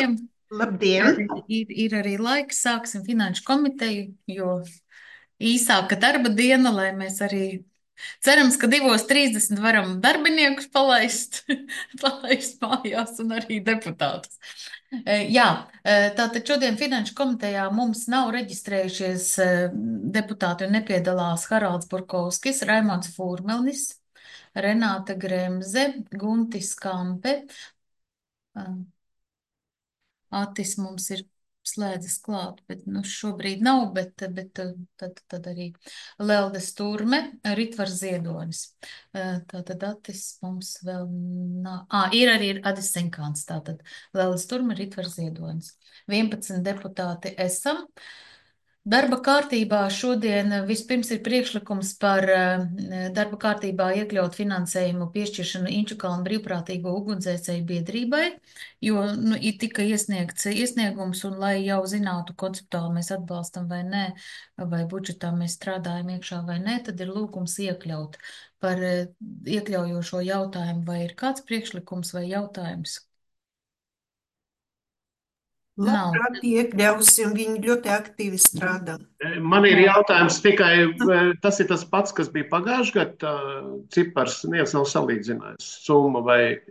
visiem. Labdien! Ir arī laiks, sāksim finanšu komiteju, jo īsāka darba diena, lai mēs arī cerams, ka 2:30 varam darbiniekus palaist, palaist mājās un arī deputātus. Jā, tātad šodien finanšu komitejā mums nav reģistrējušies deputāti un nepiedalās Haralds Burkovskis, Raimons Fūrmelnis, Renāta Gremze, Guntis Kampe. Atis mums ir slēdzas klāt, bet nu, šobrīd nav, tad arī Lelde Sturme, Ritvars Ziedonis. Tātad Atis mums vēl nav. Ir arī Adis Senkāns, tātad Lelde Sturme, Ritvars Ziedonis. 11 deputāti esam. Darba kārtībā šodien vispirms ir priekšlikums par darba kārtībā iekļaut finansējumu piešķiršanu Inčukalnu brīvprātīgo ugunsdzēsēju biedrībai, jo ir tika iesniegts iesniegums, un lai jau zinātu konceptuāli mēs atbalstam vai nē, vai budžetā mēs strādājam iekšā vai nē, tad ir lūgums iekļaut par iekļaujošo jautājumu, vai ir kāds priekšlikums vai jautājums. Nav. Labprāt, iekļausim, viņi ļoti aktīvi strādā. Man ir Jā. jautājums tikai, tas ir tas pats, kas bija pagājušajā gadā, cipars, neviens nav salīdzinājis summa vai.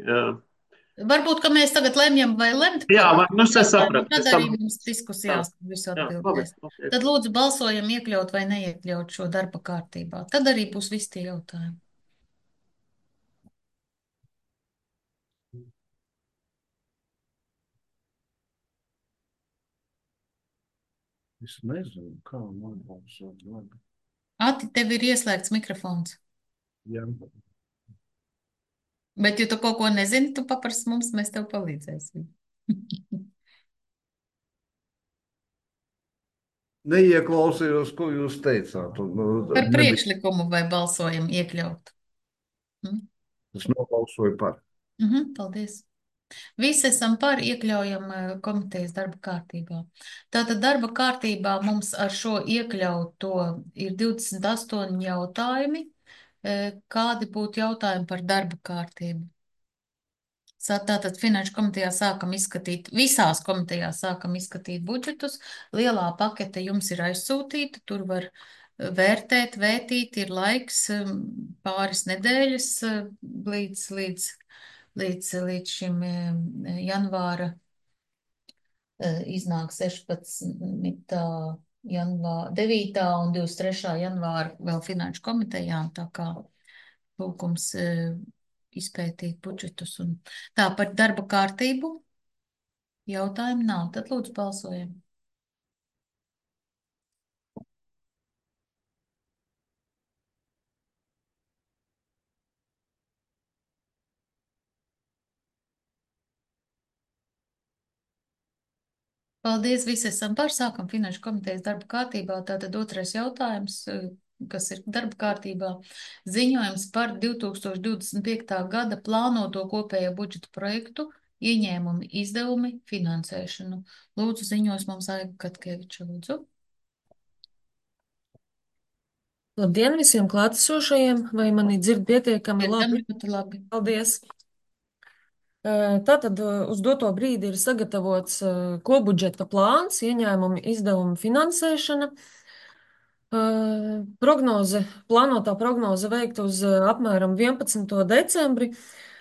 Varbūt, ka mēs tagad lemjam vai lemt. Jā, nu es sapratu. Tad arī mums diskusijās visu atbildēs. Okay. Tad lūdzu balsojam iekļaut vai neiekļaut šo darba kārtībā. Tad arī būs visi tie jautājumi. Es nezinu, kā man balsot. Ati, tev ir ieslēgts mikrofons. Jā. Bet, ja tu kaut ko nezini, tu paprasti mums, mēs tev palīdzēsim. Neieklausījos, ko jūs teicāt. Par priekšlikumu vai balsojam iekļaut? Es nobalsoju par. Paldies. Visi esam par, iekļaujam komitejas darba kārtībā. Tātad darba kārtībā mums ar šo iekļauto ir 28 jautājumi. Kādi būtu jautājumi par darba kārtību? Tātad finanšu komitejā sākam izskatīt, visās komitejās sākam izskatīt budžetus. Lielā pakete jums ir aizsūtīta, tur var vērtēt, vētīt, ir laiks pāris nedēļas līdz šim janvāra iznāk 16. janvāra, 9. un 23. janvāra vēl finanšu komitejām, tā kā lūgums izpētīt budžetus. Un tā par darba kārtību jautājumu nav, tad lūdzu balsojam. Paldies, visi esam par, sākam finanšu komitejas darba kārtībā. Tātad otrais jautājums, kas ir darba kārtībā, ziņojums par 2025. gada plānoto kopējo budžeta projektu, ieņēmumi, izdevumi, finansēšanu. Lūdzu, ziņos mums Aiga Katkeviča, lūdzu. Labdien visiem klātesošajiem, vai mani dzird pietiekami labi? Ļoti labi. Paldies! Tātad uz doto brīdi ir sagatavots kopbudžeta plāns, ieņēmumi, izdevumi, finansēšana. Plānotā prognoze veikta uz apmēram 11. decembri.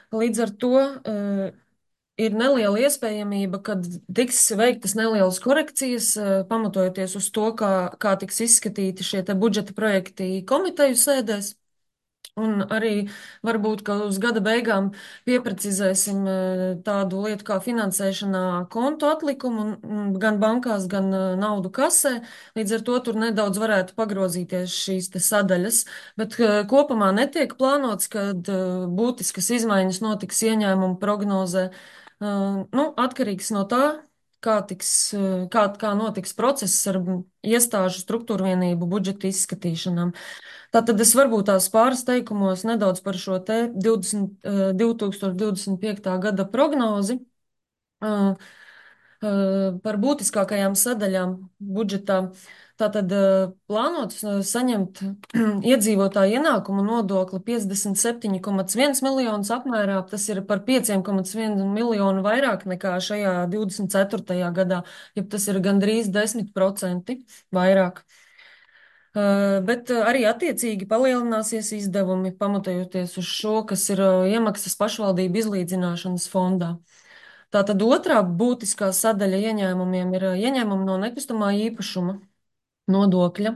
Līdz ar to ir neliela iespējamība, ka tiks veiktas nelielas korekcijas, pamatojoties uz to, kā tiks izskatīti šie te budžeta projekti komiteju sēdēs. Un arī varbūt, ka uz gada beigām pieprecizēsim tādu lietu kā finansēšanā kontu atlikumu gan bankās, gan naudu kasē. Līdz ar to tur nedaudz varētu pagrozīties šīs te sadaļas. Bet kopumā netiek plānots, ka būtiskas izmaiņas notiks ieņēmumu prognozē. Atkarīgs no tā, kā notiks process ar iestāžu struktūrvienību budžeta izskatīšanām. Tātad es varbūt tās pāris teikumos nedaudz par šo te 2025. gada prognozi, par būtiskākajām sadaļām budžetā. Tātad plānots saņemt iedzīvotāju ienākumu nodokli 57,1 miljonus apmērā. Tas ir par 5,1 miljonu vairāk nekā šajā 24. gadā, ja tas ir gandrīz 10% vairāk. Bet arī attiecīgi palielināsies izdevumi, pamatojoties uz šo, kas ir iemaksas pašvaldību izlīdzināšanas fondā. Tātad otrā būtiskā sadaļa ieņēmumiem ir ieņēmumi no nekustamā īpašuma nodokļa.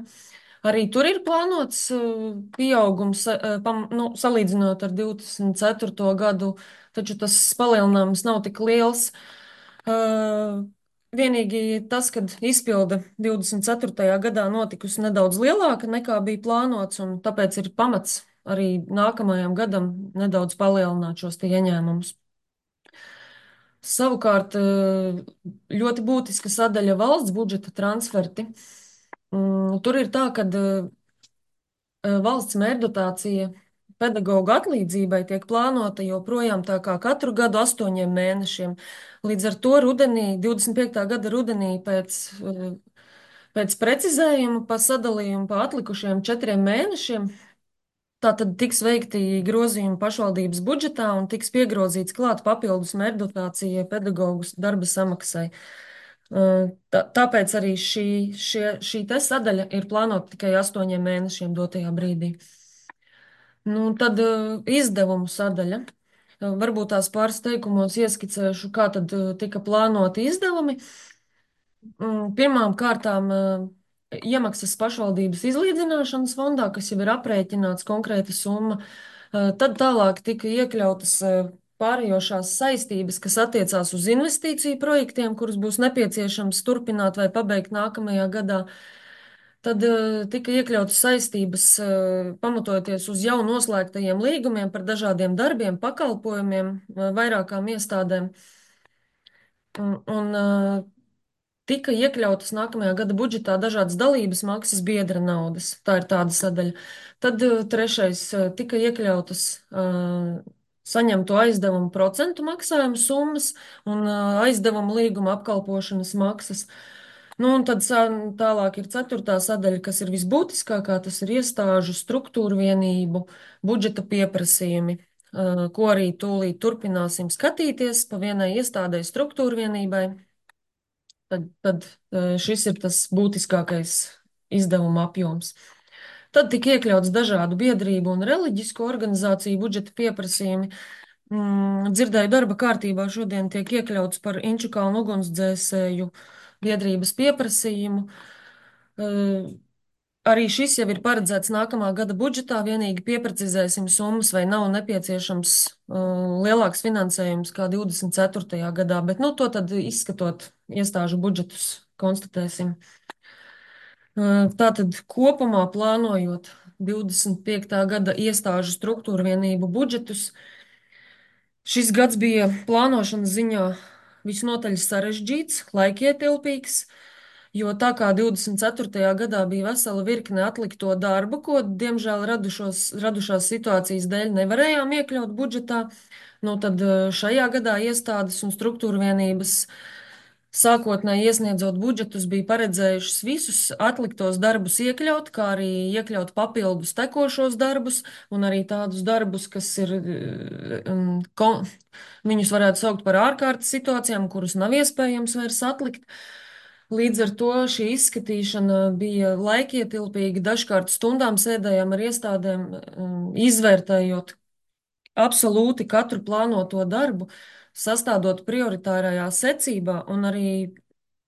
Arī tur ir plānots pieaugums, salīdzinot ar 24. gadu, taču tas palielinājums nav tik liels. Vienīgi tas, kad izpilde 24. gadā notikusi nedaudz lielāka nekā bija plānots, un tāpēc ir pamats arī nākamajam gadam nedaudz palielināt šos ieņēmumus. Savukārt ļoti būtiska sadaļa valsts budžeta transferti. Tur ir tā, ka valsts mērdotācija pedagoģu atlīdzībai tiek plānota joprojām tā kā katru gadu 8 mēnešiem. Līdz ar to rudenī, 25. gada rudenī pēc precizējuma pa sadalījumu pa atlikušiem 4 mēnešiem, tātad tiks veikti grozījumi pašvaldības budžetā un tiks piegrozīts klāt papildus mērdotācija pedagoģu darba samaksai. Tāpēc arī šī te sadaļa ir plānota tikai 8 mēnešiem dotajā brīdī. Nu, tad izdevumu sadaļa. Varbūt tās pāris teikumos ieskicēšu, kā tad tika plānoti izdevumi. Pirmām kārtām iemaksas pašvaldības izlīdzināšanas fondā, kas jau ir aprēķināts konkrēta summa. Tad tālāk tika iekļautas pārējošās saistības, kas attiecās uz investīciju projektiem, kurus būs nepieciešams turpināt vai pabeigt nākamajā gadā. Tad tika iekļautas saistības, pamatojoties uz jau noslēgtajiem līgumiem par dažādiem darbiem, pakalpojumiem, vairākām iestādēm. Un tika iekļautas nākamajā gada budžetā dažādas dalības maksas biedra naudas. Tā ir tāda sadaļa. Tad trešais tika iekļautas saņemto aizdevumu procentu maksājumu summas un aizdevumu līguma apkalpošanas maksas. Nu, un tad tālāk ir ceturtā sadaļa, kas ir visbūtiskākā, tas ir iestāžu struktūru vienību budžeta pieprasījumi, ko arī tūlīt turpināsim skatīties pa vienai iestādē struktūru vienībai. Tad šis ir tas būtiskākais izdevuma apjoms. Tad tika iekļauts dažādu biedrību un reliģisku organizāciju budžeta pieprasījumi. Dzirdēju, darba kārtībā šodien tiek iekļauts par Inčukalnu ugunsdzēsēju biedrības pieprasījumu. Arī šis jau ir paredzēts nākamā gada budžetā, vienīgi pieprecizēsim summas, vai nav nepieciešams lielāks finansējums kā 24. gadā, bet nu, to tad izskatot iestāžu budžetus konstatēsim. Tātad kopumā plānojot 25. gada iestāžu struktūru vienību budžetus, šis gads bija plānošanas ziņā visnotaļ sarežģīts, laikietilpīgs, jo tā kā 24. gadā bija vesela virkne atlikto darbu, ko, diemžēl, radušās situācijas dēļ nevarējām iekļaut budžetā, nu tad šajā gadā iestādes un struktūra vienības sākotnēji iesniedzot budžetus bija paredzējušas visus atliktos darbus iekļaut, kā arī iekļaut papildus tekošos darbus un arī tādus darbus, kas ir, viņus varētu saukt par ārkārtas situācijām, kurus nav iespējams vairs atlikt. Līdz ar to šī izskatīšana bija laikietilpīga, dažkārt stundām sēdējām ar iestādēm, izvērtējot absolūti katru plānoto darbu, sastādot prioritārajā secībā, un arī,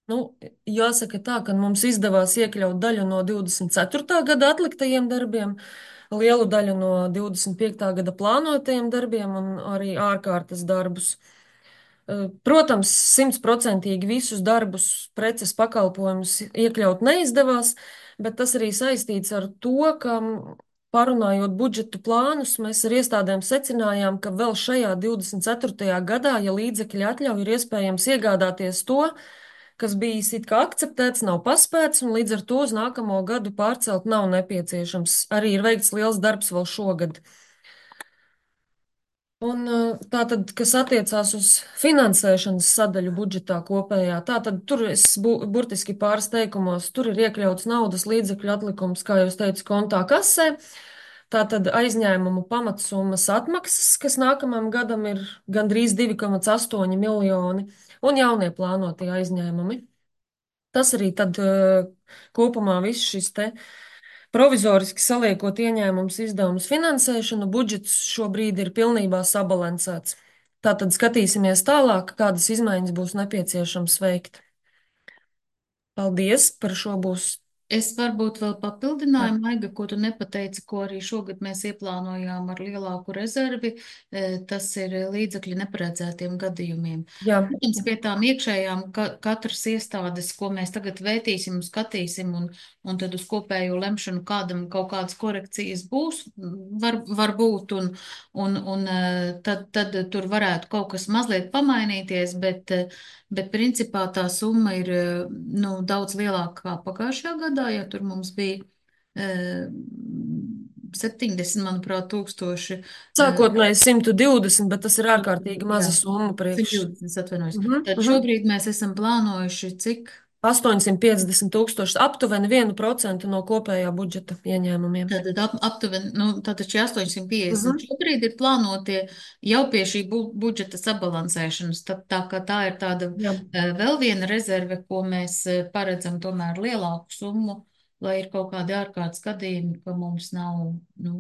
nu, jāsaka tā, ka mums izdevās iekļaut daļu no 24. gada atliktajiem darbiem, lielu daļu no 25. gada plānotajiem darbiem un arī ārkārtas darbus. Protams, 100% visus darbus, preces, pakalpojumus iekļaut neizdevās, bet tas arī saistīts ar to, ka parunājot budžetu plānus, mēs ar iestādēm secinājām, ka vēl šajā 24. gadā, ja līdzekļi atļauj, ir iespējams iegādāties to, kas bijis it kā akceptēts, nav paspēts, un līdz ar to uz nākamo gadu pārcelt nav nepieciešams. Arī ir veikts liels darbs vēl šogad. Un tātad, kas attiecās uz finansēšanas sadaļu budžetā kopējā, tātad tur es burtiski pāris teikumos, tur ir iekļauts naudas līdzekļu atlikums, kā jūs teicu, kontā kasē. Tātad aizņēmumu pamatsummas atmaksas, kas nākamajam gadam ir gandrīz 2,8 miljoni, un jaunie plānotie aizņēmumi. Tas arī tad kopumā viss šis te provizoriski saliekot ieņēmumus izdevumus finansēšanu, budžets šobrīd ir pilnībā sabalansēts. Tātad skatīsimies tālāk, kādas izmaiņas būs nepieciešams veikt. Paldies, par šo būs. Es varbūt vēl papildināju, Maiga, ko tu nepateici, ko arī šogad mēs ieplānojām ar lielāku rezervi, tas ir līdzekļi neparedzētiem gadījumiem. Jā, Protams, pie tām iekšējām katras iestādes, ko mēs tagad vētīsim un skatīsim, un tad uz kopējo lemšanu kādam kaut kādas korekcijas būs, var būt, un tad tur varētu kaut kas mazliet pamainīties, bet principā tā summa ir nu, daudz lielāka kā pagājušajā gadā, jo tur mums bija 70, manuprāt, tūkstoši. sākotnēji 120, bet tas ir ārkārtīgi maza summa priekš. 120, atvainojos. Tad šobrīd mēs esam plānojuši cik? 850 tūkstoši, aptuveni 1% no kopējā budžeta ieņēmumiem. Tātad aptuveni, nu, tātad šie 850 šobrīd ir plānotie jau pie šī budžeta sabalansēšanas. Tā kā tā ir tāda Jā. vēl viena rezerve, ko mēs paredzam tomēr lielāku summu, lai ir kaut kādi ārkārtas gadījumi, ka mums nav, nu,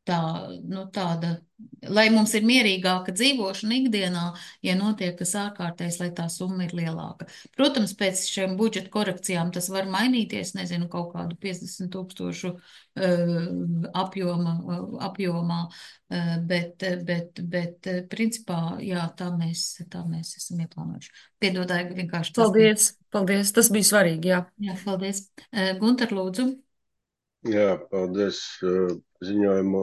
tāda, lai mums ir mierīgāka dzīvošana ikdienā, ja notiek kas ārkārtējs, lai tā summa ir lielāka. Protams, pēc šiem budžeta korekcijām tas var mainīties, nezinu, kaut kādu 50 tūkstošu apjomā, bet principā, jā, tā mēs esam ieplānojuši. Piedodāju, vienkārši tas. Paldies, tas bija svarīgi, jā. Jā, paldies. Gunter, lūdzu. Jā, paldies ziņojumu.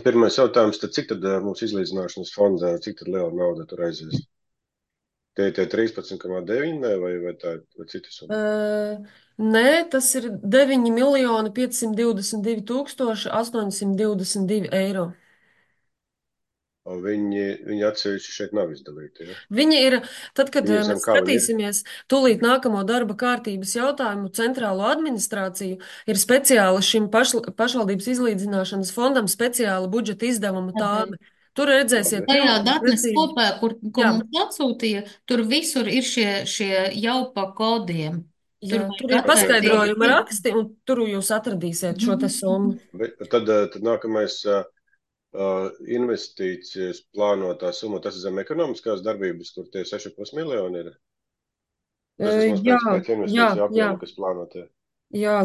Pirmais jautājums, tad cik tad mūsu izlīdzināšanas fondā, cik tad liela nauda tur aizies? Tie 13,9 vai tā vai cita summa? Nē, tas ir 9 522 822 eiro. Viņi atsevišķi šeit nav izdalīti, ja? Viņi ir, tad, kad Viņi mēs kā viņi ir? skatīsimies tūlīt nākamo darba kārtības jautājumu centrālo administrāciju, ir speciāli šim pašvaldības izlīdzināšanas fondam speciāla budžeta izdevuma tāme. Tur redzēsiet, Tajā pilnīgi datnes precīzi. kopā, ko Jā. mums atsūtīja, tur visur ir šie jau pa kodiem. Jā, vajag tur ir atvērt paskaidrojuma tie- raksti, un tur jūs atradīsiet šo te summu. Tad nākamais investīcijas plānotā summa, tas ir zem ekonomiskās darbības, kur tie 6,5 miljoni ir. Tas vismaz pēc investīciju apjoma, kas plānotie. Jā,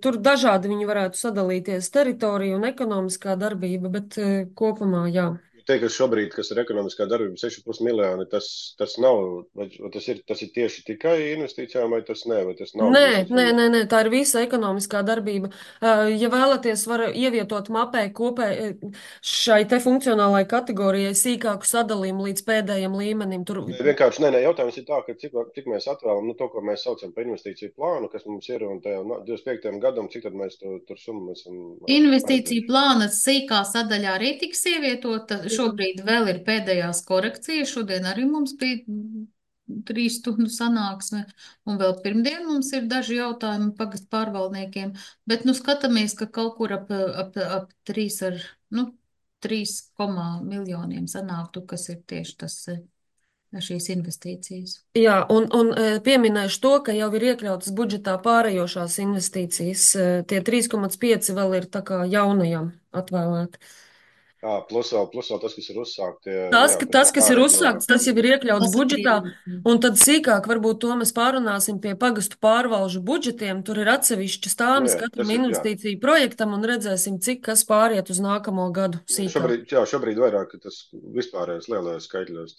tur dažādi viņi varētu sadalīties teritorija un ekonomiskā darbība, bet kopumā, jā. Teikt, ka šobrīd, kas ir ekonomiskā darbība, 6,5 miljoni, tas nav, vai tas ir tieši tikai investīcijām, vai tas nē, vai tas nav? Nē, tā ir visa ekonomiskā darbība. Ja vēlaties, var ievietot mapē šai te funkcionālai kategorijai sīkāku sadalījumu līdz pēdējiem līmenim. Tur Vienkārši, jautājums ir tā, ka cik mēs atvēlam, to, ko mēs saucam par investīciju plānu, kas mums ir, un tajā 25. gadam, cik tad mēs tur summu esam. Investīciju plāna sīkā sadaļā arī tiks ievietota. Šobrīd vēl ir pēdējās korekcijas. Šodien arī mums bija 3 stundu sanāksme, un vēl pirmdien mums ir daži jautājumi pagastu pārvaldniekiem, bet skatāmies, ka kaut kur ap 3 miljoniem sanāktu, kas ir tieši tas šīs investīcijas. Jā, un pieminēšu to, ka jau ir iekļautas budžetā pārējošās investīcijas. Tie 3,5 vēl ir tā kā jaunajām atvēlēti. Plus vēl tas, kas ir uzsākts. Tas, kas ir uzsākts, tas jau ir iekļauts budžetā, un tad sīkāk varbūt to mēs pārunāsim pie pagastu pārvalžu budžetiem. Tur ir atsevišķas tāmas katram investīciju projektam, un redzēsim, cik kas pāriet uz nākamo gadu sīkāk. Šobrīd vairāk tas vispārējais lielajos skaitļos.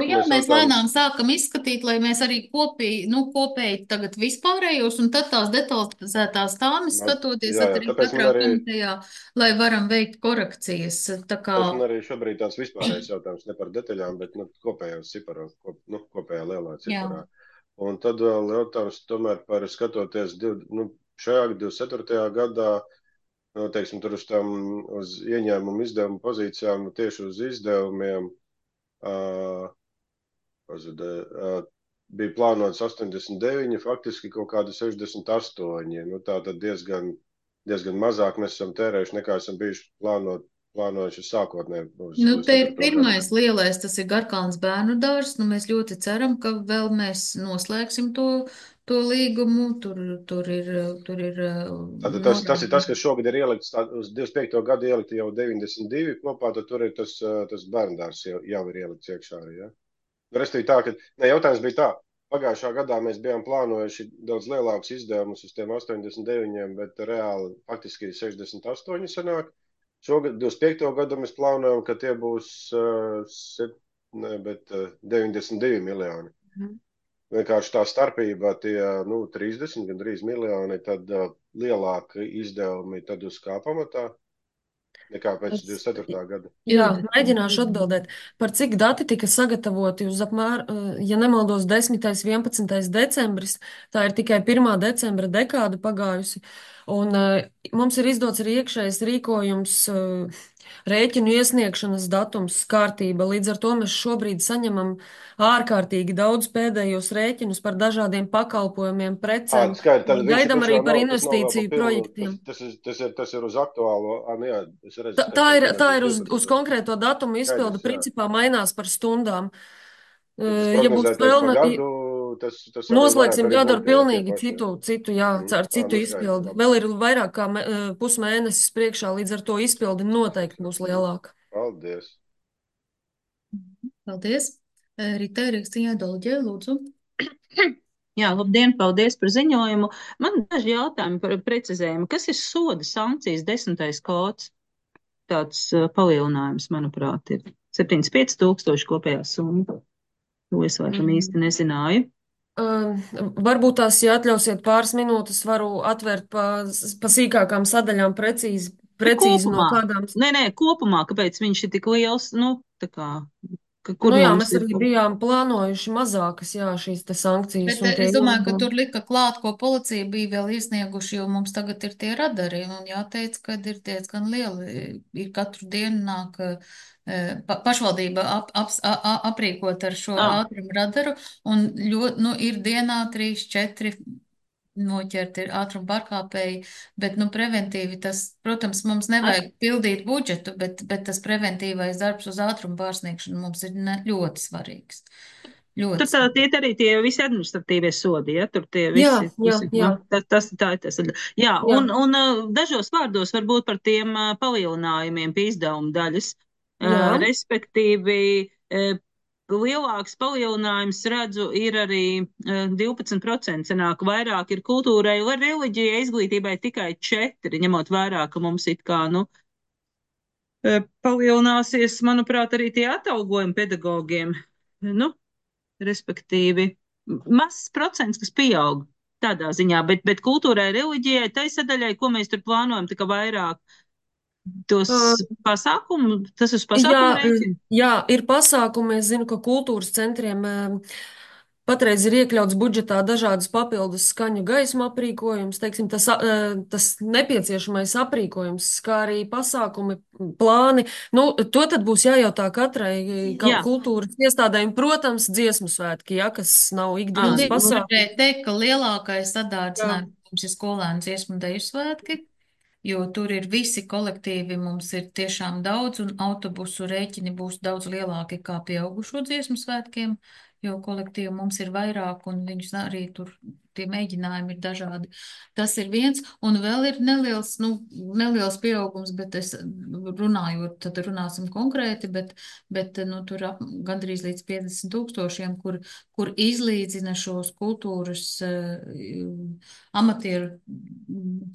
Jā, mēs lēnām sākam izskatīt, lai mēs arī kopēji tagad vispārējos, un tad tās detalizētās tāmas skatoties arī katrā komitejā, lai varam veikt korekcijas. Tas arī šobrīd tāds vispārējais jautājums, ne par detaļām, bet kopējos ciparos, kopējā lielā ciparā. Un tad vēl jautājums tomēr par skatoties šajā 24. gadā, teiksim, tur uz ieņēmumu izdevumu pozīcijām, tieši uz izdevumiem, pazuda, bija plānots 89, faktiski kaut kādi 68. Nu, tā tad diezgan mazāk mēs esam tērējuši, nekā esam bijuši plānojuši sākotnēji uz Nu, te ir 4. gadu. pirmais lielais, tas ir Garkalns bērnu dārzs. Nu, mēs ļoti ceram, ka vēl mēs noslēgsim to līgumu. Tur ir Tātad tas ir tas, kas šogad ir ielikts, uz 25. gadu ielikti jau 92 kopā, tad tur ir tas bērndārs jau ir ielikts iekšā. Ja? Restīvi tā, ka jautājums bija tā. Pagājušā gadā mēs bijām plānojuši daudz lielākus izdevumus uz tiem 89, bet reāli faktiski 68 sanāk. Šogad, 25. gadu mēs plānojam, ka tie būs 92 miljoni. Vienkārši tā starpība tie 30, gandrīz miljoni, tad lielāki izdevumi tad uz kā pamatā nekā pēc 24. gada. Jā, mēģināšu atbildēt. Par cik dati tika sagatavoti uz ja nemaldos, 10. 11. decembris, tā ir tikai 1. decembra dekāda pagājusi, un mums ir izdots arī iekšējais rīkojums, rēķinu iesniegšanas datums, kārtība. Līdz ar to mēs šobrīd saņemam ārkārtīgi daudz pēdējos rēķinus par dažādiem pakalpojumiem, precēm. Skaidrs, tad Gaidām arī par tas nav investīciju projektiem. Tas ir uz aktuālo, jā, es redzu. Tā ir uz konkrēto datumu izpildu, principā mainās par stundām. Ja būs vēlme, noslēgsim gadu ar pilnīgi citu, jā, ar citu izpildi. Vēl ir vairāk kā pusmēnesis priekšā, līdz ar to izpildi noteikti būs lielāka. Paldies. Paldies. Rita Rīkstiņā Dolģē, lūdzu. Jā, labdien, paldies par ziņojumu. Man daži jautājumi par precizējumu. Kas ir soda sankcijas 10. kods? Tāds palielinājums, manuprāt, ir 75,000 kopējā summa. To es laikam īsti nezināju. Varbūt tās, ja atļausiet pāris minūtes, varu atvērt pa sīkākām sadaļām precīzi no kādām. Nē, kopumā, kāpēc viņš ir tik liels, tā kā, kur jā, mums mēs arī bijām plānojuši mazākas, jā, šīs te sankcijas. Bet es domāju, ka tur lika klāt, ko policija bija vēl iesnieguši, jo mums tagad ir tie radari, un jāteic, ka ir diezgan lieli. Ir katru dienu nāk pašvaldība aprīkot ar šo ātrumu radaru, un ir dienā 3-4 noķerti ātruma pārkāpēji, bet, preventīvi tas, protams, mums nevajag pildīt budžetu, bet tas preventīvais darbs uz ātrumu pārsniegšanu mums ir ļoti svarīgs. Tur tie arī tie visi administratīvie sodi, ja? Tur tie visi. Jā. Tas ir tas. Jā, un dažos vārdos varbūt par tiem palielinājumiem pie izdevuma daļas. Respektīvi, lielāks palielinājums, redzu, ir arī 12%, sanāk vairāk ir kultūrai, vai reliģijai, izglītībai tikai 4%, ņemot vērā, ka mums it kā, palielināsies, manuprāt, arī tie atalgojumi pedagogiem. Respektīvi, mazs procents, kas pieaug tādā ziņā, bet kultūrai, reliģijai, tai sadaļai, ko mēs tur plānojam, tā kā vairāk tos pasākumu, tas uz pasākumu rēķina? Jā, ir pasākumi, es zinu, ka kultūras centriem patreiz ir iekļauts budžetā dažādas papildus skaņu gaismu aprīkojums, teiksim, tas nepieciešamais aprīkojums, kā arī pasākumi, plāni. To tad būs jājautā katrai kultūras iestādēm, protams, dziesmu svētki, kas nav ikdienas pasākumi. Varētu teikt, ka lielākais sadārdzinājums ir skolēnu dziesmu deju svētki, jo tur ir visi kolektīvi, mums ir tiešām daudz, un autobusu rēķini būs daudz lielāki kā pieaugušo dziesmu svētkiem, jo kolektīvi mums ir vairāk, un viņus arī tur tie mēģinājumi ir dažādi. Tas ir viens, un vēl ir neliels pieaugums, bet es runājot, tad runāsim konkrēti, bet tur gandrīz līdz 50,000, kur izlīdzina šos kultūras amatieru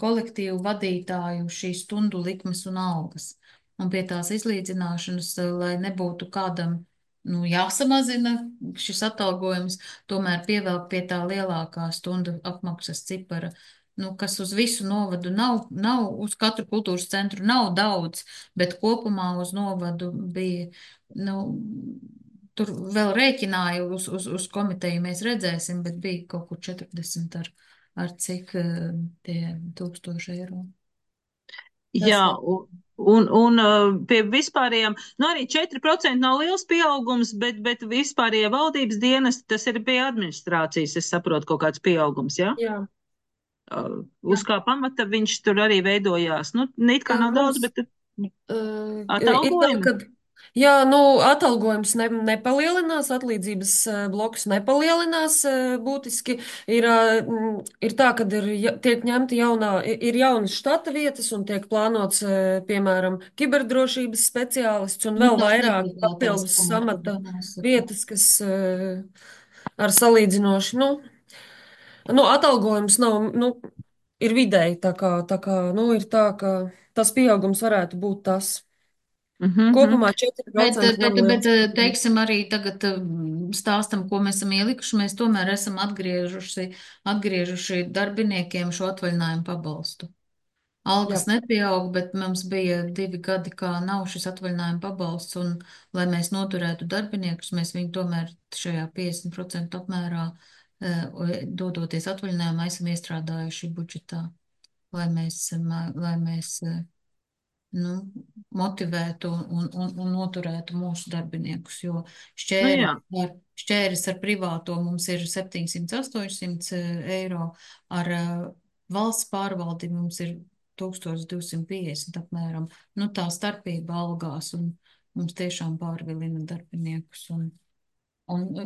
kolektīvu vadītāju šīs stundu likmes un algas. Un pie tās izlīdzināšanas, lai nebūtu kādam jāsamazina šis atalgojums, tomēr pievelk pie tā lielākā stundu apmaksas cipara, kas uz visu novadu nav, uz katru kultūras centru nav daudz, bet kopumā uz novadu bija, tur vēl rēķināju uz komiteju mēs redzēsim, bet bija kaut kur 40 ar cik tie 1000 eiro. Jā, un pie vispārējiem, nu arī 4% nav liels pieaugums, bet vispārējie valdības dienas, tas ir pie administrācijas, es saprotu, kaut kāds pieaugums, jā? Jā. Uz kā pamata viņš tur arī veidojās? Nu, it kā nav daudz, bet Ir tā, atalgojumi? ka jā, atalgojums nepalielinās, atlīdzības bloks nepalielinās būtiski. Ir tā, ka tiek ņemta ir jaunas štata vietas un tiek plānots, piemēram, kiberdrošības speciālists un vēl vairāk papildus samata vietas, kas ar salīdzinoši, atalgojums nav, ir vidēji, ir tā, ka tas pieaugums varētu būt tas. Kopumā 4% nav liels. Teiksim, arī tagad stāstam, ko mēs esam ielikuši. Mēs tomēr esam atgriežuši darbiniekiem šo atvaļinājumu pabalstu. Algas nepieaug, bet mums bija 2 gadi, kā nav šis atvaļinājuma pabalsts, un lai mēs noturētu darbiniekus, mēs viņu tomēr šajā 50% apmērā, dodoties atvaļinājumā, esam iestrādājuši budžetā, lai mēs motivētu un noturētu mūsu darbiniekus, jo šķēris ar privāto mums ir 700–800 eiro, ar valsts pārvaldi mums ir 1250 apmēram. Tā starpība algās un mums tiešām pārvilina darbiniekus un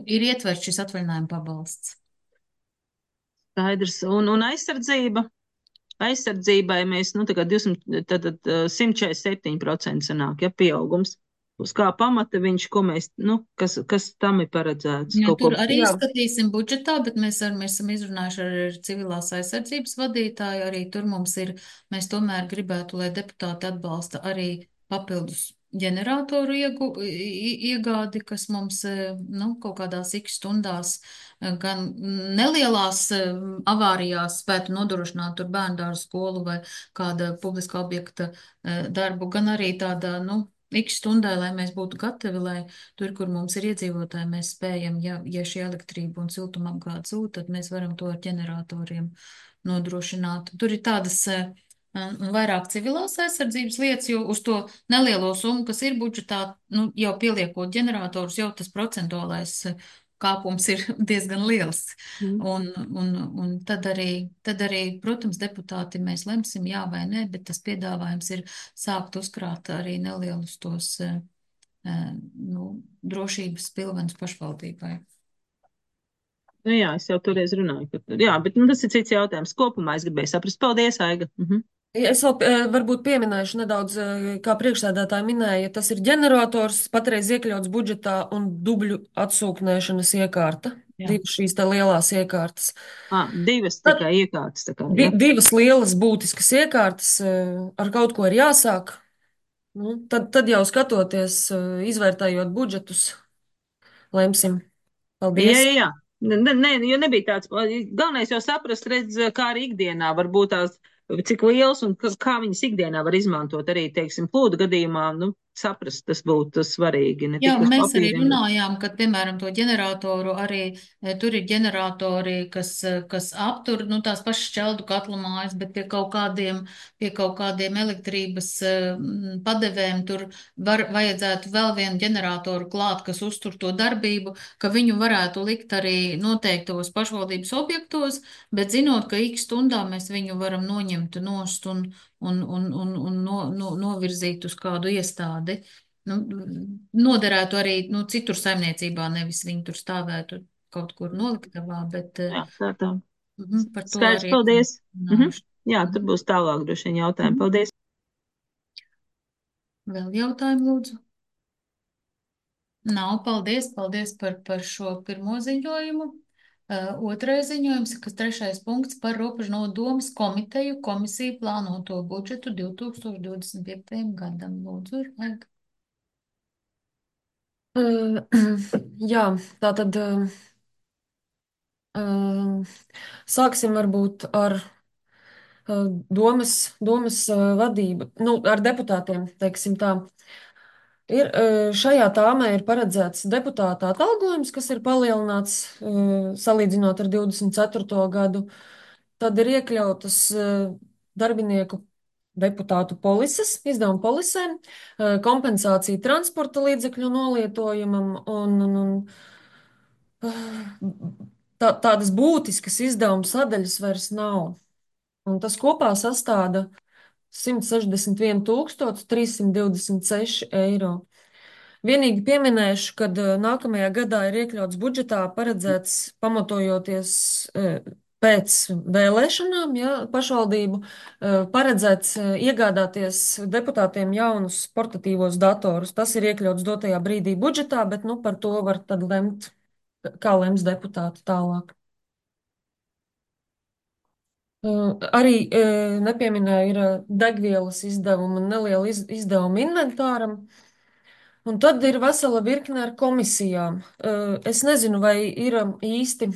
ir ietverts šis atvaļinājuma pabalsts. Skaidrs. Un aizsardzība? Aizsardzībai mēs, tagad 147% sanāk, ja, pieaugums. Uz kā pamata viņš, kas tam ir paredzēts? Jā, tur arī skatīsim budžetā, bet mēs esam izrunājuši ar civilās aizsardzības vadītāju, arī tur mēs tomēr gribētu, lai deputāti atbalsta arī papildus ģeneratoru iegādi, kas mums kaut kādās x stundās gan nelielās avārijās spētu nodrošināt tur bērndārzu skolu vai kāda publiska objekta darbu, gan arī tādā, x stundai, lai mēs būtu gatavi, lai tur, kur mums ir iedzīvotāji, mēs spējam, ja šī elektrība un siltumapgāde zūd, tad mēs varam to ar ģeneratoriem nodrošināt. Tur ir tādas vairāk civilās aizsardzības lietas, jo uz to nelielo summu, kas ir budžetā, jau pieliekot ģeneratorus, jau tas procentuālais kāpums ir diezgan liels. Un tad arī, protams, deputāti mēs lemsim jā vai nē, bet tas piedāvājums ir sākt uzkrāt arī nelielus tos drošības pilvenus pašvaldībai. Jā, es jau toreiz runāju, bet tas ir cits jautājums. Kopumā es gribēju saprast. Paldies, Aiga. Es vēl varbūt pieminēšu nedaudz, kā priekšsēdētāji minēja, tas ir ģenerators, patreiz iekļauts budžetā un dubļu atsūknēšanas iekārta. Divas šīs tā lielās iekārtas. Divas tikai iekārtas. Divas lielas būtiskas iekārtas, ar kaut ko ir jāsāk. Tad jau skatoties, izvērtējot budžetus, lemsim. Paldies! Jā. Nē, jo nebija tāds, galvenais jau saprast, kā arī ikdienā var būt tās, cik liels un kā viņas ikdienā var izmantot arī, teiksim, plūdu gadījumā, saprast, tas būtu svarīgi. Jā, mēs arī runājām, ka, piemēram, to ģeneratoru arī, tur ir ģeneratori, kas aptur, tās pašas šķeldu katlu mājas, bet pie kaut kādiem elektrības padevēm tur vajadzētu vēl vienu ģeneratoru klāt, kas uztur to darbību, ka viņu varētu likt arī noteiktos pašvaldības objektos, bet zinot, ka x stundā mēs viņu varam noņemt nost un novirzīt uz kādu iestādi. Noderētu arī citur saimniecībā, nevis viņi tur stāvētu kaut kur noliktavā, bet par to Skaidrs, arī. Paldies. Jā, tur būs tālāk droši vien jautājumi. Paldies. Vēl jautājumu, lūdzu? Nav, paldies par šo pirmo ziņojumu. Otrais ziņojums, kas 3. punkts par Robežnodu domas komiteju komisiju plānoto budžetu 2025. gadam. Lūdzu, Aiga. Jā, tātad sāksim varbūt ar domas vadību, ar deputātiem, teiksim tā. Šajā tāmē ir paredzēts deputāta atalgojums, kas ir palielināts salīdzinot ar 24. gadu. Tad ir iekļautas darbinieku deputātu polises, izdevuma polisēm, kompensācija transporta līdzekļu nolietojumam un tādas būtiskas izdevuma sadaļas vairs nav. Un tas kopā sastāda 161,326 eiro. Vienīgi pieminēšu, ka nākamajā gadā ir iekļauts budžetā paredzēts, pamatojoties pēc vēlēšanām, pašvaldību, paredzēts iegādāties deputātiem jaunus portatīvos datorus. Tas ir iekļauts dotajā brīdī budžetā, bet par to var tad lemt, kā lems deputāti tālāk. Arī nepieminēju, ir degvielas izdevuma un neliela izdevuma inventāram. Un tad ir vesela virkne ar komisijām. Es nezinu, vai ir īsti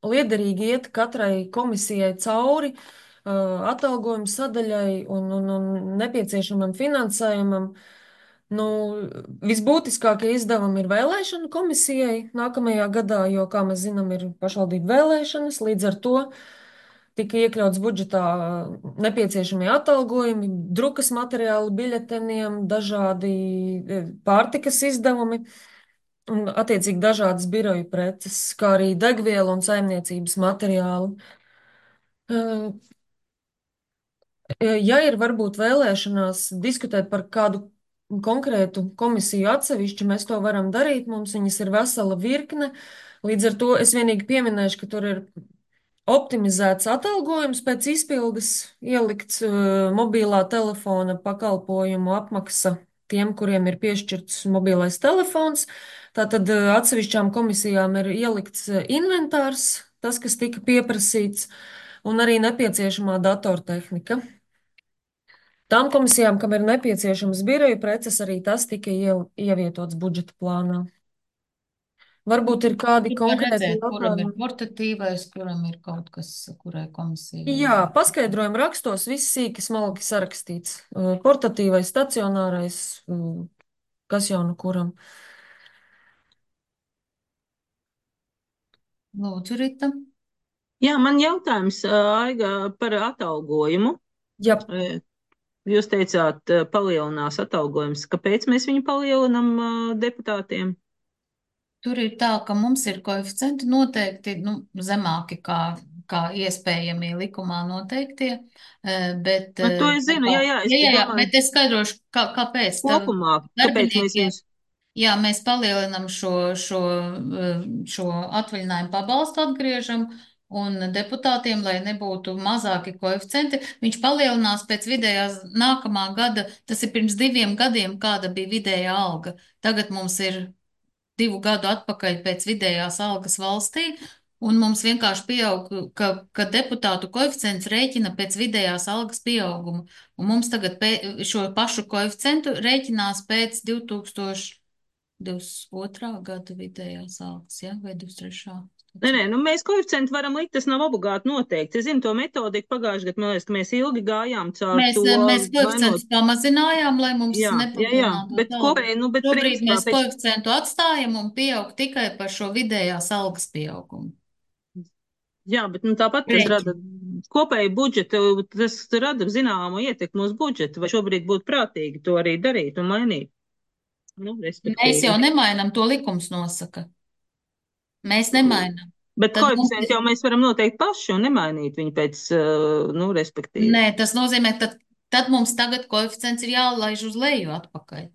liederīgi iet katrai komisijai cauri atalgojuma sadaļai un nepieciešamam finansējumam. Visbūtiskākie izdevumi ir vēlēšanu komisijai nākamajā gadā, jo, kā mēs zinām, ir pašvaldību vēlēšanas. Līdz ar to tika iekļauts budžetā nepieciešamie atalgojumi, drukas materiāli biļeteniem, dažādi pārtikas izdevumi un, attiecīgi, dažādas biroju preces, kā arī degviela un saimniecības materiāli. Ja ir varbūt vēlēšanās diskutēt par kādu konkrētu komisiju atsevišķi, mēs to varam darīt, mums viņas ir vesela virkne. Līdz ar to es vienīgi pieminēšu, ka tur ir optimizēts atalgojums pēc izpildes, ielikts mobilā telefona pakalpojumu apmaksa tiem, kuriem ir piešķirts mobilais telefons. Tātad atsevišķām komisijām ir ielikts inventārs, tas, kas tika pieprasīts, un arī nepieciešamā datortehnika. Tām komisijām, kam ir nepieciešamas biroju preces, arī tas tika ievietots budžeta plānā. Varbūt ir kādi konkrēti jautājumi. Kuram ir jautājumi? portatīvais, kuram ir kaut kas, kurai komisijai? Jā, paskaidrojumu rakstos viss sīki smalki sarakstīts. Portatīvais, stacionārais, kas jau nu kuram. Lūdzu, Rita. Jā, man jautājums, Aiga, par atalgojumu. Jā. Jūs teicāt, palielinās atalgojums. Kāpēc mēs viņu palielinam deputātiem? Tur ir tā, ka mums ir koeficienti noteikti zemāki kā iespējamie likumā noteiktie, bet... To es zinu, jā, es domāju. Bet es skaidrošu, kāpēc. Kopumā, kāpēc mēs viņus... Jā, mēs palielinam šo atvaļinājumu pabalstu atgriežam, un deputātiem, lai nebūtu mazāki koeficienti, viņš palielinās pēc vidējās nākamā gada, tas ir pirms 2 gadiem, kāda bija vidējā alga. Tagad mums ir 2 gadu atpakaļ pēc vidējās algas valstī, un mums vienkārši pieaug, ka deputātu koeficients rēķina pēc vidējās algas pieauguma. Un mums tagad šo pašu koeficientu rēķinās pēc 2022. gada vidējās algas, ja? Vai 23. Nē, mēs koeficientu varam likt, tas nav obligāti noteikti. Es zinu to metodiku pagājušajā gadā, man liekas, ka mēs ilgi gājām caur to. Mēs koeficientus pamazinājām, lai mums nepalielinātu. Bet kopēji, šobrīd mēs koeficientu atstājam un pieaug tikai par šo vidējās algas pieaugumu. Jā, bet tāpat tas rada kopēju budžetu, tas rada zināmu ietekmu uz budžetu, vai šobrīd būtu prātīgi to arī darīt un mainīt. Mēs jau nemainam, to likums nosaka. Mēs nemainam. Bet koeficientu jau mēs varam noteikt paši un nemainīt viņu pēc, respektīvi. Nē, tas nozīmē, ka tad mums tagad koeficients ir jālaiž uz leju atpakaļ.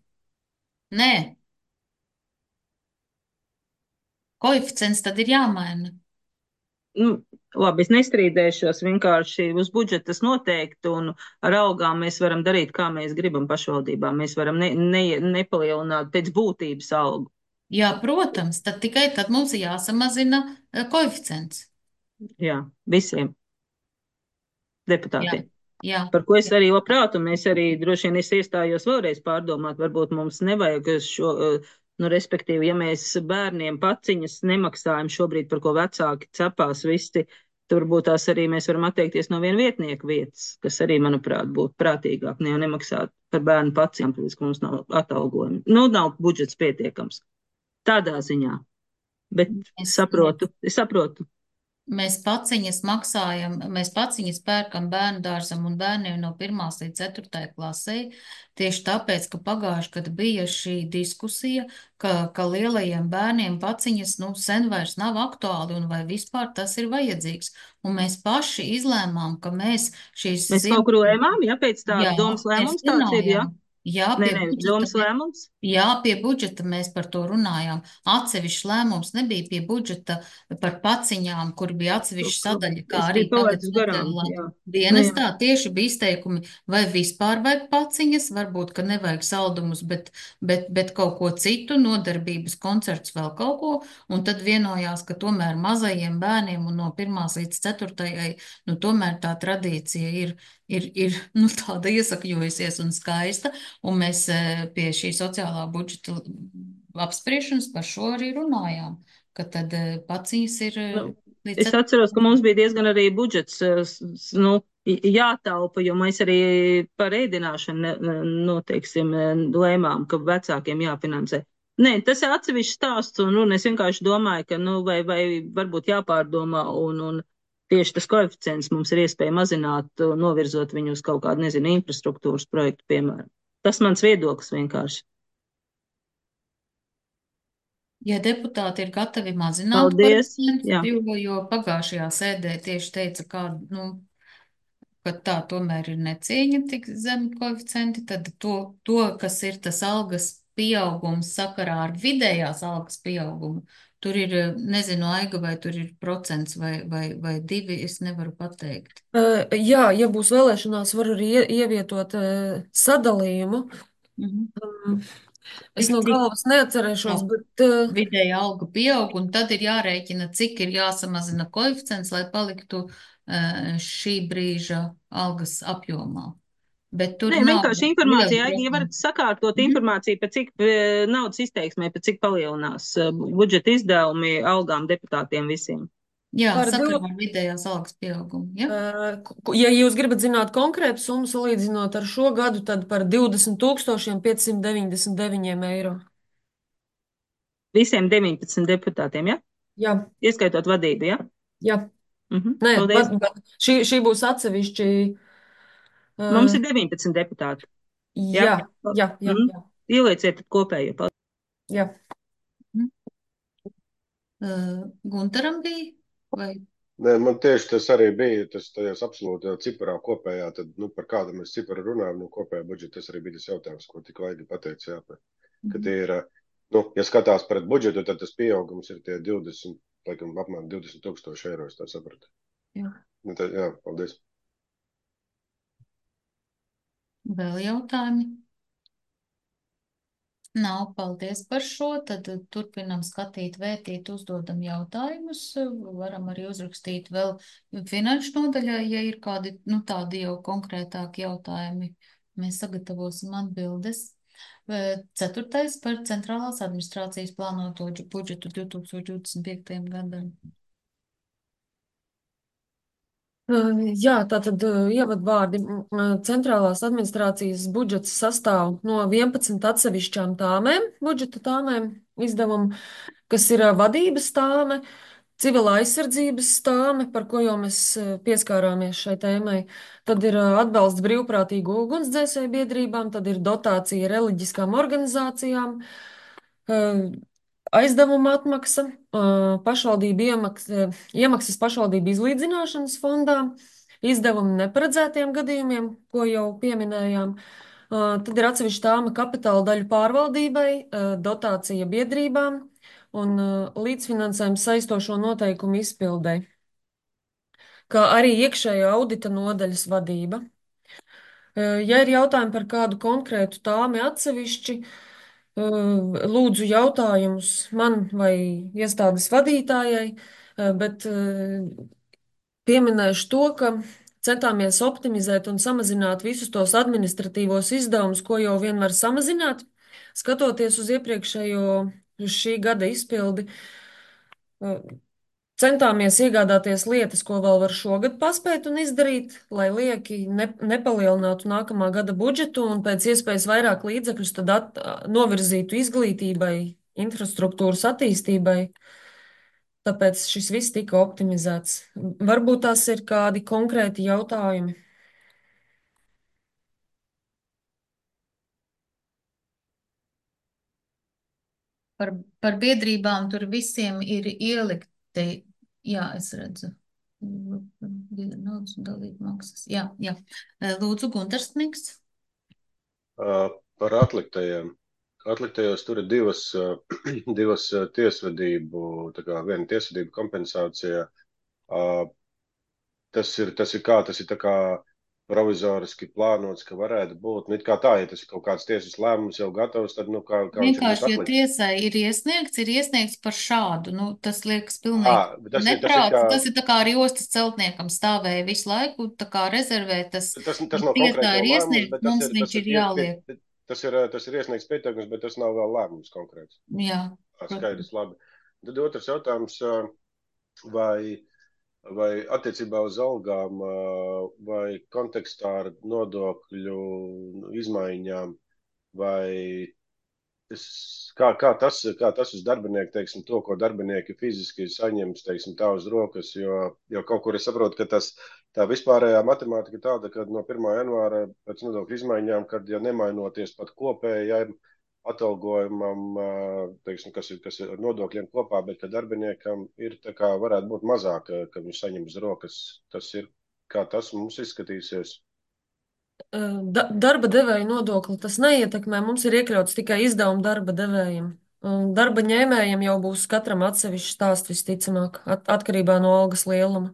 Nē. Koeficients tad ir jāmaina. Labi, es nestrīdēšos, vienkārši uz budžetas noteikti, un ar algām mēs varam darīt, kā mēs gribam pašvaldībā. Mēs varam nepalielināt pēc būtības algu. Jā, protams, tad mums ir jāsamazina koeficients. Jā, visiem deputātiem. Jā. Par ko es arī labprāt, un mēs arī droši vien es iestājos vēlreiz pārdomāt, varbūt mums nevajag šo, respektīvi, ja mēs bērniem paciņas nemaksājam šobrīd, par ko vecāki cepās visi, tur būtu tās arī mēs varam atteikties no viena vietnieka vietas, kas arī, manuprāt, būtu prātīgāk, ne jau nemaksāt par bērnu paciņām, tāpēc, ka mums nav atalgojumi. Nav budžets pietiekams. Tādā ziņā. Bet es saprotu. Mēs paciņas maksājam, mēs paciņas pērkam bērnu dārzam un bērniem no 1. līdz 4. klasē, tieši tāpēc, ka pagājuši, kad bija šī diskusija, ka lielajiem bērniem paciņas, sen vairs nav aktuāli un vai vispār tas ir vajadzīgs. Un mēs paši izlēmām, ka mēs šīs Mēs kaut kur lēmām, ja pēc Jā, tāda domas mēs lēmums tāds ir, ja? runājām. Jā, Nē, pie budžeta domas lēmums. Jā, pie budžeta mēs par to runājām. Atsevišķs lēmums nebija pie budžeta par paciņām, kur bija atsevišķa sadaļa, kā Es arī biju tagad palaidis garām, sociālā jā. dienestā. Tieši bija izteikumi, vai vispār vajag paciņas, varbūt, ka nevajag saldumus, bet kaut ko citu, nodarbības koncerts, vēl kaut ko. Un tad vienojās, ka tomēr mazajiem bērniem un no 1. līdz 4. Tomēr tā tradīcija ir tāda iesakņojusies un skaista. Un mēs pie šī sociālā budžeta apspriešanas par šo arī runājām, ka tad paciņas ir līdz Es atceros, ka mums bija diezgan arī budžets jātaupa, jo mēs arī par ēdināšanu noteiksim lēmām, ka vecākiem jāfinansē. Nē, tas ir atsevišķs stāsts, un es vienkārši domāju, ka vai varbūt jāpārdomā, un tieši tas koeficients mums ir iespēja mazināt, novirzot viņu uz kaut kādu, nezinu, infrastruktūras projektu, piemēram. Tas mans viedoklis vienkārši. Ja deputāti ir gatavi mazināt Paldies, koeficientu, jo pagājušajā sēdē tieši teica, ka tā tomēr ir necieņa tik zemi koeficienti, tad to, kas ir tas algas pieaugums sakarā ar vidējās algas pieaugumu, tur ir, nezinu, Aiga, vai tur ir procents vai 2, es nevaru pateikt. Jā, ja būs vēlēšanās, var arī ievietot sadalījumu. Es no galvas neatcerēšos, bet vidēja alga pieaug, un tad ir jārēķina, cik ir jāsamazina koeficients, lai paliktu šī brīža algas apjomā. Bet tur Nē, vienkārši informācija, ja varat sakārtot informāciju, pēc cik naudas izteiksmē, pēc cik palielinās budžeta izdevumi algām deputātiem visiem. Jā, sakarā ar vidējās algas pieaugumu. Ja jūs gribat zināt konkrētu summu salīdzinot ar šo gadu, tad par 20,599 eiro. Visiem 19 deputātiem, ja? Jā. Ieskaitot vadību, ja? Jā. Nē, šī būs atsevišķi. Mums ir 19 deputāti. Jā. Ielieciet kopējo. Jā. Guntaram bija? Vai? Nē, man tieši tas arī bija, tas tajās absolūti ciparā kopējā, tad, par kādu mēs ciparu runājam, kopējā budžeta, tas arī bija tas jautājums, ko tik Vaigi pateica, jā, ka tie ir, ja skatās pret budžetu, tad tas pieaugums ir tie 20, laikam, apmēram 20,000 eiro, es tā sapratu. Jā. Tad, jā, paldies. Vēl jautājumi? Nav, paldies par šo. Tad turpinam skatīt, vērtīt, uzdodam jautājumus. Varam arī uzrakstīt vēl finanšu nodaļā, ja ir kādi, tādi jau konkrētāki jautājumi. Mēs sagatavosim atbildes. 4. par centrālās administrācijas plānoto budžetu 2025. gadam. Jā, tātad ievadvārdi. Centrālās administrācijas budžets sastāv no 11 atsevišķām tāmēm, budžeta tāmēm izdevumu, kas ir vadības tāme, civilā aizsardzības tāme, par ko jau mēs pieskārāmies šai tēmai. Tad ir atbalsts brīvprātīgu ugunsdzēsēju biedrībām, tad ir dotācija reliģiskām organizācijām, aizdevuma atmaksa, pašvaldību iemaksas pašvaldību izlīdzināšanas fondā, izdevumi neparedzētiem gadījumiem, ko jau pieminējām. Tad ir atsevišķa tāma kapitāla daļu pārvaldībai, dotācija biedrībām un līdzfinansējums saistošo noteikumu izpildei, kā arī iekšējā audita nodaļas vadība. Ja ir jautājumi par kādu konkrētu tāmi atsevišķi, lūdzu jautājumus man vai iestādes vadītājai, bet pieminēšu to, ka centāmies optimizēt un samazināt visus tos administratīvos izdevumus, ko jau vien var samazināt, skatoties uz iepriekšējo, uz šī gada izpildi. Centāmies iegādāties lietas, ko vēl var šogad paspēt un izdarīt, lai lieki nepalielinātu nākamā gada budžetu un pēc iespējas vairāk līdzekļus tad novirzītu izglītībai, infrastruktūras attīstībai. tāpēc šis viss tika optimizēts. Varbūt tās ir kādi konkrēti jautājumi. Par biedrībām tur visiem ir ielikti, jā, es redzu. Naudas un dalību maksas. Jā. Lūdzu, Guntars Sniks. Par atliktajiem. Atliktajos tur ir divas tiesvedību, tā kā viena tiesvedību kompensācija. Tas ir tā kā provizoriski plānots, ka varētu būt. Nu, it kā tā, ja tas ir kaut kāds tiesas lēmums jau gatavs, tad, kā viņš ir Vienkārši, ja atlikts. tiesai ir iesniegts par šādu, tas liekas pilnīgi neprāts. Tas ir tā kā arī ostas celtniekam stāvēja visu laiku, tā kā rezervē tas nav tiesā konkrēti ir vēl lēmums, iesniegts, bet mums viņš ir jāliek. Tas ir iesniegts pieteikums, bet tas nav vēl lēmums konkrēts. Jā. Skaidrs, labi. Tad otrs jautājums, vai attiecībā uz algām, vai kontekstā ar nodokļu izmaiņām, vai kā tas uz darbinieku, teiksim, to, ko darbinieki fiziski saņems, teiksim, tā uz rokas, jo kaut kur es saprotu, ka tā vispārējā matemātika tāda, ka no 1. janvāra pēc nodokļu izmaiņām, kad, ja nemainoties pat kopējai atalgojumam, teiksim, kas ir ar nodokļiem kopā, bet ka darbiniekam ir tā kā varētu būt mazāk, ka viņš saņem uz rokas. Tas ir, kā tas mums izskatīsies. Darba devēja nodokli tas neietekmē. Mums ir iekļauts tikai izdevumi darba devējiem. Darba ņēmējiem jau būs katram atsevišķs stāsts visticamāk, atkarībā no algas lieluma.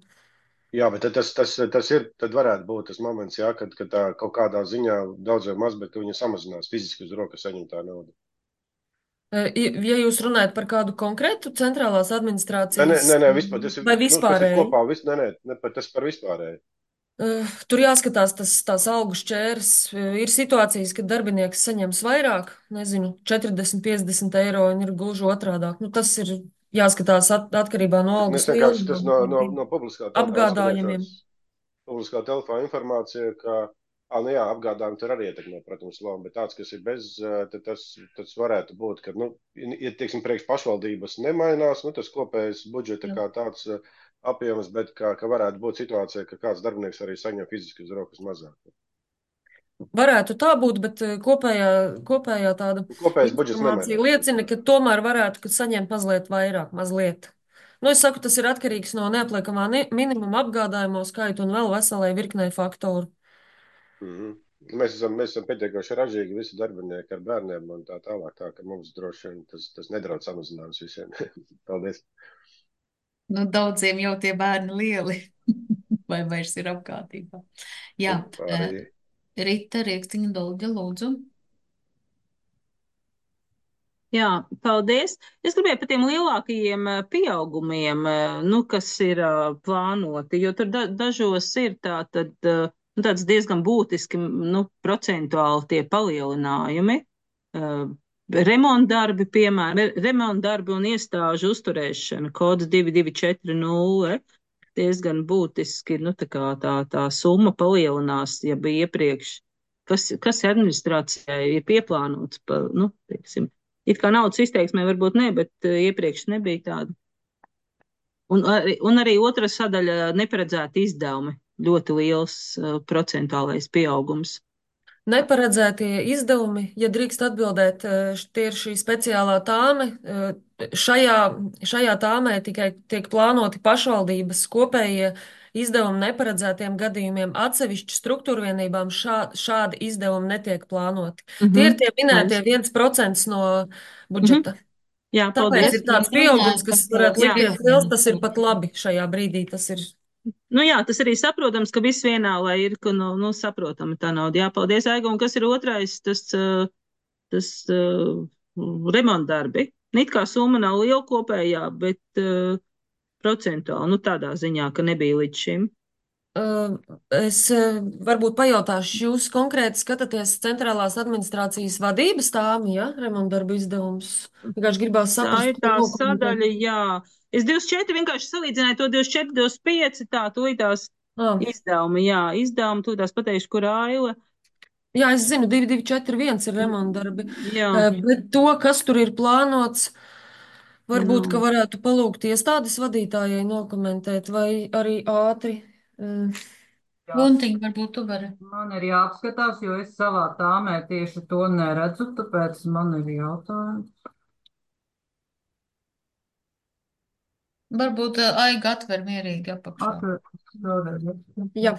Jā, bet tad varētu būt tas moments, jā, kad tā kaut kādā ziņā daudz vai maz, bet ka viņa samazinās fiziski uz rokas saņemtā nauda. Ja jūs runājat par kādu konkrētu centrālās administrācijas Nē, vispār, vai vispārēju? Tas par vispārēju. Tur jāskatās tās algu šķērs. Ir situācijas, kad darbinieks saņems vairāk, nezinu, 40, 50 eiro, un ir gluži otrādāk. Tas ir jāskatās atkarībā no algas lieluma. Tas no publiskā apgādājumiem. Publiskā telefā informācija, ka apgādājumi tur arī ietekmē, protams, lomu, bet tāds, kas ir bez, tas varētu būt, ka, ja, teiksim, priekš pašvaldības nemainās, tas kopējais budžeta kā tāds apjoms, bet ka varētu būt situācija, ka kāds darbinieks arī saņem fiziski uz rokas mazāk. Varētu tā būt, bet kopējā tāda informācija liecina, ka tomēr varētu saņemt mazliet vairāk, mazliet. Es saku, tas ir atkarīgs no neapliekamā minimuma apgādājumu skaitu un vēl veselai virknei faktoru. Mēs esam pietiekoši ražīgi visi darbinieki ar bērniem un tā tālāk, tā ka mums droši vien tas nedraud samazinājums visiem. Paldies! Daudziem jau tie bērni lieli, vai vairs ir apkārtībā. Jā, Rita Riekstiņa Dolģa, lūdzu. Jā, paldies. Es gribēju par tiem lielākajiem pieaugumiem, kas ir plānoti, jo tur dažos ir tāds diezgan būtiski, procentuāli tie palielinājumi. Remontdarbi, piemēram, remontdarbi un iestāžu uzturēšana, kods 2240, diezgan būtiski, tā summa palielinās, ja bija iepriekš, kas administrācijai ir pieplānots, teiksim, it kā naudas izteiksmē varbūt ne, bet iepriekš nebija tāda. Un arī otra sadaļa neparedzēti izdevumi, ļoti liels procentuālais pieaugums. Neparedzētie izdevumi, ja drīkst atbildēt, tie ir šī speciālā tāme. Šajā tāmē tikai tiek plānoti pašvaldības kopējie izdevumi neparedzētiem gadījumiem. Atsevišķu struktūru vienībām šādi izdevumi netiek plānoti. Tie ir tie minētie 1% no budžeta. Jā, tāpēc ir tāds pieaugums, kas varētu likties liels, tas ir pat labi šajā brīdī. Tas ir. Jā, tas arī saprotams, ka viss vienā, lai ir, ka, saprotami tā nauda. Jā, paldies, Aiga. Un kas ir otrais, tas remontdarbi. It kā summa nav liela kopējā, bet procentuāli, tādā ziņā, ka nebija līdz šim. Es varbūt pajautāšu, jūs konkrēti skatāties centrālās administrācijas vadības tāmi, ja? Remontdarbu izdevums. Vienkārši gribās saprast. Tā ir tā sadaļa, jā. Es 24 vienkārši salīdzināju to 24, 25, tūlītās izdevumi, jā, izdevumi, tūlītās pateikšu, kur Aila. Jā, es zinu, 2241 ir remontdarbi, bet to, kas tur ir plānots, Varbūt, ka varētu palūgt iestādes vadītājai nokomentēt, vai arī ātri. Guntiņ, varbūt tu vari. Man ir jāapskatās, jo es savā tāmē tieši to neredzu, tāpēc man ir jautājums. Varbūt Aiga atver mierīgi apakšā. Atver vēlreiz. Jā.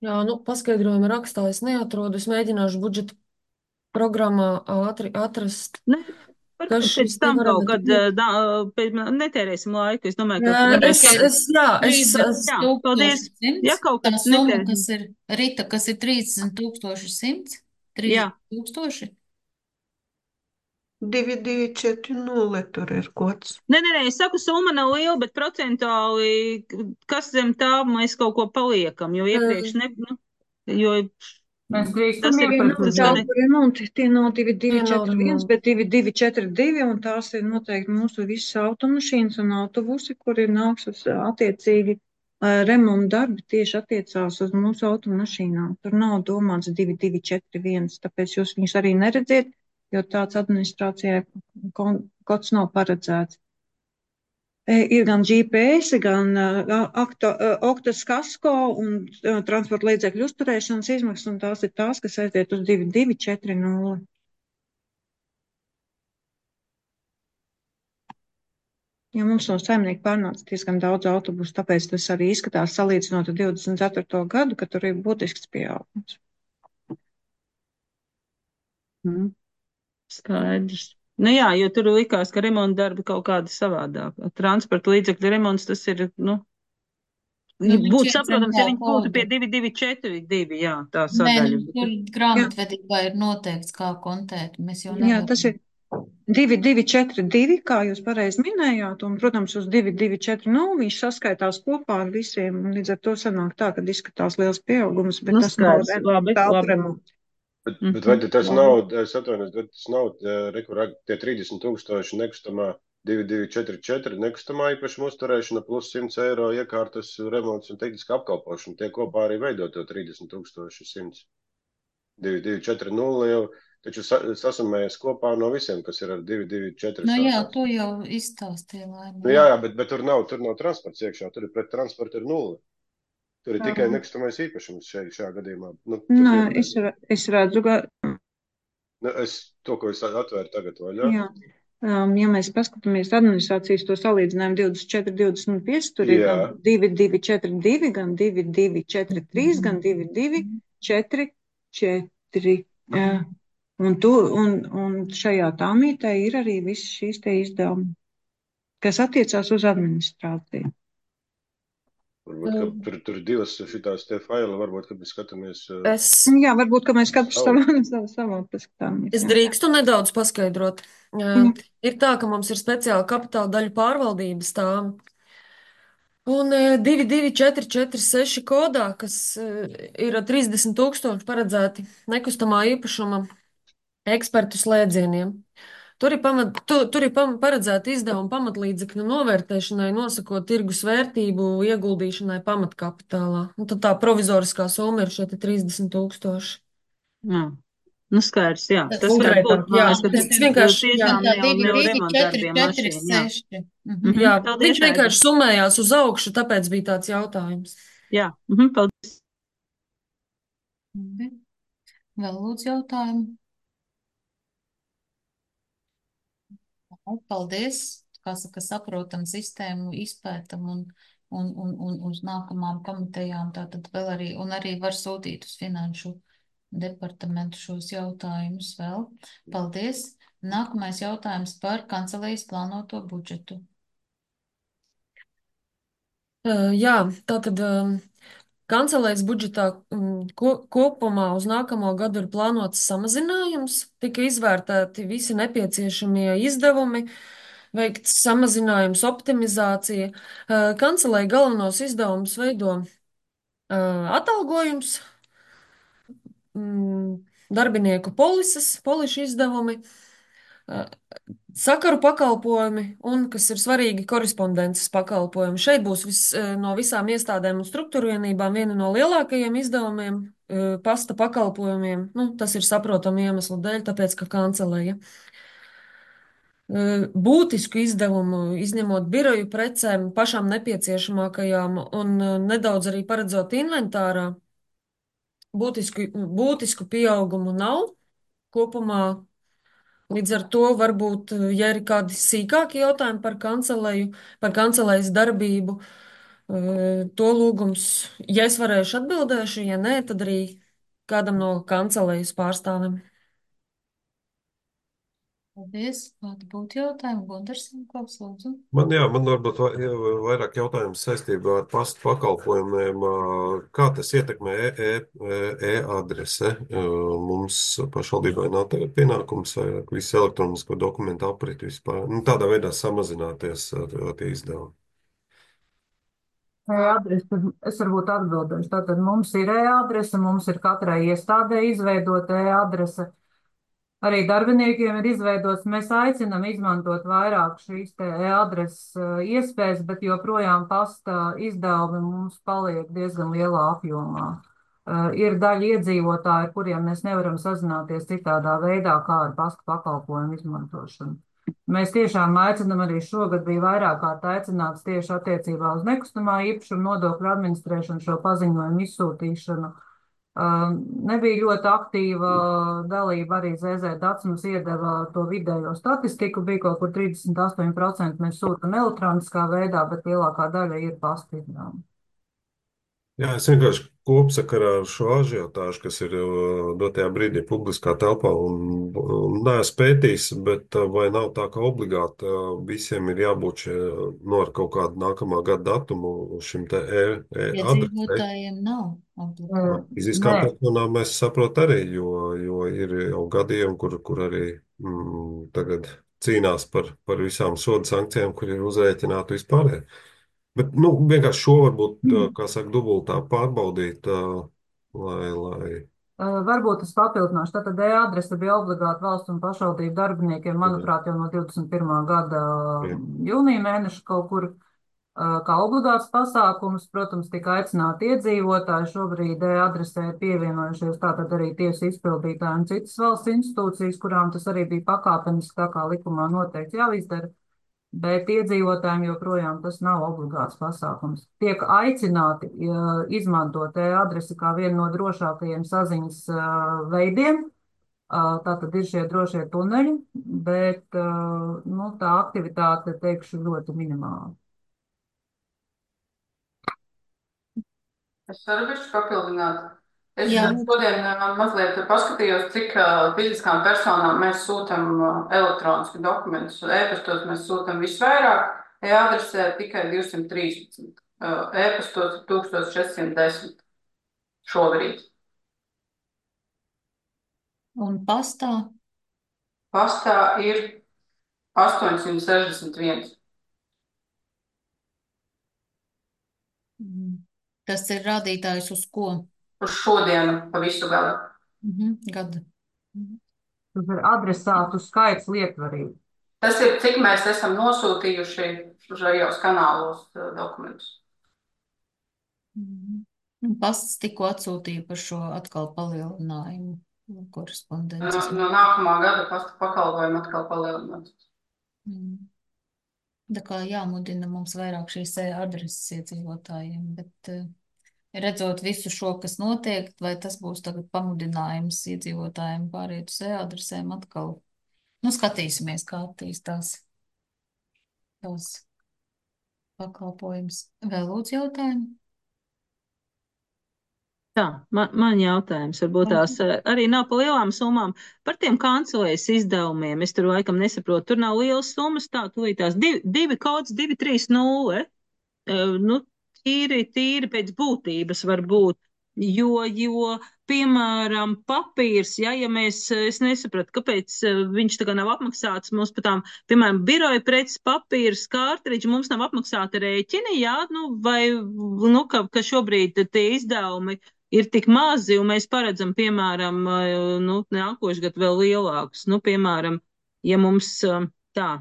Jā, nu, paskaidrojumu rakstā es neatrodu. Es mēģināšu budžeta programmā ātri atrast. Ne, Kas pēc šis te tam varētu kaut kad būt? netērēsim laiku. Es domāju, Jā, ka jā, paldies. Ja kaut Tā kad summa, netērēsim. kas ir Rita, kas ir 30 100, Jā. 30 000. 2240 tur ir kods. Nē, es saku, summa nav liela, bet procentuāli, kas zem tā mēs kaut ko paliekam, jo iepriekš ne, nu, jo Mēs drīkstam tas ir, iepirkt tas jau. gan ir. remonti, tie nav Tie nav 2241, remonti. bet 2242, un tās ir noteikti mūsu visas automašīnas un autobusi, kuri nāks uz attiecīgi remonta darbi tieši attiecās uz mūsu automašīnām. Tur nav domāts 2241, tāpēc jūs viņus arī neredziet, jo tāds administrācijai kods nav paredzēts. Ir gan GPS, gan Oktas kasko un transporta līdzekļu uzturēšanas izmaksas, un tās ir tās, kas aiziet uz 2240. Ja mums no saimnieka pārnāca diezgan daudz autobusu, tāpēc tas arī izskatās salīdzinot ar 24. gadu, ka tur ir būtisks pieaugums. Skaidrs. Nu jā, jo tur likās, ka remonta darbi kaut kādi savādāk. Transporta līdzekļu remonts tas ir, Nu, būtu viņš saprotams, ja iedzem viņi tā būtu pie kodu. 2242, jā, tā Nē, sadaļa. nu, tur grāmatvedībā ir noteikts, kā kontēt. Mēs jau Jā, tas ir 2242, kā jūs pareizi minējāt, un, protams, uz 2240 viņš saskaitās kopā ar visiem, un līdz ar to sanāk tā, ka izskatās liels pieaugums, bet tas nav Skaidrs, labi. remonts. Bet vai tas nav, es atvainojos, bet tas nav tie 30,000 nekustamā 2244 nekustamā īpašuma uzturēšana plus 100 eiro iekārtas remonts un tehniska apkalpošana. Tie kopā arī veido to 30,100. 2240 jau taču sasumējas kopā no visiem, kas ir ar 224. Nu jā, to jau izstāstīja Laima. Nu jā, bet tur nav transports iekšā, tur ir pret transportu ir 0. Tur ir tikai nekustamais īpašums šajā gadījumā. Nu, Nē, es redzu, ka. To, ko es atvēru tagad vaļā. Jā. Ja mēs paskatāmies administrācijas to salīdzinājumu 24, 25, tur ir gan 2242, gan 2243, gan 2244. Un šajā tāmītē ir arī visi šīs te izdevumi, kas attiecās uz administrāciju. Varbūt, tur ir divas šitās te faila, varbūt, kad mēs skatāmies. Jā, varbūt, ka mēs katrs savā paskatāmies. Es drīkstu nedaudz paskaidrot. Ir tā, ka mums ir speciāla kapitāla daļu pārvaldības tāma. Un 22446 kodā, kas ir 30,000 paredzēti nekustamā īpašuma ekspertu slēdzieniem. Tur ir paredzēta izdevuma pamatlīdzekļu novērtēšanai, nosakot tirgus vērtību, ieguldīšanai pamatkapitālā. Un tad tā provizoriskā summa ir šie 30,000. Jā. Nu skaidrs, jā. Tas konkrētāk, var būt, jā. ka Tas vienkārši, tiešām tā jau 2, remontdarbiem 4, mašīna, jā. 6. Jā, Paldies, viņš vienkārši summējās uz augšu, tāpēc bija tāds jautājums. Jā, paldies. Vēl lūdzu jautājumu. Paldies. Kā saka, saprotam sistēmu, izpētam un uz nākamām komitejām tātad vēl arī, un arī var sūtīt uz finanšu departamentu šos jautājumus vēl. Paldies. Nākamais jautājums par kancelējas plānoto budžetu. Jā, tātad Kancelēs budžetā kopumā uz nākamo gadu ir plānots samazinājums, tika izvērtēti visi nepieciešamie izdevumi, veikts samazinājums, optimizācija. Kancelei galvenos izdevumus veido atalgojums, darbinieku polišu izdevumi, sakaru pakalpojumi un, kas ir svarīgi, korespondences pakalpojumi. Šeit būs no visām iestādēm un struktūrvienībām viena no lielākajiem izdevumiem pasta pakalpojumiem. Nu, tas ir saprotamu iemeslu dēļ, tāpēc, ka kanceleja. Būtisku izdevumu, izņemot biroju precēm, pašām nepieciešamākajām un nedaudz arī paredzot inventārā, būtisku pieaugumu nav kopumā. Līdz ar to varbūt, ja ir kādi sīkāki jautājumi par kanceleju, par kancelejas darbību, to lūgums, ja es varēšu atbildēšu, ja nē, tad arī kādam no kancelejas pārstāvim. Paldies. Kādi būtu jautājumi? Gundarsam, Klaus, lūdzu. Man varbūt vairāk jautājumu saistībā ar pastu pakalpojumiem. Kā tas ietekmē e-adrese? Mums pašvaldībai nav tagad pienākums vairāk visu elektronisko dokumentu aprit vispār. Nu, tādā veidā samazināties tie izdevumi. E-adrese, es varbūt atbildēšu. Tātad mums ir e-adrese, mums ir katrai iestādē izveidota e-adrese. Arī darbiniekiem ir izveidots, mēs aicinam izmantot vairāk šīs e-adreses iespējas, bet joprojām pasta izdevumi mums paliek diezgan lielā apjomā. Ir daļa iedzīvotāji, ar kuriem mēs nevaram sazināties citādā veidā, kā ar pasta pakalpojumu izmantošanu. Mēs tiešām aicinam, arī šogad bija vairāk kārt aicināts tieši attiecībā uz nekustamā īpašuma nodokļu administrēšanu, šo paziņojumu izsūtīšanu. Nebija ļoti aktīva dalība, arī ZZ Dats mums iedeva to vidējo statistiku, bija kaut kur 38% mēs sūtam elektroniskā veidā, bet lielākā daļa ir pasta izdevumi. Jā, es vienkārši kopsakarā ar šo ažiotāžu, kas ir dotajā brīdī publiskā telpā, un neesmu pētījis, bet vai nav tā, ka obligāti visiem ir jābūt ar kaut kādu nākamā gada datumu šim te e-adresei? Iedzīvotājiem nav obligāti. Fiziskām personām mēs saprot arī, jo ir jau gadījumi, kur arī tagad cīnās par visām soda sankcijām, kur ir uzrēķināti vispārēji. Bet, vienkārši šo varbūt, kā saka, dubultā pārbaudīt, lai... Varbūt es papildināšu. Tātad e-adrese bija obligāti valsts un pašvaldību darbiniekiem, manuprāt, jau no 21. gada jūnija mēneša kaut kur kā obligāts pasākums. Protams, tika aicināti iedzīvotāji. Šobrīd e-adresē ir pievienojušies tātad arī tiesu izpildītāji un citas valsts institūcijas, kurām tas arī bija pakāpeniski, tā kā likumā noteikti jāizdara. Bet iedzīvotājiem joprojām tas nav obligāts pasākums. Tiek aicināti izmantot e-adresi kā vienu no drošākajiem saziņas veidiem. Tātad ir šie drošie tuneļi, bet tā aktivitāte, teikšu, ļoti minimāla. Es varu bišķi papildināt. Es šodien mazliet paskatījos, cik fiziskām personām mēs sūtam elektronisku dokumentus. E-pastos mēs sūtam visvairāk, e-adresē tikai 213, e-pastos 1410 šobrīd. Un pastā? Pastā ir 861. Tas ir rādītājs uz ko? Uz šodienu pa visu gadu. Gadu. Tas ir adresātu skaits lietvarīgi. Tas ir, cik mēs esam nosūtījuši šajos kanālos dokumentus. Pasts tikko atsūtīja par šo atkal palielinājumu korespondences. No nākamā gada pasta pakalpojumu atkal palielināt. Tā kā jāmudina mums vairāk šīs adreses iedzīvotājiem, bet redzot visu šo, kas notiek, vai tas būs tagad pamudinājums iedzīvotājiem pāriet uz e-adresēm atkal. Skatīsimies, kā attīstās tos pakalpojums. Vēl lūdzu jautājumu? Tā, man jautājums varbūt tās arī nav pa lielām summām. Par tiem kancelejas izdevumiem, es tur laikam nesaprotu, tur nav lielas summas, tā tās 2,230. tīri pēc būtības varbūt. Jo, piemēram, papīrs, ja es nesapratu, kāpēc viņš tā kā nav apmaksāts mums par tām, piemēram, biroja preces papīrs, kārtriģi, mums nav apmaksāta rēķini, jā, ka šobrīd tie izdevumi ir tik mazi, un mēs paredzam, piemēram, nākošu gadu vēl lielākus, piemēram, ja mums tā.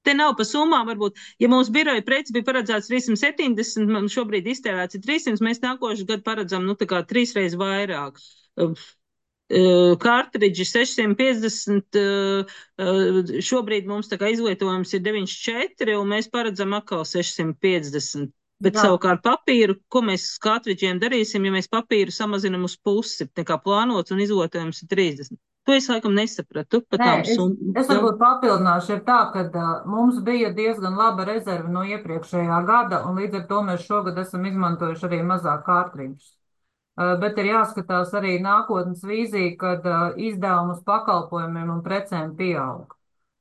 Te nav pa summām, varbūt, ja mums biroja preces bija paredzēts 370, man šobrīd iztērēts 300, mēs nākošu gadu paredzam, tā kā 3 reizes vairāk. Kārtridži 650, šobrīd mums tā kā izlietojums ir 94, un mēs paredzam atkal 650. Bet savukārt papīru, ko mēs ar kārtridžiem darīsim, ja mēs papīru samazinam uz pusi, nekā plānots un izlietojums ir 30. To es laikam nesapratu. Es varbūt papildināšu, ir tā, ka mums bija diezgan laba rezerve no iepriekšējā gada, un līdz ar to mēs šogad esam izmantojuši arī mazāk kārtridžus. Bet ir jāskatās arī nākotnes vīzija, kad izdevumus pakalpojumiem un precēm pieaug.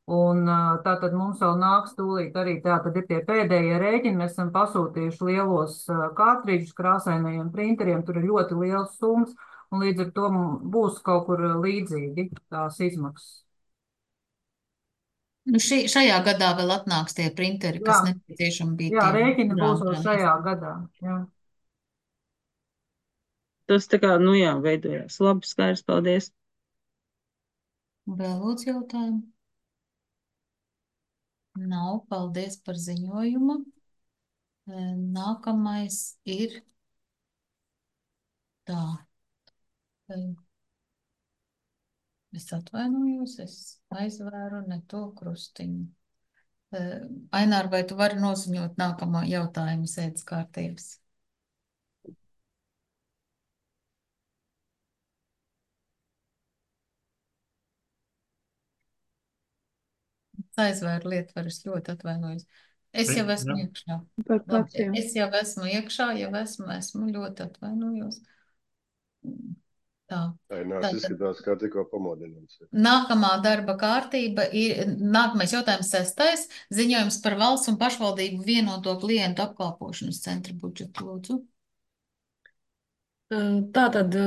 Un tātad mums vēl nāks tūlīt arī tātad ir tie pēdējie rēķini, mēs esam pasūtījuši lielos kārtridžus krāsainajiem printeriem, tur ir ļoti liels summas, un līdz ar to būs kaut kur līdzīgi tās izmaksas. Šajā gadā vēl atnāks tie printeri, kas nepieciešami bija. Jā, rēķini būs vēl šajā gadā, jā. Tas tā kā, veidojās. Labi, skaidrs, paldies. Vēl lūdzu jautājumu? Nav, paldies par ziņojumu. Nākamais ir tā. Es atvainojos, es aizvēru ne to krustiņu. Ainār, vai tu vari noziņot nākamo jautājumu sēdes kārtības? Aizvēru lietvaru, es ļoti atvainojos. Es jau esmu iekšā. Es jau esmu iekšā, esmu ļoti atvainojos. Tā. Ainārs izskatās, kā tikko pamodināts. Nākamā darba kārtība ir, nākamais jautājums 6. Ziņojums par valsts un pašvaldību vienoto klientu apkalpošanas centra budžetu, lūdzu. Tātad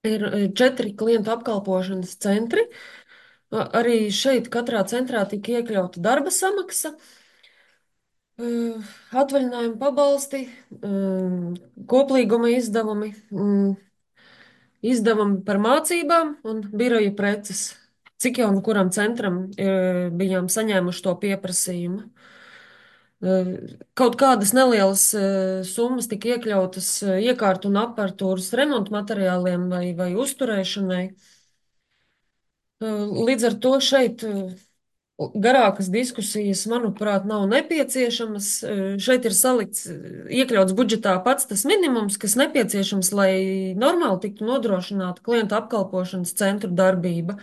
ir 4 klientu apkalpošanas centri. Arī šeit katrā centrā tika iekļauta darba samaksa, atvaļinājuma pabalsti, koplīguma izdevumi, izdevumi par mācībām un biroja preces. Cik jau nu kuram centram bijām saņēmuši to pieprasījumu. Kaut kādas nelielas summas tika iekļautas iekārtu un aparatūras remontu materiāliem vai uzturēšanai. Līdz ar to šeit garākas diskusijas, manuprāt, nav nepieciešamas. Šeit ir iekļauts budžetā pats tas minimums, kas nepieciešams, lai normāli tiktu nodrošināta klientu apkalpošanas centru darbība.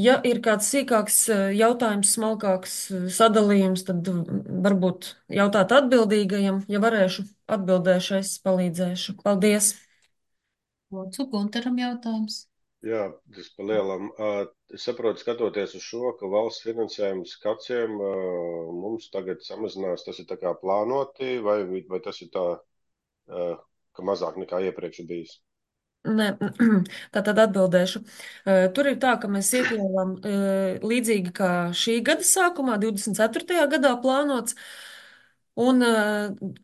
Ja ir kāds sīkāks jautājums, smalkāks sadalījums, tad varbūt jautāt atbildīgajam. Ja varēšu, atbildēšu, es palīdzēšu. Paldies! Lūdzu, Gunteram jautājums. Jā, tas pa lielam. Es saprotu, skatoties uz šo, ka valsts finansējums kaciem mums tagad samazinās, tas ir tā kā plānoti, vai tas ir tā, ka mazāk nekā iepriekš ir bijis? Nē, tātad atbildēšu. Tur ir tā, ka mēs iekļāvām līdzīgi kā šī gada sākumā, 24. gadā plānots, un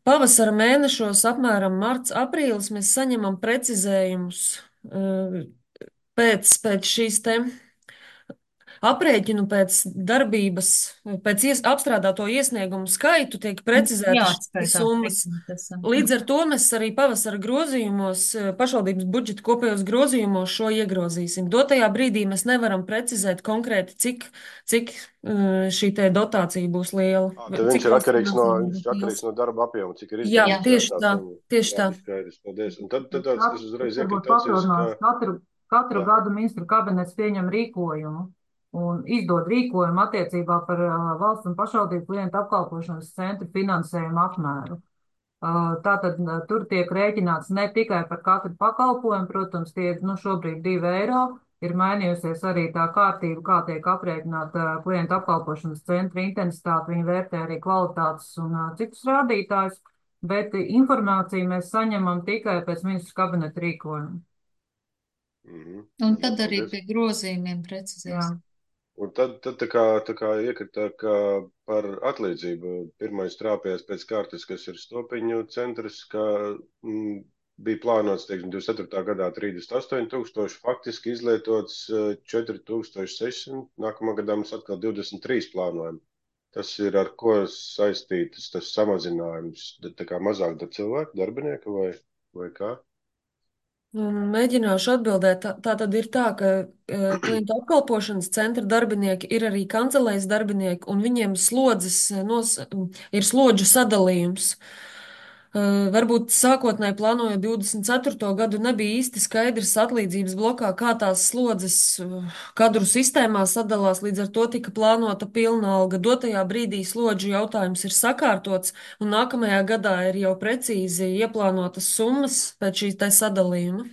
pavasara mēnešos, apmēram marts, aprīlis, mēs saņemam precizējumus pēc šīs te aprēķinu pēc darbības, pēc apstrādāto iesniegumu skaitu tiek precizētas šīs summas. Līdz ar to mēs arī pavasara grozījumos, pašvaldības budžeta kopējos grozījumos šo iegrozīsim. Dotajā brīdī mēs nevaram precizēt konkrēti, cik šī te dotācija būs liela. Tad viņš ir atkarīgs no darba apjoma, cik ir izdevies. Jā, tieši tā. Un tad es uzreiz iekrīt acīs, ka... Katru gadu ministru kabinets pieņem rīkojumu un izdod rīkojumu attiecībā par valsts un pašvaldību klientu apkalpošanas centru finansējumu apmēru. Tātad tur tiek rēķināts ne tikai par katru pakalpojumu, protams, tie šobrīd 2 eiro, ir mainījusies arī tā kārtība, kā tiek aprēķināta klientu apkalpošanas centra intensitāte. Viņi vērtē arī kvalitātes un citus rādītājus, bet informāciju mēs saņemam tikai pēc ministru kabineta rīkojuma. Un tad arī pie grozījumiem precizēs. Un tad tā kā iekrita, ka par atlīdzību pirmais trāpījās pēc kārtas, kas ir Stopiņu centrs, ka bija plānots, teiksim, 24. gadā 38,000, faktiski izlietots 4,600, nākamā gadā mums atkal 23 plānojam. Tas ir ar ko saistītas tas samazinājums, tā kā mazāk cilvēku, darbinieka vai kā? Mēģināšu atbildēt. Tā tad ir tā, ka klientu apkalpošanas centra darbinieki ir arī kancelējas darbinieki, un viņiem ir slodžu sadalījums. Varbūt sākotnēji plānojot 24. gadu, nebija īsti skaidrs atlīdzības blokā, kā tās slodzes kadru sistēmā sadalās, līdz ar to tika plānota pilna alga. Dotajā brīdī slodžu jautājums ir sakārtots, un nākamajā gadā ir jau precīzi ieplānotas summas pēc šī te sadalījuma.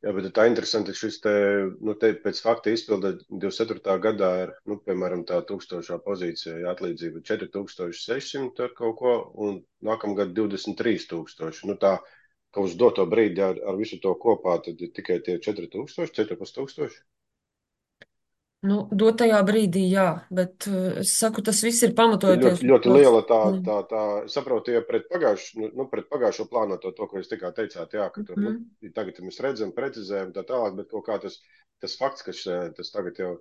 Jā, bet tā interesanti, ka šis te pēc fakta izpilda 24. gadā ir, piemēram, tā 1000 pozīcija atlīdzība 4,600 ar kaut ko, un nākamgad 23,000. Tā, ka uz doto brīdi ar visu to kopā, tad ir tikai tie 4,000, 4,500. Dotajā brīdī, jā, bet es saku, tas viss ir pamatojoties. Ļoti liela tā saprotu, ja pret pagājušo plānoto to, ko jūs tikā teicāt, jā, ka tur, tagad mēs redzam, precizējam tā tālāk, bet kaut kā tas fakts, ka tas tagad jau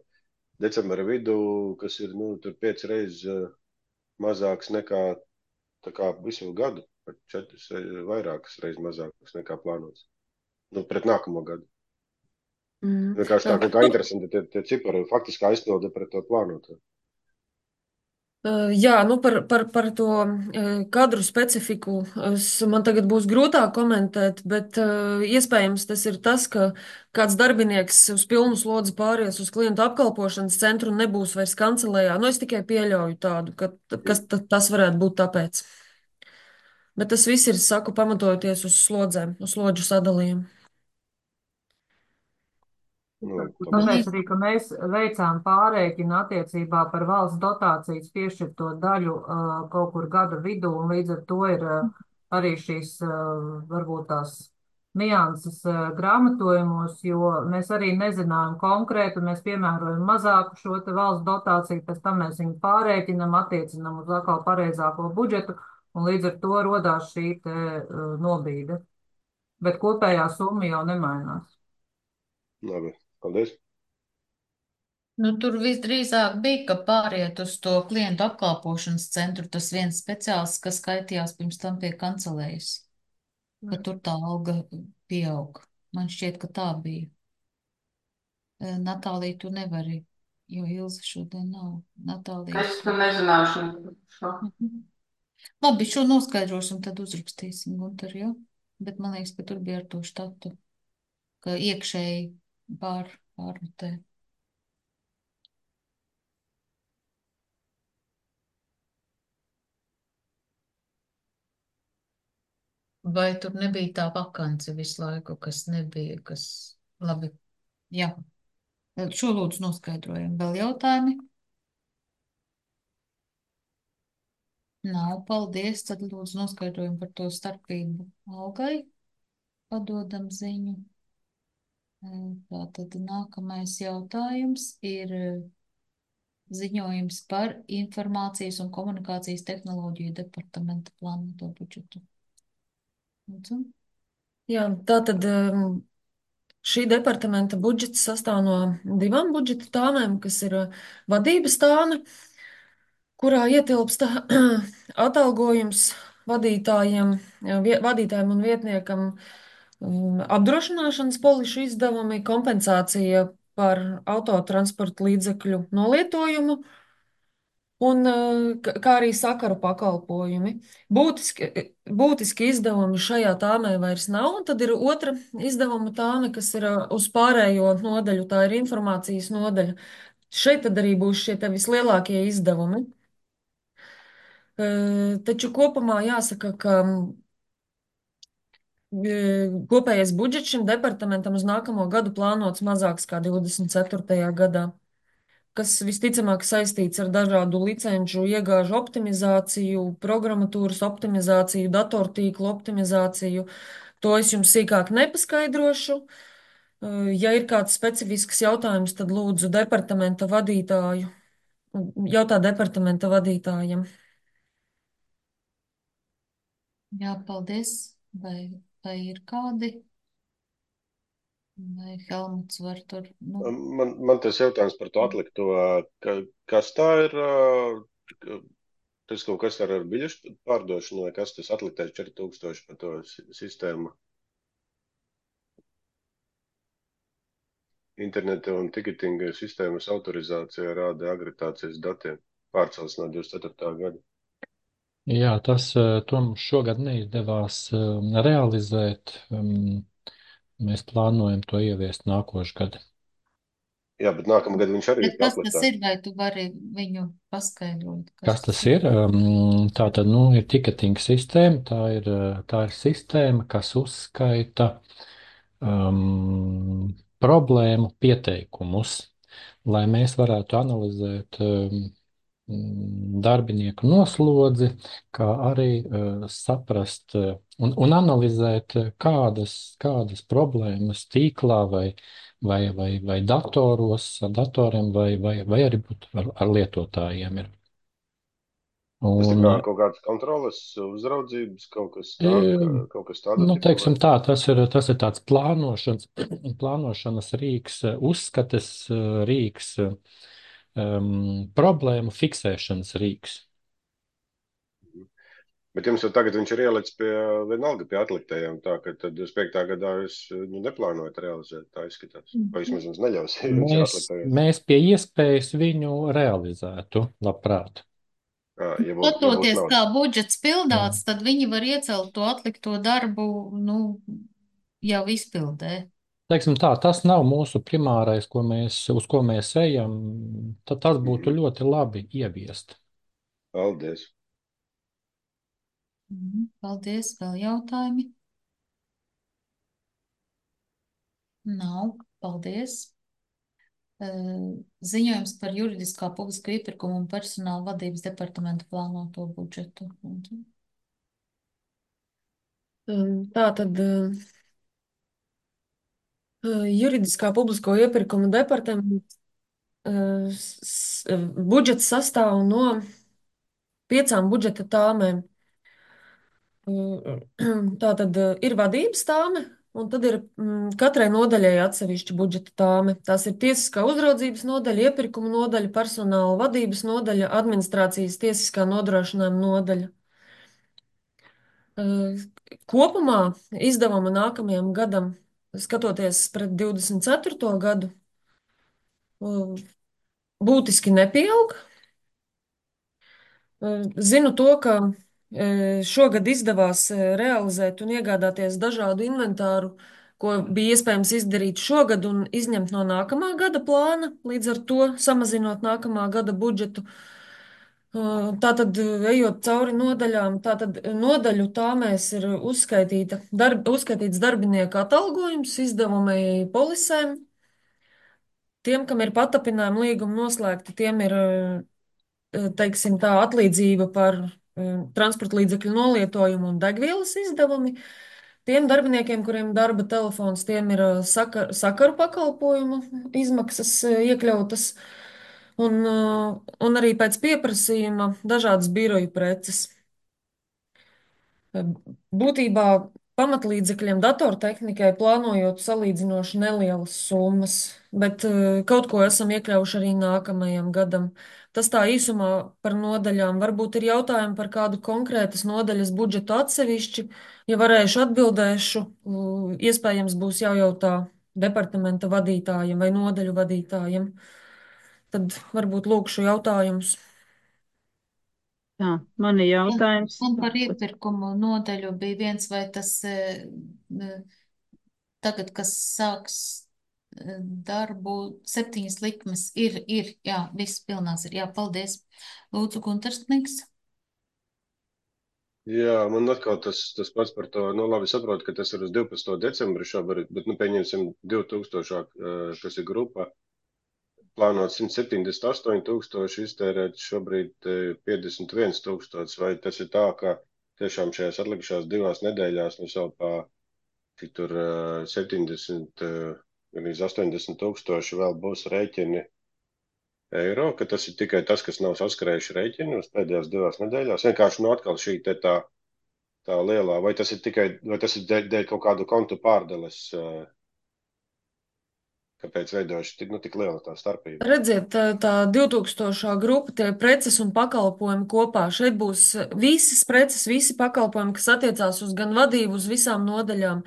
decembra vidū, kas ir, tur 5 reizes mazāks nekā tā kā visu gadu, pat 4 vairākas reizes mazāks nekā plānots. Pret nākamo gadu. Vienkārši tā kaut kā interesanti, tie cipari faktiski aizpilda pret to plānoto. Jā, par to kadru specifiku man tagad būs grūtāk komentēt, bet iespējams tas ir tas, ka kāds darbinieks uz pilnu slodzi pāries uz klientu apkalpošanas centru un nebūs vairs kancelējā. Es tikai pieļauju tādu, ka tas varētu būt tāpēc. Bet tas viss ir, saku, pamatojoties uz slodzēm, uz slodžu sadalījumu. Tāpēc arī, ka mēs veicām pārreikinu attiecībā par valsts dotācijas piešķirto daļu kaut kur gada vidū, un līdz ar to ir arī šīs varbūt tās nianses grāmatojumos, jo mēs arī nezinājām konkrētu, mēs piemērojam mazāku šo te valsts dotāciju, pēc tam mēs viņu pārreikinam, attiecinam uz atkal pareizāko budžetu, un līdz ar to rodās šī te nobīde. Bet kopējā summa jau nemainās. Labi. Paldies. Tur visdrīzāk bija, ka pāriet uz to klientu apkalpošanas centru tas viens speciālists, kas skaitījās pirms tam pie kancelējas, ka tur tā alga pieaug. Man šķiet, ka tā bija. Natālija, tu nevari, jo Ilze šodien nav. Natālija. Es nezināšu šo. Labi, šo noskaidrosim, tad uzrakstīsim, Gunter, jā? Bet man liekas, ka tur bija ar to štatu, ka iekšēji pārrotē. Vai tur nebija tā vakance visu laiku, kas nebija, kas labi, jā. Šo lūdzu noskaidrojam. Vēl jautājumi? Nav, paldies. Tad lūdzu noskaidrojam par to starpību algai. Padodam ziņu. Tātad nākamais jautājums ir ziņojums par informācijas un komunikācijas tehnoloģiju departamenta plānoto budžetu. Jā, tātad šī departamenta budžets sastāv no 2 budžeta tāmēm, kas ir vadības tāme, kurā ietilpst atalgojums vadītājiem un vietniekam, apdrošināšanas polišu izdevumi, kompensācija par autotransporta līdzekļu nolietojumu un kā arī sakaru pakalpojumi. Būtiski izdevumi šajā tāmē vairs nav, un tad ir otra izdevuma tāme, kas ir uz pārējo nodaļu, tā ir informācijas nodaļa. Šeit tad arī būs šie te vislielākie izdevumi. Taču kopumā jāsaka, ka Kopējais budžets šim departamentam uz nākamo gadu plānots mazāks kā 24. gadā, kas visticamāk saistīts ar dažādu licenču iegāžu optimizāciju, programmatūras optimizāciju, datortīklu optimizāciju. To es jums sīkāk nepaskaidrošu. Ja ir kāds specifisks jautājums, tad lūdzu departamenta vadītāju. Jautā departamenta vadītājam. Jā, paldies. Vai ir kādi? Vai Helmuts var tur? Man tas jautājums par to atlikto, kas tā ir, tas kaut kas ar biļešu pārdošanu, vai kas tas atliktais 4000 par to sistēmu? Interneta un tiketinga sistēmas autorizācija rāda agratācijas datiem pārcels no 24. gada. Jā, to mums šogad neizdevās realizēt. Mēs plānojam to ieviest nākošu gadu. Jā, bet nākamgad viņš arī Bet kas tas ir, vai tu vari viņu paskaidrot? Kas tas ir? Tā tad, ir tiketing sistēma, tā ir sistēma, kas uzskaita problēmu pieteikumus, lai mēs varētu analizēt darbinieku noslodzi, kā arī saprast un analizēt, kādas problēmas tīklā vai datoros, ar datoriem, vai arī ar lietotājiem ir. Tas ir kaut kāds kontroles, uzraudzības, kaut kas tāds? Teiksim tā, tas ir tāds plānošanas rīks, uzskates rīks, problēmu fiksēšanas rīks. Bet jums jau tagad viņš ir ielicis vienalga pie atliktajiem, tā ka tad 25. gadā jūs neplānojat realizēt, tā izskatās. Vai vismaz jums neļaus, ja viņš ir atliktajiem? Mēs pie iespējas viņu realizētu, labprāt. Skatoties, kā budžets pildāts, tad viņi var iecelt to atlikto darbu, jau izpildē. Teiksim tā, tas nav mūsu primārais, uz ko mēs ejam, tad tas būtu ļoti labi ieviest. Paldies. Paldies. Vēl jautājumi? Nav. Paldies. Ziņojums par juridiskā publisko iepirkumu un personāla vadības departamenta plānoto budžetu. Tā tad juridiskā publisko iepirkumu departamenta budžets sastāv no 5 budžeta tāmēm. Tā tad ir vadības tāme, un tad ir katrai nodaļai atsevišķa budžeta tāme. Tās ir tiesiskā uzraudzības nodaļa, iepirkuma nodaļa, personāla vadības nodaļa, administrācijas tiesiskā nodrošinājuma nodaļa. Kopumā izdevuma nākamajam gadam, skatoties pret 24. gadu, būtiski nepieaug. Zinu to, ka šogad izdevās realizēt un iegādāties dažādu inventāru, ko bija iespējams izdarīt šogad un izņemt no nākamā gada plāna, līdz ar to samazinot nākamā gada budžetu. Tātad, ejot cauri nodaļām, tātad nodaļu tāmēs ir uzskaitīts darbinieku atalgojums, izdevumi polisēm. Tiem, kam ir patapinājuma līguma noslēgti, tiem ir, teiksim tā, atlīdzība par transporta līdzekļu nolietojumu un degvielas izdevumi. Tiem darbiniekiem, kuriem darba telefons, tiem ir sakaru pakalpojumu izmaksas iekļautas. Un arī pēc pieprasījuma dažādas biroju preces. Būtībā pamatlīdzekļiem datortehnikai plānojot salīdzinoši nelielas summas, bet kaut ko esam iekļaujuši arī nākamajam gadam. Tas tā īsumā par nodaļām. Varbūt ir jautājumi par kādu konkrētas nodaļas budžetu atsevišķi. Ja varēšu, atbildēšu. Iespējams būs jājautā departamenta vadītājiem vai nodaļu vadītājiem. Tad varbūt lūkšu jautājumus. Jā, man ir jautājums. Un par iepirkumu nodaļu bija viens, vai tas tagad, kas sāks darbu, 7 likmes ir, jā, viss pilnās ir, jā, paldies. Lūdzu, Guntarsnieks. Jā, man atkal tas pats par to, nu labi, saprotu, ka tas ir uz 12. decembri šobrīd, bet, nu, pieņemsim 2000, kas ir grupa, plānot 178 tūkstoši, iztērēt šobrīd 51 tūkstoši, vai tas ir tā, ka tiešām šajās atlikušās 2 nedēļās mums jau cik tur 70, gan 80 tūkstoši vēl būs rēķini eiro, ka tas ir tikai tas, kas nav saskarējuši rēķini uz pēdējās 2 nedēļās. Vienkārši nu atkal šī te tā lielā, vai tas ir tikai, vai tas ir dēļ kaut kādu kontu pārdales, kāpēc veidojuši tik liela tā starpība? Redziet, tā 2000. grupa, tie preces un pakalpojumi kopā. Šeit būs visas preces, visi pakalpojumi, kas attiecās uz gan vadību, uz visām nodaļām.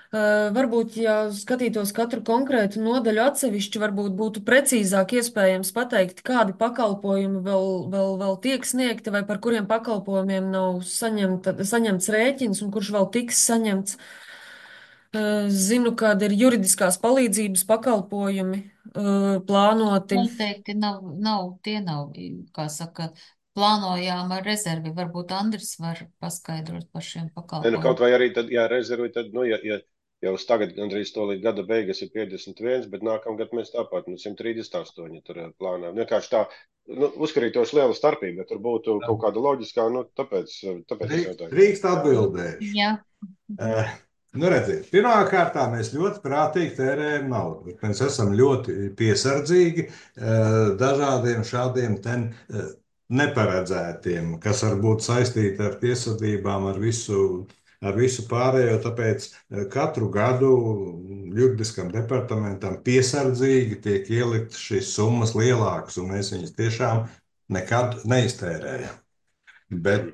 Varbūt, ja skatītos katru konkrētu nodaļu atsevišķi, varbūt būtu precīzāk iespējams pateikt, kādi pakalpojumi vēl tiek sniegti vai par kuriem pakalpojumiem nav saņemts rēķins un kurš vēl tiks saņemts. Zinu, kāda ir juridiskās palīdzības pakalpojumi plānoti. Noteikti tie nav, kā saka, plānojām ar rezervi. Varbūt Andris var paskaidrot par šiem Ne, nu, pakalpojumiem. kaut vai arī tad, jā, rezervi, tad, nu, ja uz tagad gandrīz to līdz gada beigas ir 51, bet nākamgad mēs tāpat, 138 tur plānām. Vienkārši tā, uzkarītos liela starpība, ja tur būtu kaut kāda loģiskā, tāpēc es jautāju. Drīkst atbildēšu. Jā. Redziet, pirmkārt, mēs ļoti prātīgi tērējam naudu, bet mēs esam ļoti piesardzīgi dažādiem šādiem neparedzētiem, kas var būt saistīti ar tiesvedībām, ar visu pārējo. Tāpēc katru gadu juridiskam departamentam piesardzīgi tiek ieliktas šīs summas lielākas, un mēs viņas tiešām nekad neiztērējam. Bet,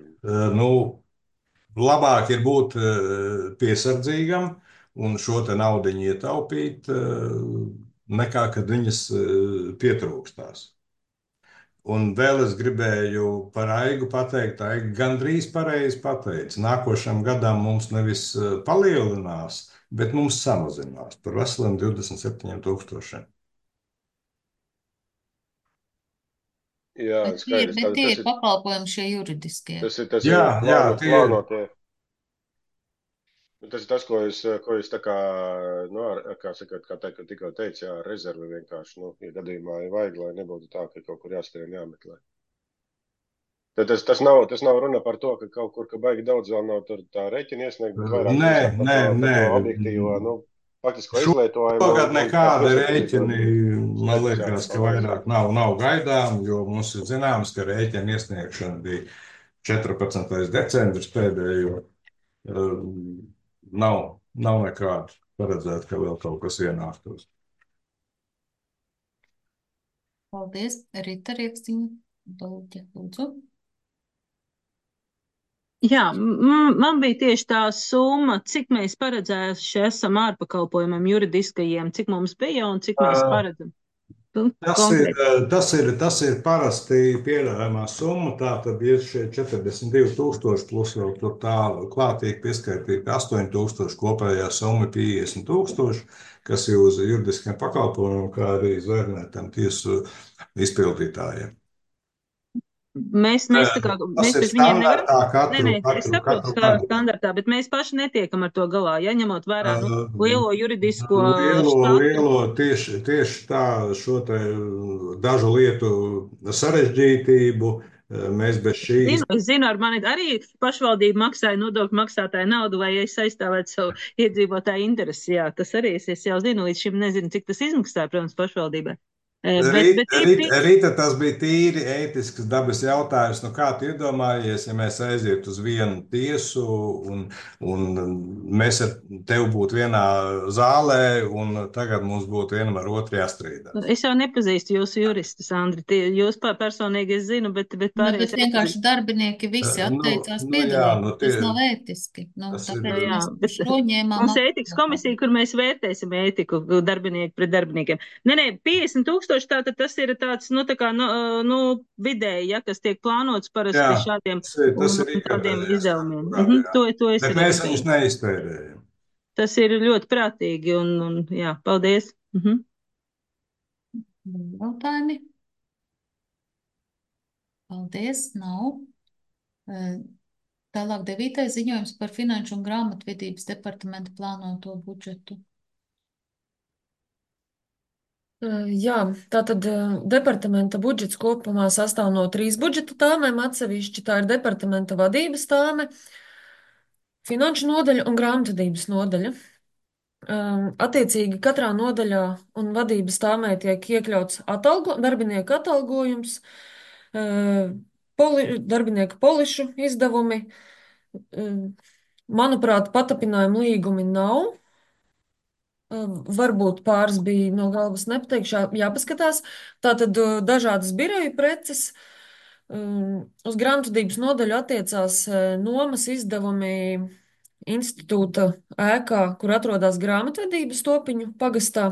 labāk ir būt piesardzīgam un šo te naudiņu ietaupīt, nekā kad viņas pietrūkstās. Un vēl es gribēju par Aigu pateikt, Aiga gandrīz pareizi pateica. Nākošam gadam mums nevis palielinās, bet mums samazinās par veseliem 27 000. Jā, skaidrs. Bet tie ir pakalpojumi šie juridiskie. Tas ir plānotie. Tas ir tas, ko jūs tā kā, tikko teicu, jā, rezervi vienkārši, ja gadījumā ir vajag, lai nebūtu tā, ka kaut kur jāskrien jāmeklē. Tas nav runa par to, ka kaut kur, ka baigi daudz vēl nav tur tā rēķina iesniegt, bet vairāk par to objektīvo, faktisko izlietojumu. Tagad nekāda rēķini, man liekas, ka vairāk nav gaidām, jo mums ir zināms, ka rēķina iesniegšana bija 14. decembris pēdējo. Nav nekāda paredzēta, ka vēl kaut kas ienāktos. Paldies. Rita Rieksniņa, lūdzu. Jā, man bija tieši tā summa, cik mēs paredzējuši esam ārpakalpojumam juridiskajiem, cik mums bija un cik mēs paredzam. Tas ir parasti pieļaujamā summa, tā tad ir šie 42 000 plus vēl tur tālu klātīgi pieskaitīti 8 000, kopējā summa 50 000, kas ir uz juridiskiem pakalpojumiem, kā arī zvērnētiem tiesu izpildītājiem. Mēs taču viņiem nevaram. Es saprotu, kā standartā, bet mēs paši netiekam ar to galā, ja ņemot vērā lielo juridisko štātu. Tieši tā šo te dažu lietu sarežģītību mēs bez šī. Es zinu, ar mani arī pašvaldība maksāja nodokļu maksātāju naudu, vai es aizstāvētu savu iedzīvotāju interesi. Jā, tas arī es jau zinu, līdz šim nezinu, cik tas izmaksāja, protams, pašvaldībai. Rīta, tas bija tīri ētisks dabas jautājums. Kā tu iedomājies, ja mēs aizietu uz vienu tiesu un mēs ar tevi būtu vienā zālē un tagad mums būtu vienam ar otru jāstrīdā? Es jau nepazīstu jūsu juristus, Andri. Jūs personīgi es zinu, bet pārējais. Bet vienkārši darbinieki visi atteicās piedalīties. Tas nav ētiski. Tāpēc mēs šo ņēmām. Mums ētikas komisija, kur mēs vērtēsim ētiku darbinieku pret darbiniekiem. 50 000. Tātad tas ir tāds, vidēji, ja, kas tiek plānots parasti šādiem izdevumiem. Bet mēs viņus neiztērējam. Tas ir ļoti prātīgi un jā, paldies. Jautājumi? Paldies, nav. Tālāk 9. ziņojums par finanšu un grāmatvedības departamenta plānoto budžetu. Jā, tātad departamenta budžets kopumā sastāv no 3 budžeta tāmēm atsevišķi. Tā ir departamenta vadības tāme, finanšu nodaļa un grāmatvedības nodaļa. Attiecīgi katrā nodaļā un vadības tāmē tiek iekļauts darbinieku atalgojums, darbinieku polišu izdevumi. Manuprāt, patapinājumu līgumi nav. Varbūt pāris bija no galvas nepateikšu, jāpaskatās. Tātad dažādas biroju preces. Uz grāmatvedības nodaļu attiecās nomas izdevumi institūta ēkā, kur atrodas grāmatvedības Topiņu pagastā.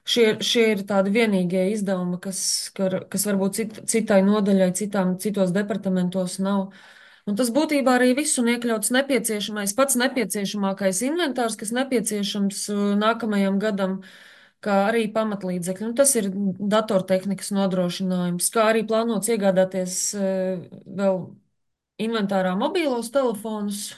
Šie ir tādi vienīgie izdevumi, kas varbūt citai nodaļai, citos departamentos nav. Un tas būtībā arī viss un iekļauts pats nepieciešamākais inventārs, kas nepieciešams nākamajam gadam, kā arī pamatlīdzekļi. Un tas ir datortehnikas nodrošinājums, kā arī plānots iegādāties vēl inventārā mobīlos telefonus.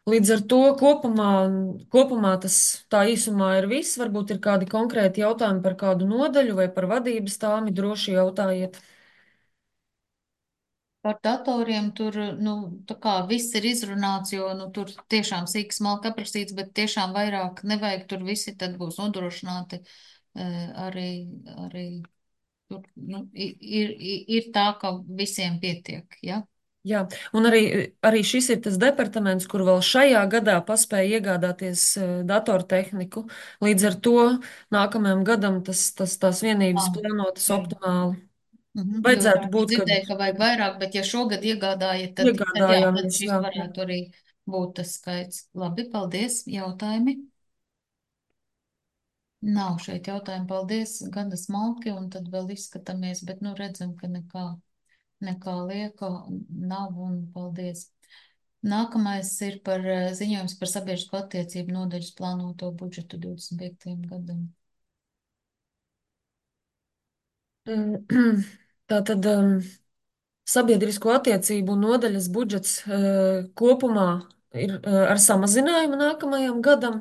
Līdz ar to kopumā tas tā īsumā ir viss. Varbūt ir kādi konkrēti jautājumi par kādu nodaļu vai par vadības tāmi, droši jautājiet. Par datoriem tur, tā kā viss ir izrunāts, jo, tur tiešām sīk smalki aprakstīts, bet tiešām vairāk nevajag, tur visi tad būs nodrošināti arī tur, ir tā, ka visiem pietiek, ja? Jā, un arī šis ir tas departaments, kur vēl šajā gadā paspēja iegādāties datortehniku. Līdz ar to nākamajam gadam tās vienības plānotas optimāli. Vajadzētu būt, kad dzirdēju, ka vajag vairāk, bet ja šogad iegādājiet, tad šis varētu arī būt tas skaits. Labi, paldies. Jautājumi? Nav šeit jautājumi. Paldies. Gana smalki, un tad vēl izskatāmies, bet redzam, ka nekā lieka nav, un paldies. Nākamais ir par ziņojums par sabiedrisko attiecību nodaļas plānoto budžetu 25. gadam. Tātad sabiedrisko attiecību nodaļas budžets kopumā ir ar samazinājumu nākamajam gadam.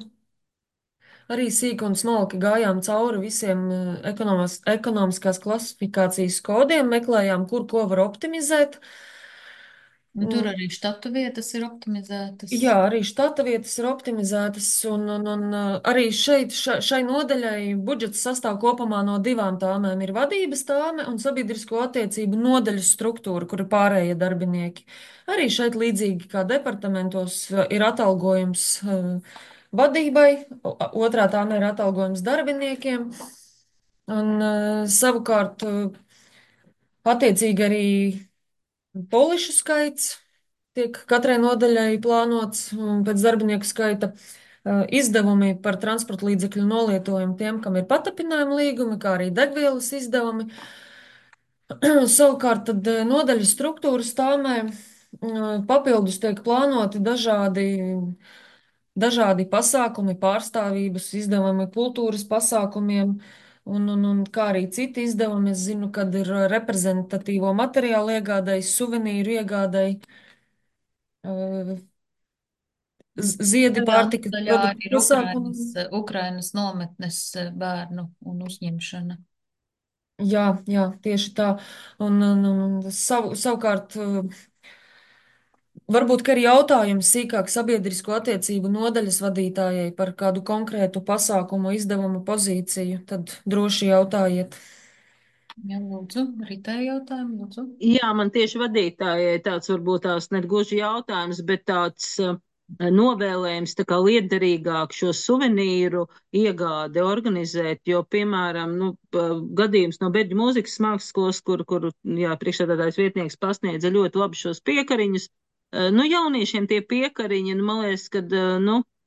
Arī sīki un smalki gājām cauri visiem ekonomiskās klasifikācijas kodiem, meklējām, kur ko var optimizēt. Tur arī štata vietas ir optimizētas. Jā, arī štata vietas ir optimizētas, un arī šai nodaļai budžets sastāv kopumā no 2 tāmēm. Ir vadības tāme un sabiedrisko attiecību nodaļas struktūra, kur ir pārējie darbinieki. Arī šeit līdzīgi kā departamentos ir atalgojums vadībai, otrā tāme ir atalgojums darbiniekiem, un savukārt attiecīgi arī polišu skaits tiek katrai nodaļai plānots pēc darbinieku skaita. Izdevumi par transporta līdzekļu nolietojumu tiem, kam ir patapinājuma līgumi, kā arī degvielas izdevumi. Savukārt tad nodaļas struktūras tāmē papildus tiek plānoti dažādi pasākumi, pārstāvības izdevumi kultūras pasākumiem, un kā arī citi izdevumi. Es zinu, kad ir reprezentatīvo materiālu iegādai, suvenīru iegādai, ziedi, pārtikas produktu pasākumi. Ukrainas nometnes bērnu un uzņemšana. Jā, tieši tā. Un savukārt, varbūt arī jautājums sīkāk sabiedrisko attiecību nodaļas vadītājai par kādu konkrētu pasākumu izdevumu pozīciju, tad droši jautājiet. Jā, lūdzu, Ritai jautājumu, lūdzu. Jā, man tieši vadītājai tāds varbūt tās ne gluži jautājums, bet tāds novēlējums tā kā liederīgāk šo suvenīru iegādi organizēt, jo, piemēram, gadījums no Berģu mūzikas mākslas skolas, kur priekšsēdētājs vietnieks pasniedza ļoti labi šos piekariņus. Jauniešiem tie piekariņi, man liekas, kad,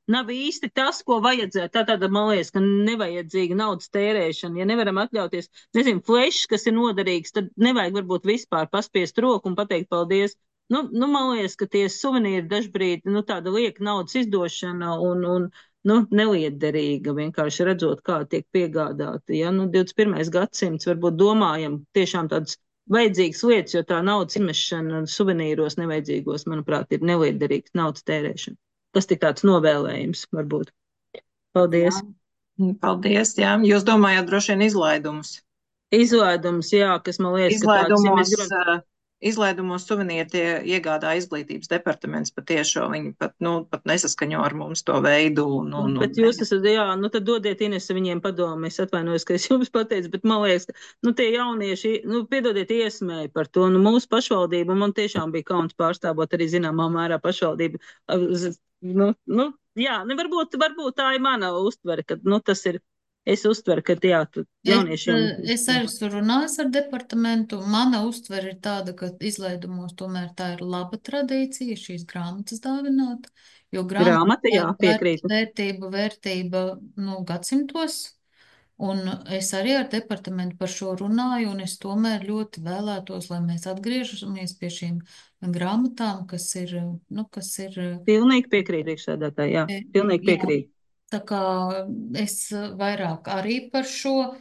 nav īsti tas, ko vajadzētu. Tātad, man liekas, ka nevajadzīga naudas tērēšana. Ja nevaram atļauties, flešs, kas ir noderīgs, tad nevajag varbūt vispār paspiest roku un pateikt paldies. Man liekas, ka tie suvenīri dažbrīd, tāda lieka naudas izdošana un neliederīga, vienkārši redzot, kā tiek piegādāti. Ja? 21. gadsimts varbūt domājam tiešām tādus vajadzīgas lietas, jo tā naudas izmešana suvenīros nevajadzīgos, manuprāt, ir neliederīgs naudas tērēšana. Tas tik tāds novēlējums varbūt. Paldies. Jā. Paldies, jā. Jūs domājat droši vien izlaidumus? Izlaidums, jā, kas man liekas, ka tāds, ja mēs gribam... Izlaidumos suvenīri tie iegādā izglītības departaments patiešo, viņi pat nesaskaņo ar mums to veidu. Bet jūs esat, jā, tad dodiet Inese viņiem padomu, es atvainojos, ka es jums pateicu, bet man liekas, ka, tie jaunieši, piedodiet iesmēju par to, mūsu pašvaldība, man tiešām bija kauns pārstāvot arī zināmā mērā pašvaldību, jā, varbūt tā ir mana uztvere, ka, tas ir. Es uztveru, ka jā, jauniešiem... Es arī runāju ar departamentu. Mana uztvere ir tāda, ka izlaidumos tomēr tā ir laba tradīcija šīs grāmatas dāvināt, jo grāmata, jā, piekrītu. Vērtība, gadsimtos, un es arī ar departamentu par šo runāju, un es tomēr ļoti vēlētos, lai mēs atgriežamies pie šīm grāmatām, kas ir... Pilnīgi piekrīt, priekšsēdētāji, jā, pilnīgi piekrīt. Tā kā es vairāk arī par šo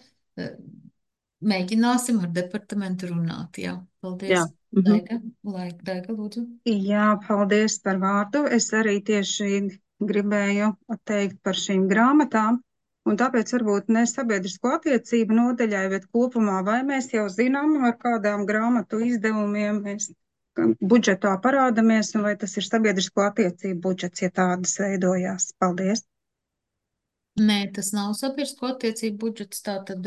mēģināsim ar departamentu runāt. Jā, paldies. Jā. Daiga, lūdzu. Jā, paldies par vārdu. Es arī tieši gribēju teikt par šīm grāmatām, un tāpēc varbūt ne sabiedrisko attiecību nodaļai, bet kopumā, vai mēs jau zinām, ar kādām grāmatu izdevumiem mēs budžetā parādamies, un vai tas ir sabiedrisko attiecību budžets, ja tādas veidojās. Paldies. Nē, tas nav sabiedrisko attiecību budžets, tātad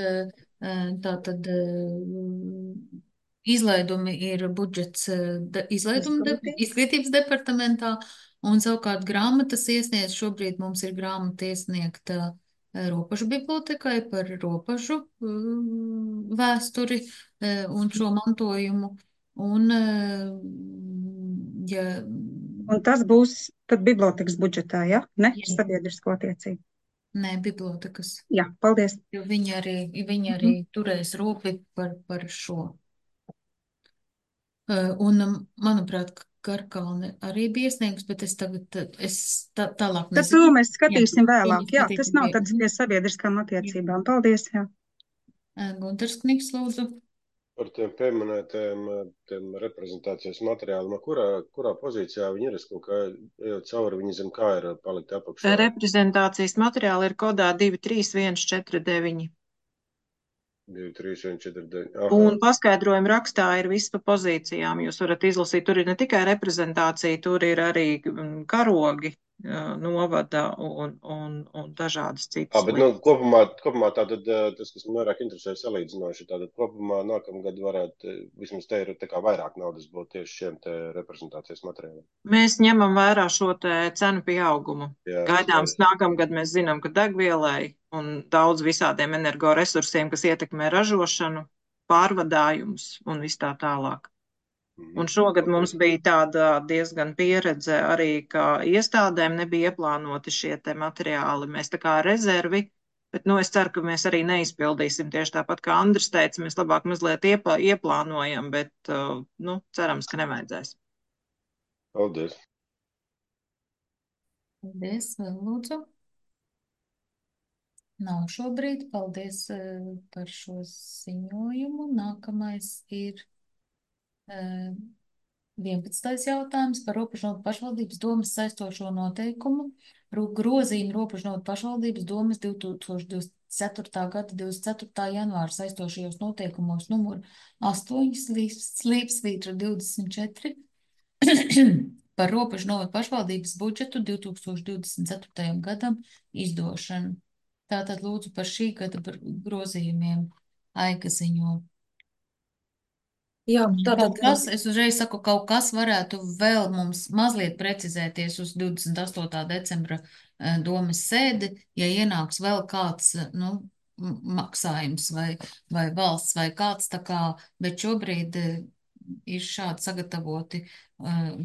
izlaidumi ir budžets izglītības departamentā, un savukārt grāmatas iesniedz, šobrīd mums ir grāmata iesniegta Ropažu bibliotekai par ropažu vēsturi un šo mantojumu, un Un tas būs tad bibliotekas budžetā, ja? Ne? Sabiedrisko attiecību. Nē, bibliotekas. Jā, paldies. Jo viņi arī turēs rūpi par šo. Un, manuprāt, Karkalne arī bija iesniegus, bet es tagad tālāk nezinu. Tad to mēs skatīsim vēlāk. Jā, tas nav tāds pie sabiedriskām attiecībām. Paldies, jā. Gunters Kniks, lūdzu. Par tiem pieminētiem reprezentācijas materiāliem, kurā pozīcijā viņi ir? Es kaut kā ejot cauri, viņi zin, kā ir palikt apakšā. Reprezentācijas materiāli ir kodā 23149. 23149. Un paskaidrojuma rakstā ir viss pa pozīcijām. Jūs varat izlasīt, tur ir ne tikai reprezentācija, tur ir arī karogi novada un dažādas citas lietas. Bet kopumā tātad tas, kas man vairāk interesē salīdzinoši, tātad kopumā nākamgad varētu, vismaz te ir tā kā vairāk naudas būt tieši šiem te reprezentācijas materiāliem. Mēs ņemam vērā šo te cenu pieaugumu. Jā, gaidāms nākamgad mēs zinām, ka degvielai un daudz visādiem energoresursiem, kas ietekmē ražošanu, pārvadājumus un viss tā tālāk. Un šogad mums bija tāda diezgan pieredze arī, ka iestādēm nebija ieplānoti šie te materiāli. Mēs tā kā rezervi, bet es ceru, ka mēs arī neizpildīsim tieši tāpat, kā Andris teica, mēs labāk mazliet ieplānojam, bet cerams, ka nevajadzēs. Paldies. Paldies, vēl lūdzu. Nav šobrīd. Paldies par šo ziņojumu. Nākamais ir 11. jautājums par Ropažnotu pašvaldības domes saistošo noteikumu. Grozījumu Ropažnotu pašvaldības domes 2024. gada 24. janvāra saistošajos noteikumos numur 8 slīpsvītra 24 par Ropažnotu pašvaldības budžetu 2024. gadam izdošanu. Tātad lūdzu par šī gada grozījumiem Aiga ziņo. Jā, es uzreiz saku, kaut kas varētu vēl mums mazliet precizēties uz 28. decembra domes sēdi, ja ienāks vēl kāds, maksājums vai valsts vai kāds tā kā, bet šobrīd ir šādi sagatavoti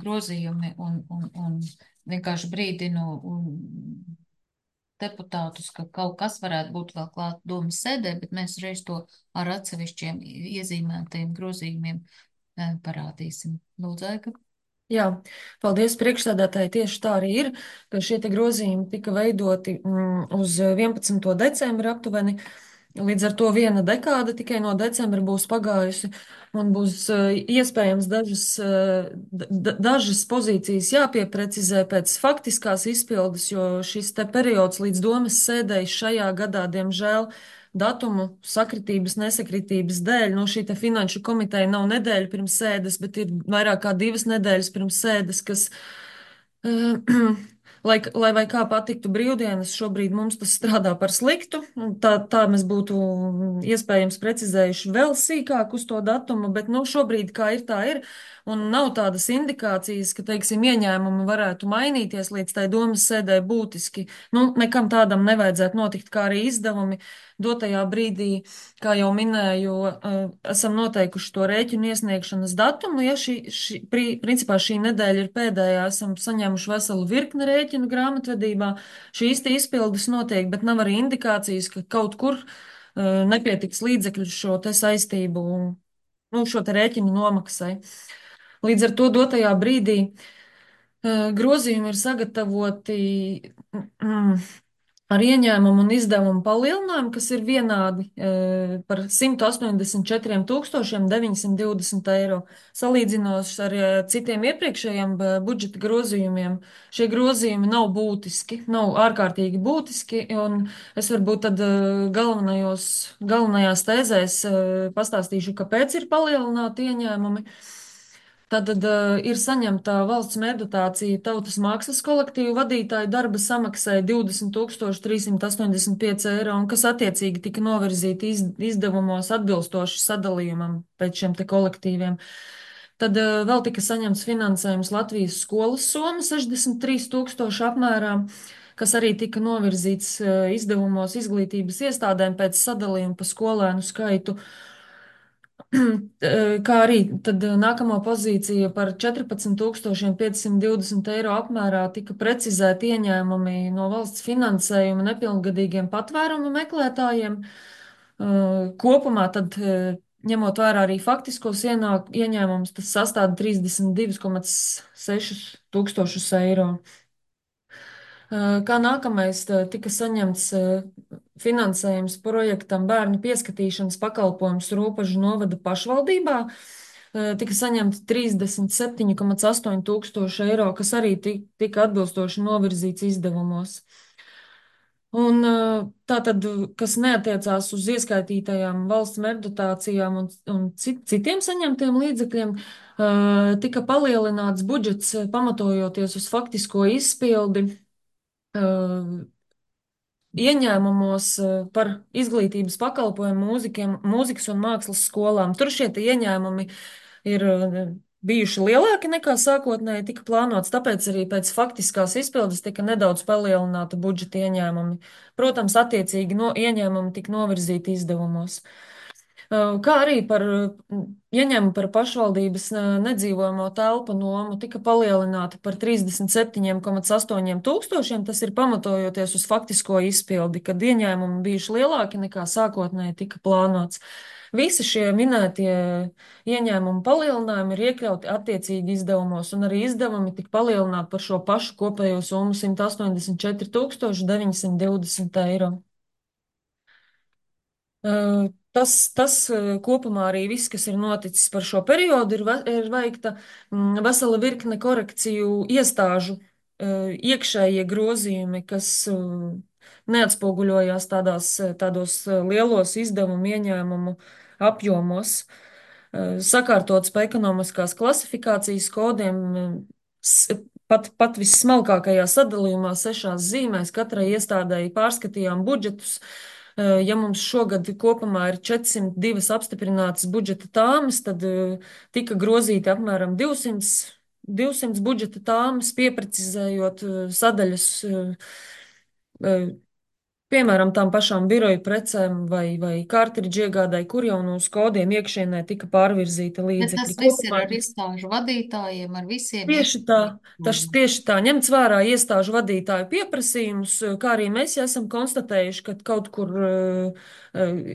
grozījumi un vienkārši brīdinu deputātus, ka kaut kas varētu būt vēl klāt domas sēdē, bet mēs reiz to ar atsevišķiem iezīmētajiem grozījumiem parādīsim. Lūdzu, Aiga. Jā, paldies priekšsēdētāji. Tieši tā arī ir, ka šie te grozījumi tika veidoti uz 11. decembra aptuveni. Līdz ar to viena dekāde tikai no decembra būs pagājusi, un būs iespējams dažas pozīcijas jāpieprecizē pēc faktiskās izpildes, jo šis te periods līdz domas sēdēji šajā gadā, diemžēl, datumu sakritības, nesakritības dēļ, no šī te finanšu komiteja nav nedēļa pirms sēdes, bet ir vairāk kā 2 nedēļas pirms sēdes, kas lai vai kā patiktu brīvdienas, šobrīd mums tas strādā par sliktu. Tā mēs būtu iespējams precizējuši vēl sīkāk uz to datumu, bet nu, šobrīd kā ir, tā ir. Un nav tādas indikācijas, ka, teiksim, ieņēmumi varētu mainīties līdz tai domas sēdē būtiski. Nu, nekam tādam nevajadzētu notikt, kā arī izdevumi dotajā brīdī, kā jau minēju, esam noteikuši to rēķinu iesniegšanas datumu. Ja principā šī nedēļa ir pēdējā, esam saņēmuši veselu virkni rēķinu grāmatvedībā. Šīs te izpildes notiek, bet nav arī indikācijas, ka kaut kur nepietiks līdzekļu šo te saistību, nu, šo te rēķinu nomaksai. Līdz ar to dotajā brīdī grozījumi ir sagatavoti ar ieņēmumu un izdevumu palielinājumu, kas ir vienādi par 184 920 eiro. Salīdzinot ar citiem iepriekšējiem budžeta grozījumiem, šie grozījumi nav būtiski, nav ārkārtīgi būtiski, un es varbūt tad galvenajās tēzēs pastāstīšu, kāpēc ir palielināti ieņēmumi. Tad ir saņemta valsts meddotācija Tautas mākslas kolektīvu vadītāju darba samaksai 20 385 eiro, un kas attiecīgi tika novirzīti izdevumos atbilstoši sadalījumam pēc šiem te kolektīviem. Tad vēl tika saņemts finansējums Latvijas skolas soma 63 000 apmērā, kas arī tika novirzīts izdevumos izglītības iestādēm pēc sadalījuma pa skolēnu skaitu. Kā arī tad nākamo pozīciju par 14 520 eiro apmērā tika precizēti ieņēmumi no valsts finansējuma nepilngadīgiem patvērumu meklētājiem. Kopumā tad, ņemot vērā arī faktiskos ieņēmumus, tas sastāda 32,6 tūkstošus eiro. Kā nākamais tika saņemts finansējums projektam bērnu pieskatīšanas pakalpojums Ropažu novada pašvaldībā. Tika saņemts 37,8 tūkstoši eiro, kas arī tika atbilstoši novirzīts izdevumos. Un tātad, kas neatiecās uz ieskaitītajām valsts meddotācijām un citiem saņemtiem līdzekļiem, tika palielināts budžets pamatojoties uz faktisko izpildi ieņēmumos par izglītības pakalpojumu mūzikas un mākslas skolām. Tur šie ieņēmumi ir bijuši lielāki nekā sākotnēji tika plānots, tāpēc arī pēc faktiskās izpildes tika nedaudz palielināta budžeta ieņēmumi. Protams, attiecīgi ieņēmumi tika novirzīti izdevumos. Kā arī par ieņēmumu par pašvaldības nedzīvojamo telpu nomu tika palielināta par 37,8 tūkstošiem. Tas ir pamatojoties uz faktisko izpildi, kad ieņēmumi bijuši lielāki nekā sākotnēji tika plānots. Visi šie minētie ieņēmumu palielinājumi ir iekļauti attiecīgi izdevumos, un arī izdevumi tika palielināti par šo pašu kopējo summu 184 920 eiro. Tas kopumā arī viss, kas ir noticis par šo periodu, ir veikta vesela virkne korekciju iestāžu iekšējie grozījumi, kas neatspoguļojās tādos lielos izdevumu ieņēmumu apjomos. Sakārtots pa ekonomiskās klasifikācijas kodiem, pat vissmalkākajā sadalījumā 6 zīmēs katrai iestādēji pārskatījām budžetus. Ja mums šogad kopumā ir 402 apstiprinātas budžeta tāmas, tad tika grozīti apmēram 200 budžeta tāmas, pieprecizējot sadaļas, piemēram, tām pašām biroju precēm vai kārtridžu iegādai, kur jau no uz kodiem iekšienē tika pārvirzīta līdzekļi. Bet tas viss ir ar iestāžu vadītājiem, ar visiem. Tieši tā, ņemts vērā iestāžu vadītāju pieprasījumus, kā arī mēs esam konstatējuši, ka kaut kur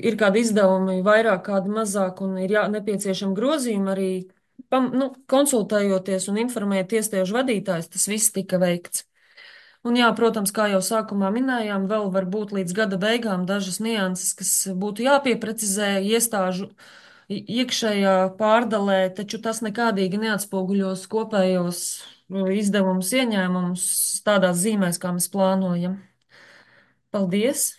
ir kādi izdevumi vairāk, kādi mazāk un ir nepieciešami grozījumi arī konsultējoties un informējot iestāžu vadītājus, tas viss tika veikts. Un jā, protams, kā jau sākumā minējām, vēl var būt līdz gada beigām dažas nianses, kas būtu jāpieprecizē iestāžu iekšējā pārdalē, taču tas nekādīgi neatspoguļos kopējos izdevumus, ieņēmumus tādās zīmēs, kā mēs plānojam. Paldies!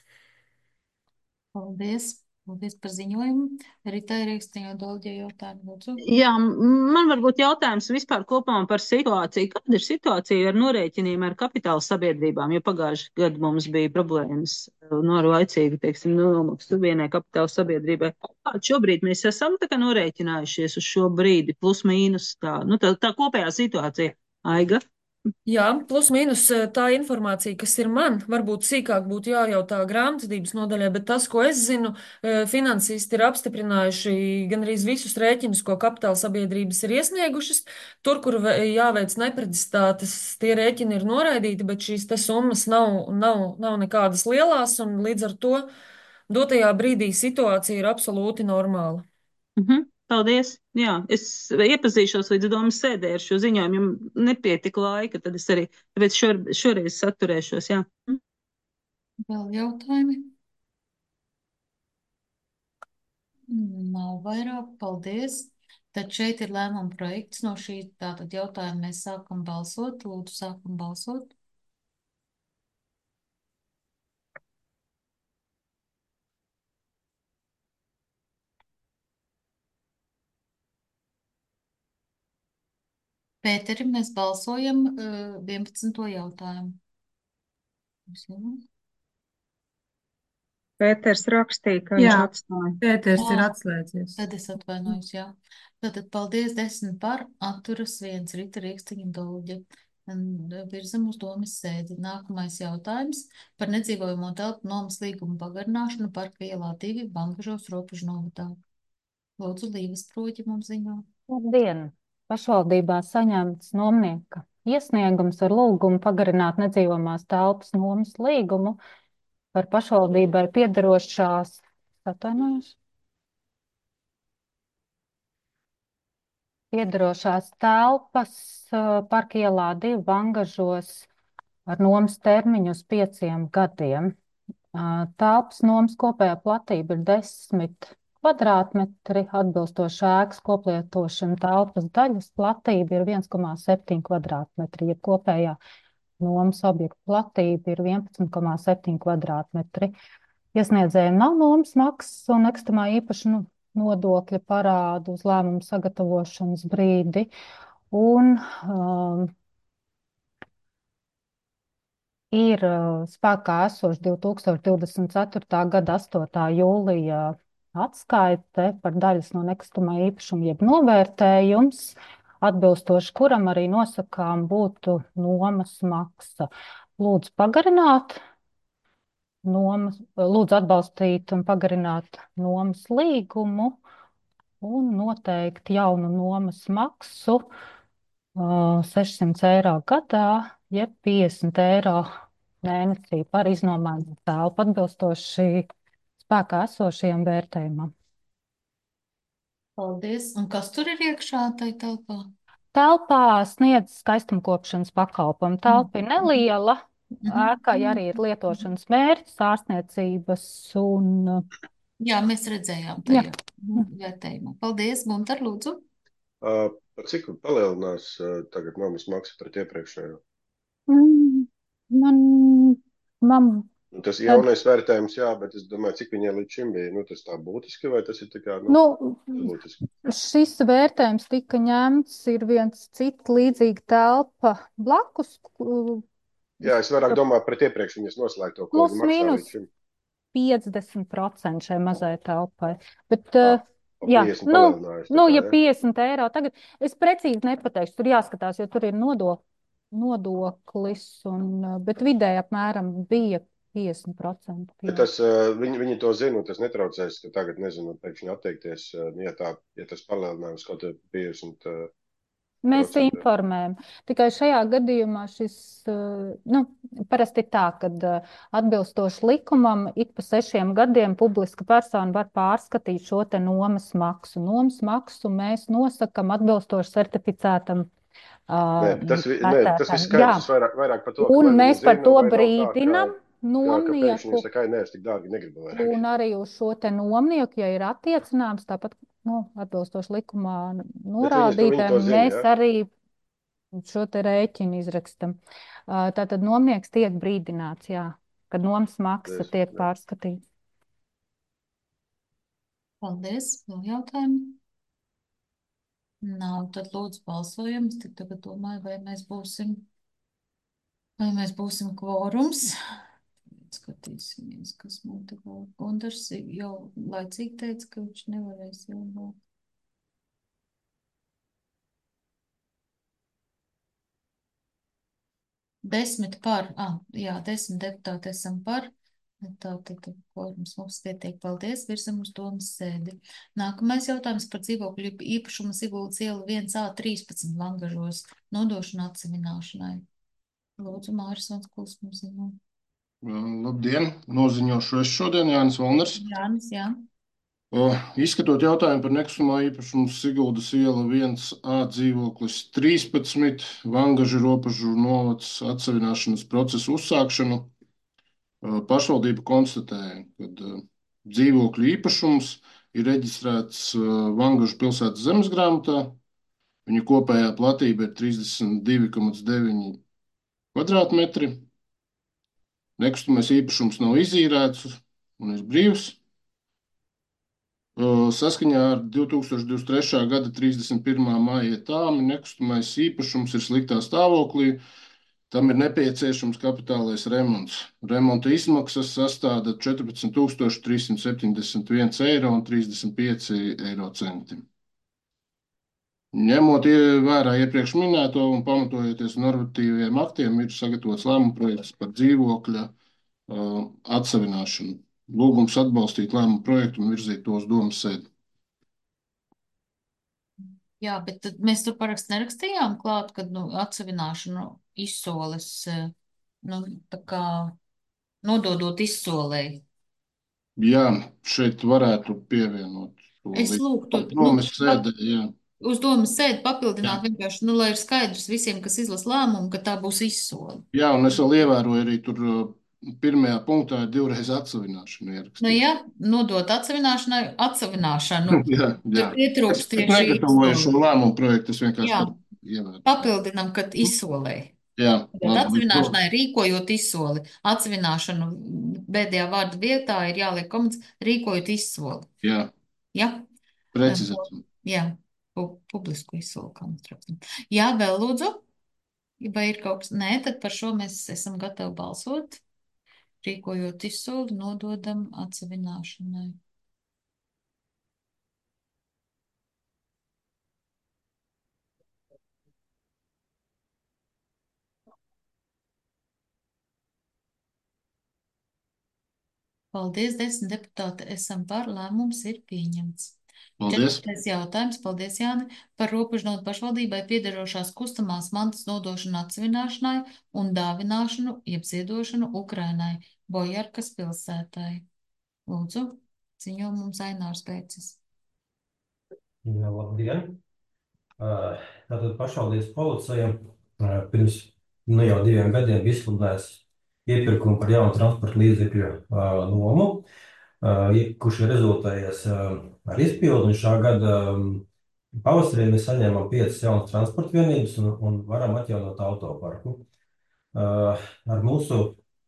Paldies! Paldies par ziņojumu. Rita Rīkstiņo Dolģie jautājumu, lūdzu. Jā, man varbūt jautājums vispār kopumā par situāciju. Kāda ir situācija ar norēķiniem ar kapitāla sabiedrībām? Jo pagājuši gadu mums bija problēmas ar laicīgu, teiksim, nomaksu vienai kapitāla sabiedrībai. Kādu šobrīd mēs esam tā kā norēķinājušies uz šo brīdi, plus mīnus tā kopējā situācija? Aiga? Jā, plus mīnus tā informācija, kas ir man, varbūt sīkāk būtu jājautā grāmatvedības nodaļai, bet tas, ko es zinu, finansisti ir apstiprinājuši gan arī visus rēķinus, ko kapitāla sabiedrības ir iesniegušas. Tur, kur jāveic neprecizitātes, tie rēķini ir noraidīti, bet šīs te summas nav nekādas lielās, un līdz ar to dotajā brīdī situācija ir absolūti normāla. Paldies. Jā, es iepazīšos līdz domas sēdē ar šo ziņojumu, jo nepietika laika, tad es arī tāpēc šoreiz saturēšos. Jā. Vēl jautājumi? Nav vairāk. Paldies. Tad šeit ir lēmuma projekts no šī tātad jautājuma. Mēs sākam balsot. Lūdzu, sākam balsot. Pēteri, mēs balsojam 11. jautājumu. Pēters rakstīja, ka viņš atstāja. Pēters ir atslēdzies. Tad es atvainojos, jā. Tātad paldies 10 par, atturas 1, Rita Rīkstiņa Dolģe. Virzam uz domas sēdi. Nākamais jautājums par nedzīvojamo telpu nomas līgumu pagarināšanu Parka ielā 2 Bangažos Robežu novadā. Lūdzu, Līves Proģi mums ziņo. Labdien! Pašvaldībā saņemts nomnieka iesniegums ar lūgumu pagarināt nedzīvamās telpas nomas līgumu par pašvaldībai piederošās, piederošās telpas Parka ielā 2 Bangažos ar nomas termiņu uz 5 gadiem. Telpas nomas kopējā platība ir 10 kvadrātmetri, atbilstoši ēkas koplietošana telpas daļas platība ir 1,7 kvadrātmetri, ja kopējā nomas objekta platība ir 11,7 kvadrātmetri. Iesniedzējiem nav nomas maksas un nekustamā īpašuma nodokļa parādu uz lēmumu sagatavošanas brīdi. Un ir spēkā esoši 2024. gada 8. jūlija atskaite par daļas no nekustamā īpašuma jeb novērtējums, atbilstoši kuram arī nosakām būtu nomas maksa. Lūdzu pagarināt lūdzu atbalstīt un pagarināt nomas līgumu un noteikt jaunu nomas maksu 600 eiro gadā, jeb 50 eiro mēnesī par iznomājumu telpu atbilstoši spēkā esošajam vērtējumam. Paldies. Un kas tur ir iekšā tai telpā? Telpā sniedz skaistumkopšanas pakalpojumu. Telpa ir neliela, ēkai arī ir lietošanas mērķis, ārstniecības un... Jā, mēs redzējām tajā vērtējumā. Paldies, Guntar, lūdzu. Par cik palielinās tagad nomas maksa pret iepriekšējo? Tas jaunais vērtējums, jā, bet es domāju, cik viņai līdz šim bija, tas tā būtiski, vai tas ir tā kā, būtiski? Šis vērtējums tika ņemts, ir viens cits līdzīga telpa blakus. Jā, es vairāk domāju pret iepriekš viņas noslēgto, ko viņa maksā līdz šim. 50% šai mazai telpai. Bet, jā, ja 50 eiro tagad, es precīzi nepateikšu, tur jāskatās, jo tur ir nodoklis, bet vidēji apmēram bija 50%. Tas, viņi to zina, tas netraucēs, ka tagad, nezinu, pēkšņi atteikties, ja tas palielinājums kaut ir 50%. Mēs informējam. Tikai šajā gadījumā šis, parasti ir tā, kad atbilstoši likumam ik pa 6 gadiem publiska persona var pārskatīt šo te nomas maksu. Nomas maksu mēs nosakam atbilstoši certificētam Nē, tas viss patērtājiem. Jā, skaidrs vairāk par to, ka un vai mēs viņi par zina, to vai nav tā, brīdinam ka pēkšņi nomnieku, jūs sakāt, nē, es tik dārgi negribu vairāk. un arī uz šo te nomnieku, ja ir attiecināms, tāpat, atbilstoši likumā viņi to norādītājiem, zina, mēs arī šo te rēķinu izrakstam. Tātad nomnieks tiek brīdināts, jā, kad nomas maksa tiek pārskatīta. Paldies. Vēl jautājumi? Nav, tad lūdzu balsojam. Es tik tagad domāju, vai mēs būsim kvorums. Skatīsimies, kas mums te vēl. Gundars jau laicīgi teica, ka viņš nevarēs jau vēl. Desmit par, jā, 10 deputāti esam par. Tātad kvorums mums pietiek. Paldies, virsam uz domas sēdi. Nākamais jautājums par dzīvokļu īpašumu Siguldas iela 1A13 Vangažos nodošanu atsevināšanai. Lūdzu, Māris Vanskuls mums ziņo. Labdien, noziņošu es šodien Jānis Valners. Jānis, jā. Izskatot jautājumu par nekustamā īpašumu Siguldas iela 1A dzīvoklis 13, Vangažu robežu novads atsevināšanas procesu uzsākšanu, pašvaldība konstatēja, ka dzīvokļu īpašums ir reģistrēts Vangažu pilsētas zemesgrāmatā. Viņa kopējā platība ir 32,9 kvadrātmetri. Nekustamais īpašums nav izīrēts un ir brīvs. Saskaņā ar 2023. gada 31. maija tāmi nekustamais īpašums ir sliktā stāvoklī. Tam ir nepieciešams kapitālais remonts. Remonta izmaksas sastāda 14 371,35 eiro. Ņemot vērā iepriekš minēto un pamatojoties normatīviem aktiem, ir sagatavots lēmuma projekts par dzīvokļa atsevināšanu. Lūgums atbalstīt lēmumu projektu un virzīt to uz domas sēdi. Jā, bet tad mēs tur parakstu nerakstījām klāt, kad atsevināšanu izsoles, tā kā nododot izsolēji. Jā, šeit varētu pievienot to. Es lūgtu, domas sēdē, jā. Uz domas sēdi papildināt vienkārši, lai ir skaidrs visiem, kas izlas lēmumu, ka tā būs izsole. Jā, un es vēl ievēroju arī tur pirmajā punktā ir divreiz atsevināšana ierakstīta. Jā, nodot atsevināšanu. Jā. Tur pietrūkst Es tieši negatavoju izsole. šo lēmumu projektu, es vienkārši Jā. ievēroju. Papildinām, kad izsolēji. Jā. Bet atsevināšanai rīkojot izsoli. Atsevināšanu pēdējā vārda vietā ir jāliek komats rīkojot izsoli. Jā. Jā? Precizēt. Jā. Publisku izsoli, kā mēs rakstam. Jā, vēl lūdzu. Vai ir kaut kas? Nē, tad par šo mēs esam gatavi balsot. Rīkojot izsoli, nododam atsevināšanai. Paldies, 10 deputāti esam par, lēmums ir pieņemts. Paldies. 4. jautājums, paldies, Jāni, par robežnotu pašvaldībai piederošās kustamās mantas nodošanu atsevināšanai un dāvināšanu, jeb ziedošanu Ukrainai, Bojarkas pilsētai. Lūdzu, ziņo mums Ainārs Pēcis. Jā, labdien! Tātad pašvaldības policija pirms jau 2 gadiem izsludinājusi iepirkumu par jaunu transporta līdzekļu nomu, kurš ir rezultējies ar izpildu. Un šā gada pavasarī mēs saņēmām 5 jaunas transporta vienības un varam atjaunot autoparku. Ar mūsu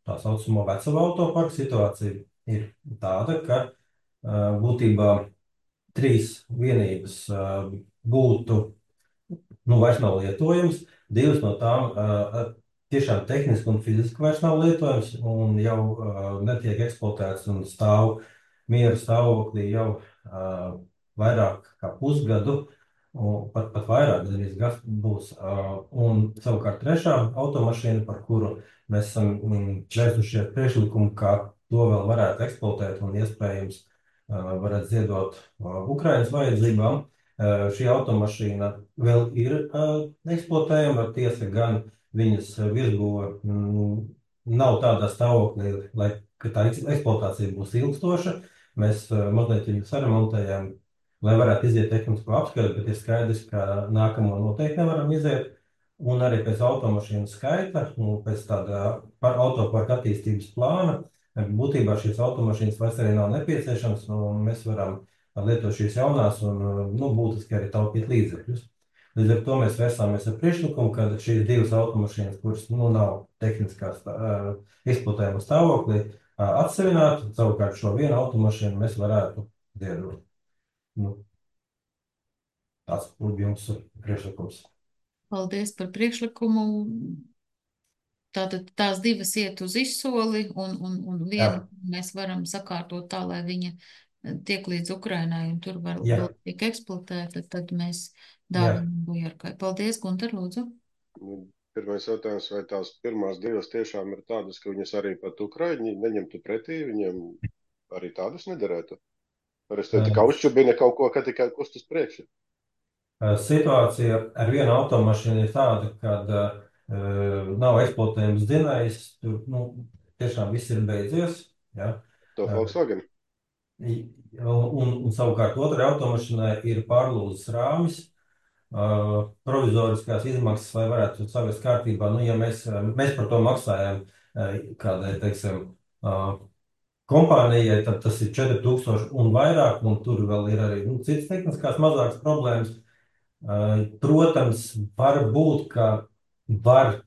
tā saucamo veco autoparku situācija ir tāda, ka būtībā 3 vienības būtu vairs nav lietojams, 2 no tām tiešām tehniski un fiziski vairs nav lietojams un jau netiek eksploatēts un stāv miera stāvoklī jau vairāk kā pusgadu, un pat vairāk, gandrīz gads būs. Un savukārt 3. automašīna, par kuru mēs esam vērsušies priekšlikumu, kā to vēl varētu eksploatēt un iespējams varētu ziedot Ukrainas vajadzībām. Šī automašīna vēl ir eksploatējama, tiesa gan viņas virsbūve nav tādā stāvoklī, ka tā eksploatācija būs ilgstoša. Mēs mazliet viņu saremontējām, lai varētu iziet tehnisko apskati, bet ir skaidrs, ka nākamo noteikti nevaram iziet. Un arī pēc automašīnu skaita un pēc tāda autoparka attīstības plāna, būtībā šīs automašīnas vairs arī nav nepieciešams, un mēs varam lietot šīs jaunās un, būtiski arī taupīt līdzekļus. Līdz ar to mēs vērsāmies ar priekšlikumu, ka šīs divas automašīnas, kuras nav tehniskās eksploatējuma stāvoklī, atsevināt, savukārt šo vienu automašīnu mēs varētu ziedot. Tas būtu jums priekšlikums. Paldies par priekšlikumu. Tātad tās divas iet uz izsoli, un vienu mēs varam sakārtot tā, lai viņa tiek līdz Ukrainai, un tur vēl tiek eksploatēta, tad mēs dāvinām Bujarkai. Paldies, Gunter, lūdzu. Pirmais jautājums, vai tās pirmās divas tiešām ir tādas, ka viņas arī pat Ukraiņi neņemtu pretī, viņiem arī tādas nederētu? Vai es te tikai uzčubina kaut ko, ka tikai kustas priekšu? Situācija ar vienu automašīnu ir tāda, kad nav eksploatējums dzinējs, tur tiešām viss ir beidzies. Ja? To Volkswagen? Un savukārt otrai automašīnai ir pārlūzes rāmis, provizoriskās izmaksas, lai varētu savest kārtībā. Ja mēs par to maksājam kādai, teiksim, kompānijai, tad tas ir 4000 un vairāk, un tur vēl ir arī citas tehniskās mazākas problēmas. Protams, var būt, ka var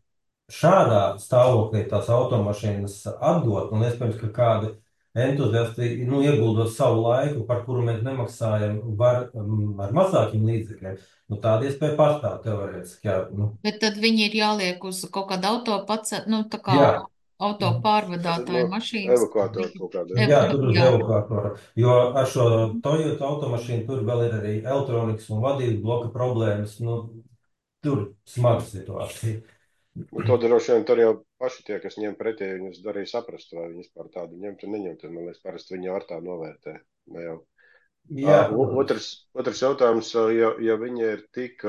šādā stāvoklī tās automašīnas atdot, un iespējams, ka kādi entuziasti, ieguldot savu laiku, par kuru mēs nemaksājam, var ar mazākiem līdzekļiem. Tāda iespēja pastāv teorētiski. Bet tad viņi ir jāliek uz kaut kādu auto pārvadātāju mašīnas. Evakuātoru kaut kādu. Jā, tur uz evakuātoru. Jo ar šo Toyota automašīnu tur vēl ir arī elektronikas un vadības bloka problēmas. Tur smaga situācija. To droši vien tur jau paši tie, kas ņem pretī, viņus darīja saprast, vai viņus par tādu ņemt un neņemt. Man liekas, parasti viņi ar tā novērtē. Ne jau. Otrs jautājums, ja viņi ir tik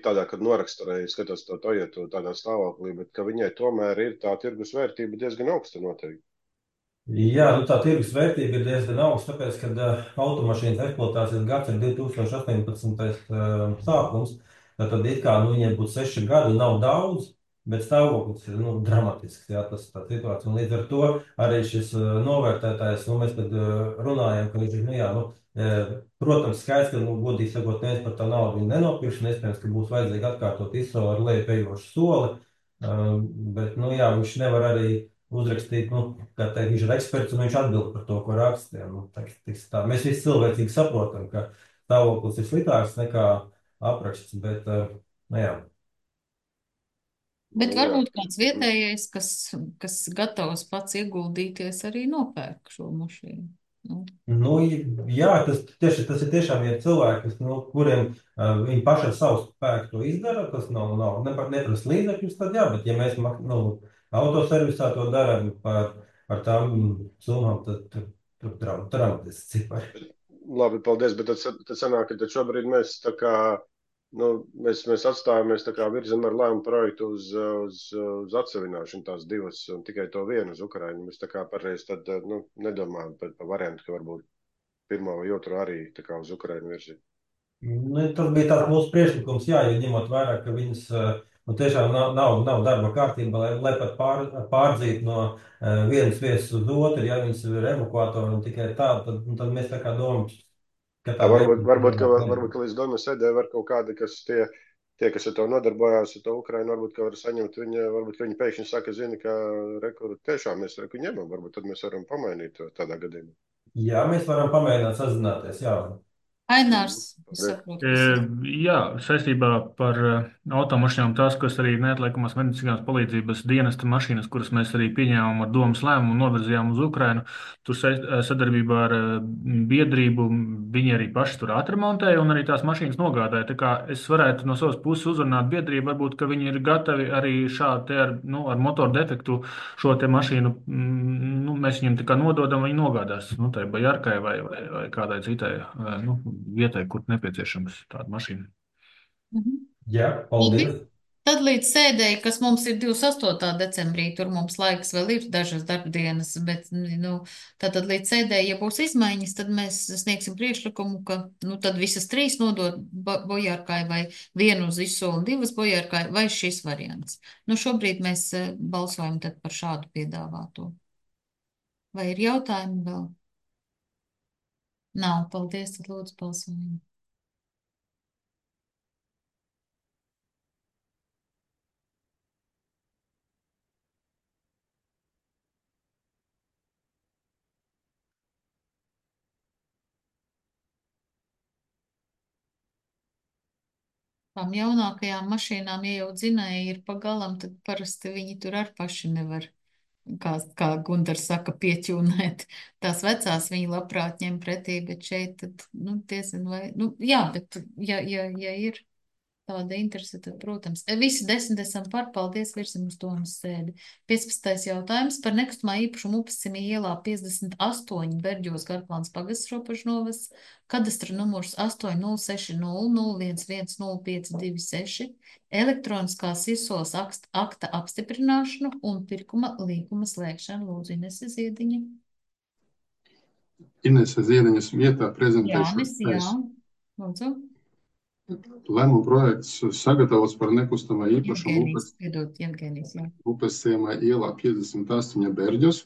tādā, kad noraksturēja, skatos to Toyotu tādā stāvoklī, bet ka viņai tomēr ir tā tirgus vērtība diezgan augsta noteikti. Jā, tā tirgus vērtība ir diezgan augsta, tāpēc, kad automašīnas eksploatācijas gads ir 2018. Sākums, tad it kā viņiem būtu 6 gadi, nav daudz, bet stāvoklis ir dramatisks, jā, tā situācija. Un līdz ar to arī šis novērtētājs, mēs tad runājam, ka viņš ir, protams, skaidrs, ka, godīgi sakot, neviens par tā naudu viņu nenopirks, un iespējams, ka būs vajadzīgi atkārtot izsoli ar lejupējošu soli, bet, viņš nevar arī uzrakstīt, kā teikt, viņš ir eksperts, un viņš atbild par to, ko raksta. Mēs visi cilvēcīgi saprotam, ka stāvoklis ir sliktāks nekā apraksts, bet, jā. Bet varbūt kāds vietējais, kas gatavs pats ieguldīties, arī nopērk šo mašīnu. Jā, tas ir tiešām ir cilvēki, kuriem viņi paši ar savu spēku to izdara, tas nav neprasa līdzekļus, tad jā, bet ja mēs autoservisā to darām par tām summām, tad tur dramatiski cipari. Labi, paldies, bet tad sanāk, ka šobrīd mēs tā kā mēs atstājamies tā kā virzam ar lēmumu projektu uz atsevināšanu tās divas un tikai to vienu uz Ukrainu. Mēs tā kā pareiz tad nedomājam par variantu, ka varbūt pirmo vai otru arī tā kā uz Ukrainu virzīt. Tas bija tāds mūsu priekšlikums, jā, jo ņemot vērā, ka viņas tiešām nav darba kārtībā, lai pat pārdzīt no vienas vietas uz otru, ja viņas ir evakuatori un tikai tā, tad mēs tā kā domājam, Varbūt, ka līdz domu sēdē var kaut kādi, kas tie, kas ar to nodarbojās, ar to Ukrainu, varbūt, ka var saņemt varbūt, ka viņi pēkšņi saka, zina, ka tiešām mēs ņemam, varbūt tad mēs varam pamainīt to tādā gadījumā. Jā, mēs varam pamēģināt sazināties, jā. Ainārs, jā, saistībā par automašīnām tās, kas arī neatliekamās medicīnās palīdzības dienesta mašīnas, kuras mēs arī pieņēmām ar domas lēmumu un novirzījām uz Ukrainu, tur sadarbībā ar biedrību viņi arī paši tur atremontēja un arī tās mašīnas nogādāja. Tā kā es varētu no savas puses uzrunāt biedrību, varbūt, ka viņi ir gatavi arī šādi ar motoru defektu šo te mašīnu, mēs viņiem tā kā nododam, viņi nogādās, tai Bajarkai vai kādai citai, vietai, kur nepieciešams tāda mašīna. Jā, paldies. Tad līdz sēdēji, kas mums ir 28. decembrī, tur mums laiks vēl ir dažas darbdienas, bet, nu, tātad līdz sēdēji, ja būs izmaiņas, tad mēs sniegsim priekšlikumu, ka, nu, tad visas trīs nodot bojārkai vai vienu uz izsoli un divas bojārkai vai šis variants. Nu, šobrīd mēs balsojam tad par šādu piedāvāto. Vai ir jautājumi vēl? Nav, paldies, tad lūdzu balsojam. Tām jaunākajām mašīnām, ja jau dzinēji ir pagalam, tad parasti viņi tur ar paši nevar, kā Gundars saka, pieķūnēt. Tās vecās viņi labprāt ņem pretī, bet šeit tad, nu, diezin vai, nu, jā, bet ja ir tāda interese, tad, protams, visi 10 esam par, paldies, virsim uz domas sēdi. 15. jautājums par nekustamā īpašumu Upescimī ielā 58 Berģos Garplāns pagasts robežu novads, kadastra numurs 80600110526, elektroniskās izsoles akta apstiprināšanu un pirkuma līguma slēgšanu. Lūdzu, Inese Ziediņa. Inese Ziediņas vietā prezentēšu. Jānis, jā. Lūdzu. Lēmuma projekts sagatavots par nekustamā īpašumu Upesciemā ielā 58 Berģos.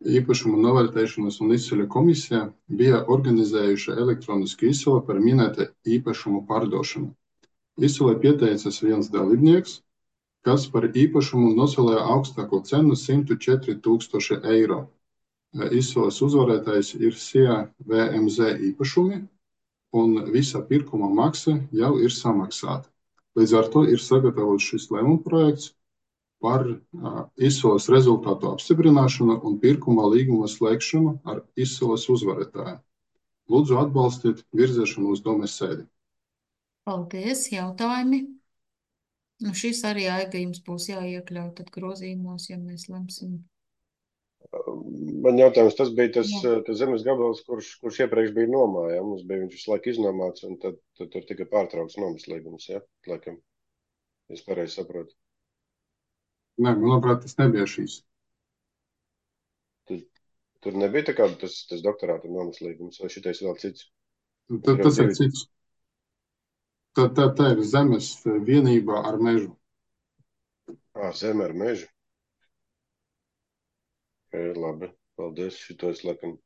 Īpašumu novērtēšanas un izceļu komisijā bija organizējuša elektronisku izsoli par minēta īpašumu pārdošanu. Izsolē pieteicas viens dalībnieks, kas par īpašumu nosolēja augstāko cenu 104 000 eiro. Izsoles uzvarētājs ir SIA VMZ īpašumi, un visa pirkuma maksa jau ir samaksāta. Līdz ar to ir sagatavots šis lēmuma projekts par izsoles rezultātu apstiprināšanu un pirkuma līguma slēgšanu ar izsoles uzvarētāju. Lūdzu atbalstiet virzēšanu uz domes sēdi. Paldies, jautājumi. Nu, šis arī Aiga jums būs jāiekļaut tad grozījumos, ja mēs lemsim. Man jautājums, tas bija tas zemes gabals, kurš iepriekš bija nomā, ja? Mums bija viņš visu laiku iznomāts, un tad tur tika pārtraukts nomas līgums, ja? Laikam, es pareizi saprotu. Nē, manuprāt, tas nebija šīs. Tur nebija tā kā tas doktorāta nomas līgums, vai šitais vēl cits? Tas ir cits. Tā ir zemes vienībā ar mežu. Zeme ar mežu? Labi, paldies. Šito es laikam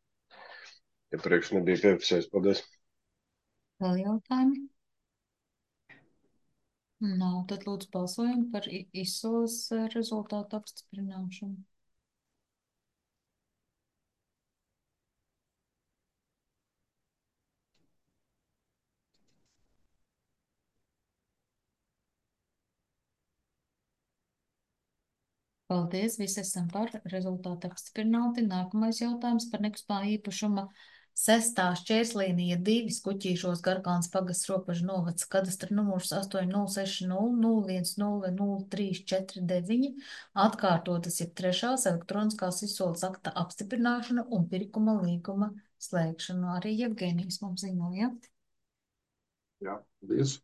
iepriekš nebija piefiksējis. Paldies. Vēl jautājumi? Nav, tad lūdzu balsojam par izsoles rezultātu apstiprināšanu. Paldies, visi esam par, rezultātu apstiprināti. Nākamais jautājums par nekustamā īpašuma 6. šķērslīnija 2 Skuķīšos Garplāns pagasts robežu novads, kadastra numurs 80600100349, atkārtotas ir 3. elektroniskās izsoles akta apstiprināšana un pirkuma līguma slēgšana. Arī Jevgenijs mums ziņoja. Jā, paldies.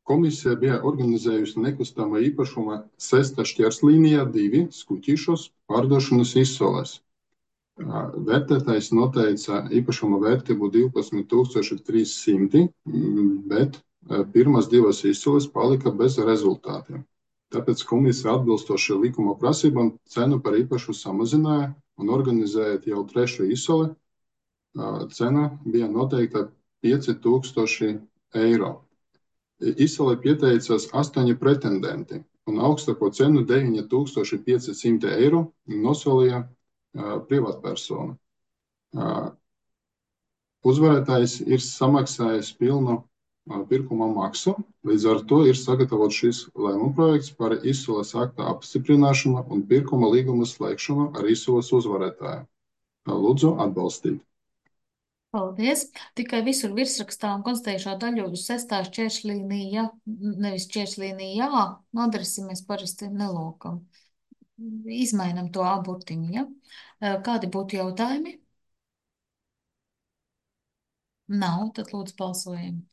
Komisija bija organizējusi nekustamā īpašuma 6. šķērslīnijā 2 Skuķīšos pārdošanas izsoles. Vērtētājs noteica īpašuma vērtību 12 300, bet pirmās divas izsoles palika bez rezultātiem. Tāpēc komisija atbilstoši likuma prasībām cenu par īpašu samazināja un organizējot jau 3. izsoli, cena bija noteikta 5000 eiro. Izsolē pieteicās 8 pretendenti un augstāko cenu 9500 eiro nosolīja privātpersona. Uzvarētājs ir samaksājis pilnu pirkuma maksu, līdz ar to ir sagatavots šis lēmuma projekts par izsoles akta apstiprināšanu un pirkuma līguma slēgšanu ar izsoles uzvarētāju. Lūdzu atbalstīt. Paldies. Tikai visur virsrakstā un konstatējušā daļu uz 6. šķēršlīnija, nevis šķēršlīnija, adresi mēs parasti nelokam. Izmainam to aburtiņu, ja? Kādi būtu jautājumi? Nav, tad lūdzu balsojam.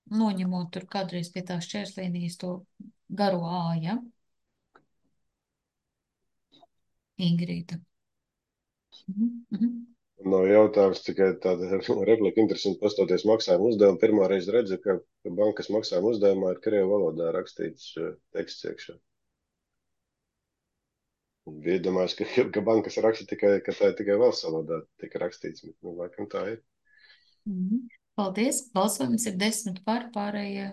Noņemot tur kādreiz pie tās šķēršlīnijas to garo A, ja? Ingrīda. Nav jautājums, tikai tāda replika interesanti pastoties maksājuma uzdevumu. Pirmā reize redzu, ka bankas maksājuma uzdevumā ir krievu valodā rakstīts teksts iekšā. Iedomājos, ka bankas raksta tikai, ka tā ir tikai valsts valodā tika rakstīts, bet, laikam tā ir. Paldies. Balsojums ir 10 par, pārējie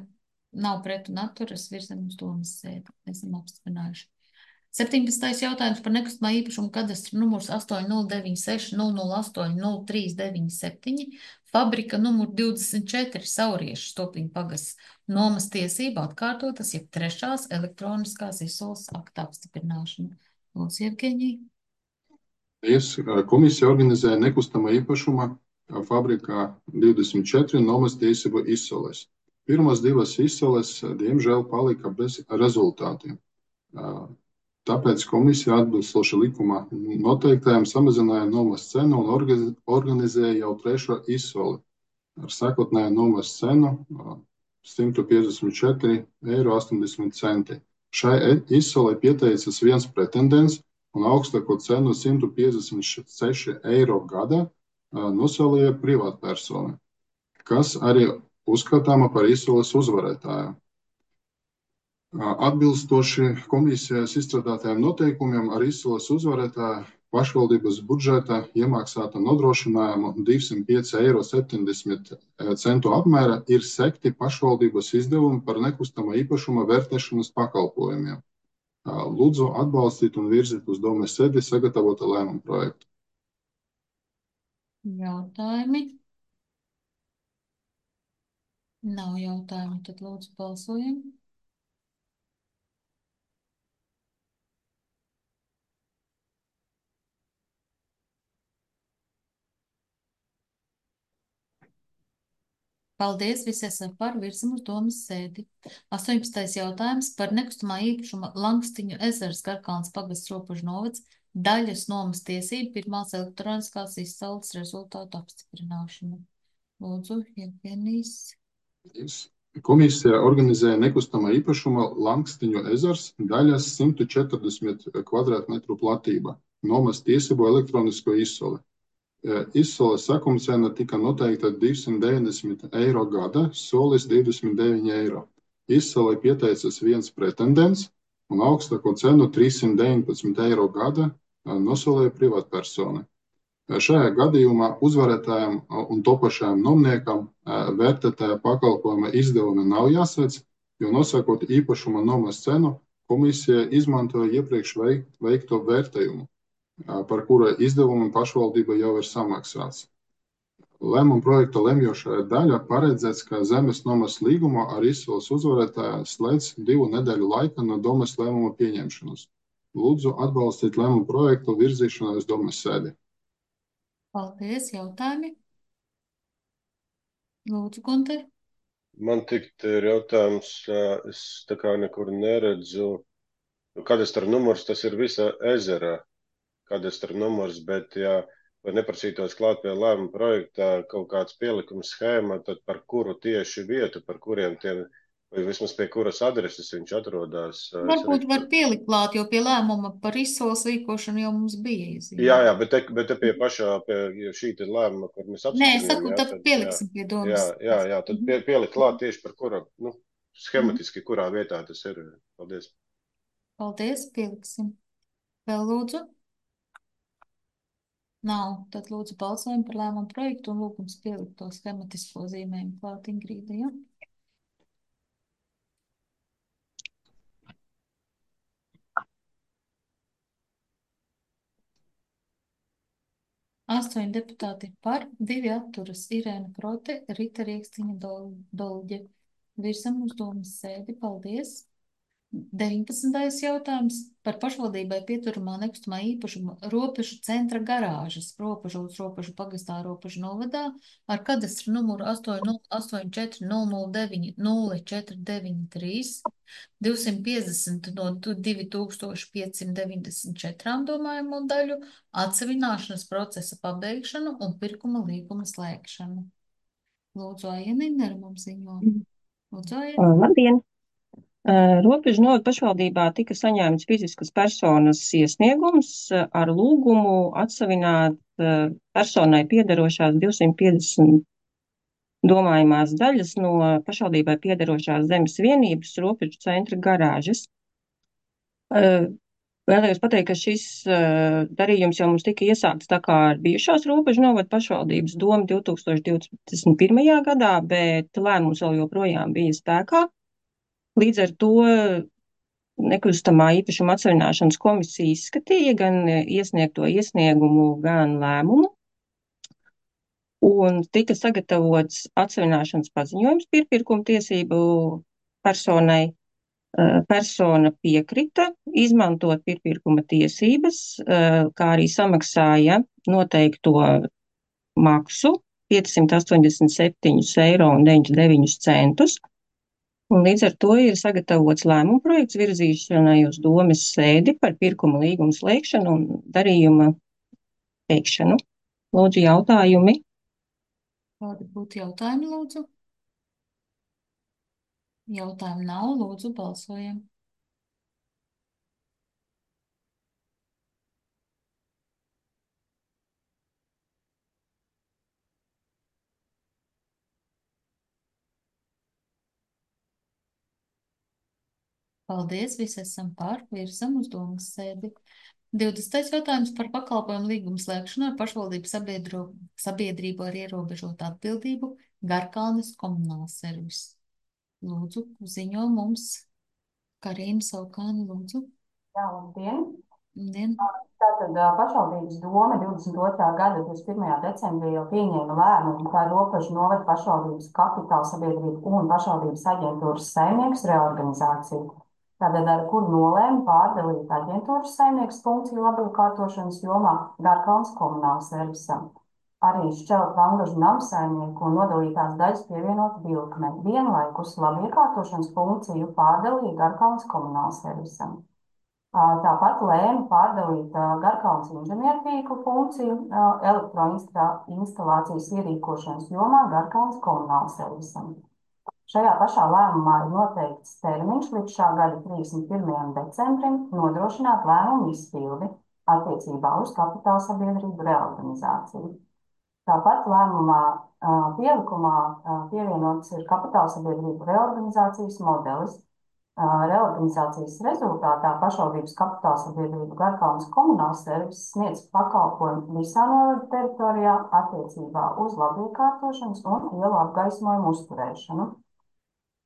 nav pret un atturas, virzam uz domas sēdi. Esam apstiprinājuši. 17. jautājums par nekustamā īpašuma kadastra numurs 8096-008-0397, fabrika numur 24, Sauriešu Stopiņu pagasts, nomas tiesība atkārtotas, jeb trešās elektroniskās izsoles akta apstiprināšana. Lūdzu, Jevgeņija. Komisija organizēja nekustamā īpašuma fabrikā 24 nomas tiesību izsoles. Pirmās divas izsoles, diemžēl, palika bez rezultātiem. Tāpēc komisija atbilstoši likuma noteiktajām samazināja nomas cenu un organizēja jau trešo izsoli ar sākotnēju nomas cenu 154,80 eiro. Šai izsolei pieteicas viens pretendents un augstāko cenu 156 eiro gada nosolīja privātpersona, kas arī uzskatāma par izsoles uzvarētāju. Atbilstoši komisijas izstrādātajiem noteikumiem ar izsoles uzvarētāju pašvaldības budžeta iemaksāta nodrošinājumu 205,70 eiro apmēra ir sekti pašvaldības izdevumi par nekustamā īpašuma vērtēšanas pakalpojumiem. Lūdzu atbalstīt un virzīt uz domes sēdi sagatavota lēmuma projektu. Jautājumi? Nav jautājumu, tad lūdzu balsojam. Paldies, visi esam par, virzam uz domas sēdi. 18. jautājums par nekustamā īpašuma Langstiņu ezers Garkalns pagasts robežu novads daļas nomas tiesību pirmās elektroniskās izsoles rezultātu apstiprināšanu. Lūdzu, Jevgenijs. Komisija organizēja nekustamā īpašuma Langstiņu ezers daļas 140 kvadrātmetru platība nomas tiesību elektronisko izsoli. Izsoles sakumcena tika noteikta 290 eiro gada, solis 29 eiro. Izsolei pieteicas viens pretendents un augstāko cenu 319 eiro gada nosolīja privātpersona. Šajā gadījumā uzvarētājiem un topošajam nomniekam vērtētāja pakalpojuma izdevumi nav jāsēc, jo nosakot īpašuma nomas cenu, komisija izmantoja iepriekš veikto vērtējumu, par kura izdevumu pašvaldība jau ir samaksāts. Lēmuma projekta lemjošā daļa paredzēts, ka zemes nomas līgumu ar izsoles uzvarētāju slēdz 2 nedēļu laika no domes lēmuma pieņemšanas. Lūdzu atbalstīt lēmuma projektu virzīšanai uz domes sēdi. Paldies, jautājumi? Lūdzu, Gunter. Man tikt ir jautājums, es tā kā nekur neredzu, kadastra numurs, tas ir visa ezera kadastra numurs, bet ja vai neprasītos klāt pie lēmuma projektā kaut kāds pielikums schēma, tad par kuru tieši vietu, par kuriem tiem, vai vismaz pie kuras adreses viņš atrodas. Varbūt var pielikt klāt, jo pie lēmuma par izsoles rīkošanu jau mums bija izzīmē. Jā, bet te pie pašā, pie šī te lēmuma, kur mēs apstiprinām. Nē, saku, tad pieliksim pie domas. Jā, tad pielikt klāt tieši par kura, schematiski, kurā vietā tas ir. Paldies. Paldies, pieliksim. Vēl lūdzu? Nav, tad lūdzu balsojam par lēmumu projektu un lūgums pielikt to schematisko zīmējumu klāt, Ingrīda, ja? Astoņi deputāti par, 2 atturas, Irēna Krote, Rita Riekstiņa Dolģe. Virsam uz domas sēdi, paldies. 19. jautājums par pašvaldībai pieturamā nekustamā īpašuma robežu centra garāžas robežu pagastā robežu novadā ar kadastra numuru 8084090493 250 no 2594 domājumu daļu atsevināšanas procesa pabeigšanu un pirkuma līguma slēgšanu. Lūdzu, Aija Niner mums ziņo. Lūdzu, Aija. Labdien! Robežu novada pašvaldībā tika saņemts fiziskas personas iesniegums ar lūgumu atsavināt personai piederošās 250 domājumās daļas no pašvaldībai piederošās zemes vienības robežu centra garāžas. Vēlējos pateikt, ka šis darījums jau mums tika iesākts tā kā ar bijušās robežu novada pašvaldības domu 2021. gadā, bet lēmums vēl joprojām bija spēkā. Līdz ar to nekustamā īpašuma atsavināšanas komisija izskatīja gan iesniegto iesniegumu, gan lēmumu, un tika sagatavots atsavināšanas paziņojums pirmpirkuma tiesību personai. Persona piekrita izmantot pirmpirkuma tiesības, kā arī samaksāja noteikto maksu 587,99 €. Un līdz ar to ir sagatavots lēmuma projekts virzīšanai uz domes sēdi par pirkuma līgumu slēgšanu un darījuma veikšanu. Lūdzu, jautājumi? Kādi būtu jautājumi, lūdzu? Jautājumu nav, lūdzu, balsojam. Paldies, visi esam par, virzam uz domas sēdi. 20. jautājums par pakalpojumu līgumu slēgšanu ar pašvaldību sabiedrību ar ierobežotu atbildību Garkalnes komunāls servis. Lūdzu, ziņo mums Karīna Saukāne, lūdzu. Jā, labdien. Labdien. Tātad pašvaldības doma 22. gada 21. decembrī jau pieņēma lēmumu par robežu novada pašvaldības kapitāla sabiedrību un pašvaldības aģentūras saimnieks reorganizāciju. Tātad ar kuru nolēma pārdalīt aģentūras saimnieks funkciju labiekārtošanas jomā Garkalnes komunāla servisam. Arī šķelt Vangažu namsaimnieku un nodalītās daļas pievienot Vilkmei. Vienlaikus labiekārtošanas funkciju pārdalīja Garkalnes komunāla servisam. Tāpat lēma pārdalīt Garkalnes inženiertīklu funkciju elektroinstalācijas ierīkošanas jomā Garkalnes komunāla servisam. Šajā pašā lēmumā ir noteikts termiņš līdz šā gada 31. decembrim nodrošināt lēmumu izpildi attiecībā uz kapitāla sabiedrību reorganizāciju. Tāpat lēmumā pielikumā pievienots ir kapitāla sabiedrību reorganizācijas modelis. Reorganizācijas rezultātā pašvaldības kapitāla sabiedrību Garkalnes komunāls servis sniedz pakalpojumu visā novada teritorijā attiecībā uz labiekārtošanas un ielu apgaismojumu uzturēšanu.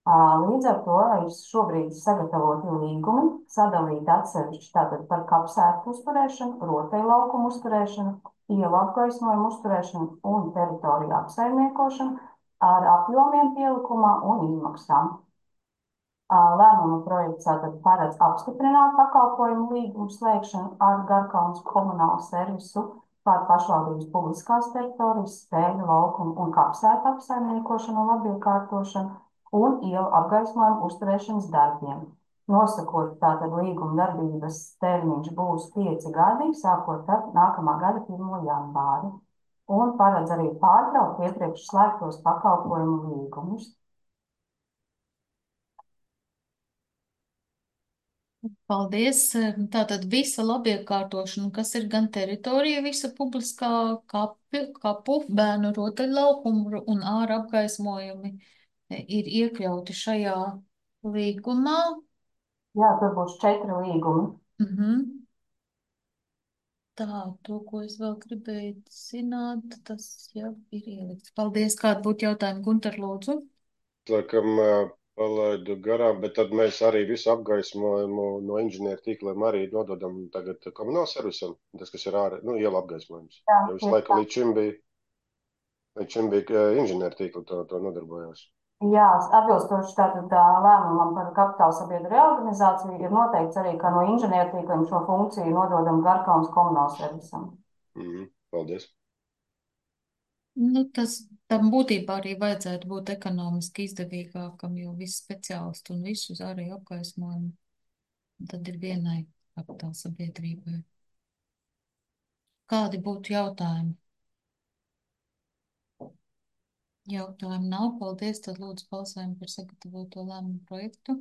Līdz ar to ir šobrīd sagatavoti līgumi, sadalīti atsevišķi tātad par kapsētu uzturēšanu, rotaļlaukumu uzturēšanu, ielu apgaismojumu uzturēšanu un teritoriju apsaimniekošanu ar apjomiem pielikumā un izmaksām. Lēmuma projekts tātad paredz apstiprināt pakalpojumu līgumu slēgšanu ar Garkalnes komunālu servisu par pašvaldības publiskās teritorijas, spēļu laukumu un kapsētu apsaimniekošanu un labiekārtošanu un ielu apgaismojumu uzturēšanas darbiem. Nosakot tātad līguma darbības termiņš būs 5 gadi, sākot ar nākamā gada 1. janvāri. Un paredz arī pārtraukt iepriekš slēgtos pakalpojumu līgumus. Paldies. Tātad visa labiekārtošana, kas ir gan teritorija, visa publiskā kapu, bērnu rotaļlaukumu un āra apgaismojumi ir iekļauti šajā līgumā. Jā, tur būs 4 līgumi. Tā, to, ko es vēl gribēju zināt, tas jau ir ielikts. Paldies. Kādi būtu jautājumi, Gunter, lūdzu? Laikam palaidu garām, bet tad mēs arī visu apgaismojumu no inženieru tīkliem arī nododam tagad komunāla servisam, tas, kas ir ārā, iela apgaismojums. Jā, jo visu laiku līdz šim bija inženieru tīkli to nodarbojās. Jā, atbilstoši tātad lēmumam par kapitāla sabiedrību reorganizāciju ir noteikts arī, ka no inženiertīkliem šo funkciju nododam Garkalnes komunāla servisam. Paldies. Tam būtībā arī vajadzētu būt ekonomiski izdevīgākam, jo visi speciālisti un visus arī apgaismojumi tad ir vienai kapitāla sabiedrībai. Kādi būtu jautājumi? Jautājumu nav. Paldies. Tad lūdzu balsojam par sagatavoto lēmumu projektu.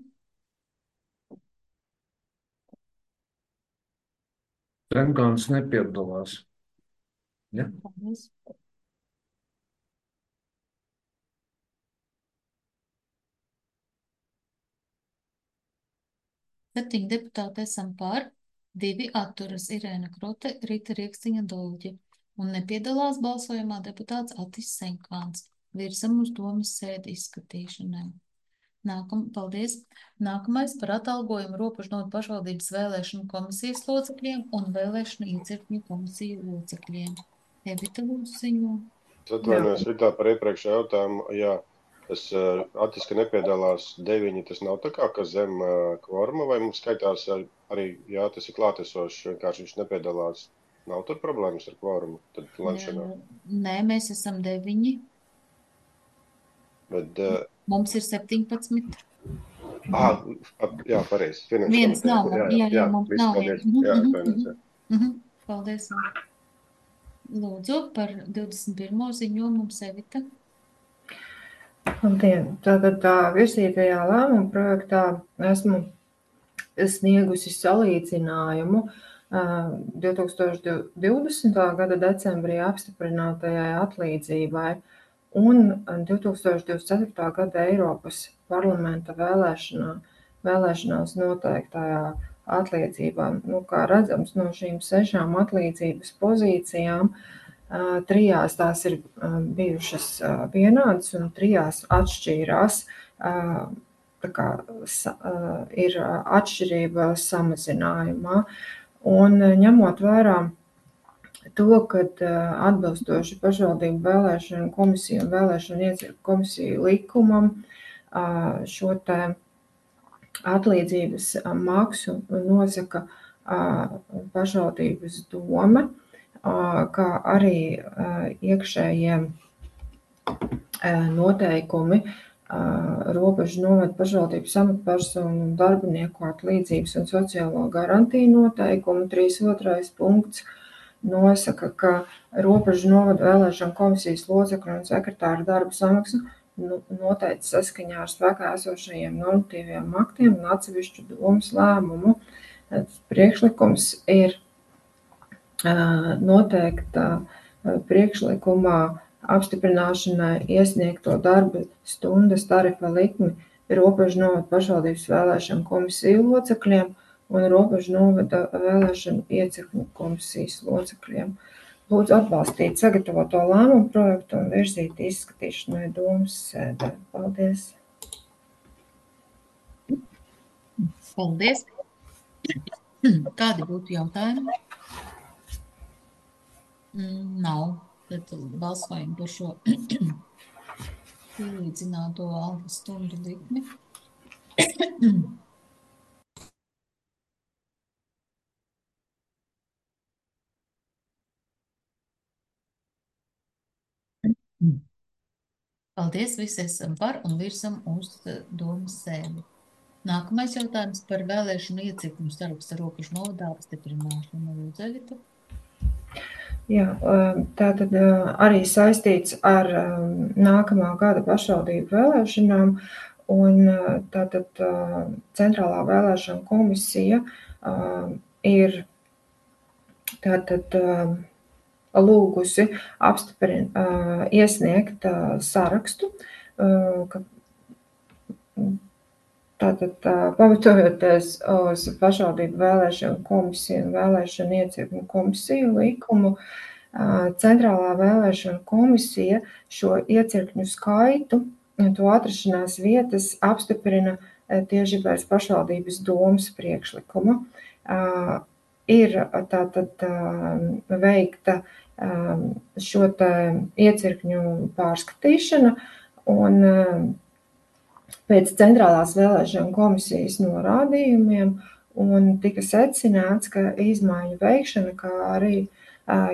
Zemgāns nepiedalās. Ja? Paldies. Septiņi deputāti esam par, 2 atturas Irēna Krote, Rita Rieksniņa Dolģe. Un nepiedalās balsojumā deputāts Atis Senkāns. Virzam uz domas sēdi izskatīšanai. Paldies. Nākamais par atalgojumu Robežnovadas pašvaldības vēlēšanu komisijas locekļiem un vēlēšanu iecirkņu komisiju locekļiem. Evita lūdzu ziņo. Es atvainojos Ritā par iepriekšējo jautājumu. Jā, tas Atis, ka nepiedalās 9, tas nav tā kā, ka zem kvoruma, vai mums skaitās arī, jā, tas ir klātesošs, vienkārši viņš nepiedalās. Nav tur problēmas ar kvorumu, tad lemšanā. Nē, mēs esam 9. Bet, mums ir 17. Jā, pareizi. Viens nav. Jā, mums viss, nav. paldies. Jā, atvainojos. Paldies. Lūdzu, par 21. ziņojumu mums Evita. Labdien! Tātad virzītajā lēmuma projektā esmu sniegusi salīdzinājumu 2020. gada decembrī apstiprinātajai atlīdzībai un 2024. gada Eiropas parlamenta vēlēšanās noteiktajā atlīdzībā. Kā redzams, no šīm 6 atlīdzības pozīcijām 3 tās ir bijušas vienādas un 3 atšķīrās. Ir atšķirība samazinājumā. Un ņemot vērā to, ka atbilstoši pašvaldību vēlēšanu komisiju un vēlēšanu iecirkņu komisiju likumam šo te atlīdzības maksu nosaka pašvaldības doma, kā arī iekšējie noteikumi Robežnovadas pašvaldības amatpersonu un darbinieku atlīdzības un sociālo garantiju noteikumu 3.2. punkts nosaka, ka Robežnovadas vēlēšanu komisijas locekļu un sekretāra darba samaksu noteica saskaņā ar spēkā esošajiem normatīviem aktiem un atsevišķu domas lēmumu. Priekšlikums ir noteikta priekšlikumā apstiprināšanai iesniegto darba stundas tarifa likmi Robežnovadas pašvaldības vēlēšanu komisiju locekļiem un Robežnovadas vēlēšanu iecirkņu komisijas locekļiem. Lūdzu atbalstīt sagatavoto lēmumu projektu un virzīt izskatīšanai domas sēdē. Paldies! Paldies! Kādi būtu jautājumi? Nav. Tad balsojam par šo pielīdzināto algas stundu likmi. Paldies, visi esam par un virsam uz domas sēdi. Nākamais jautājums par vēlēšanu iecirkņu saraksta Robežnovadā apstiprināšanu. Lūdzu, Evita. Jā, tātad arī saistīts ar nākamā gada pašvaldību vēlēšanām, un tātad Centrālā vēlēšana komisija ir tātad lūgusi iesniegt sarakstu, tātad pamatojoties uz pašvaldību vēlēšanu komisiju un vēlēšanu iecirkņu komisiju likumu, Centrālā vēlēšana komisija šo iecirkņu skaitu un to atrašanās vietas apstiprina tieši pēc pašvaldības domas priekšlikuma. Ir tātad veikta šo te iecirkņu pārskatīšana un pēc Centrālās vēlēšana komisijas norādījumiem un tika secināts, ka izmaiņu veikšana, kā arī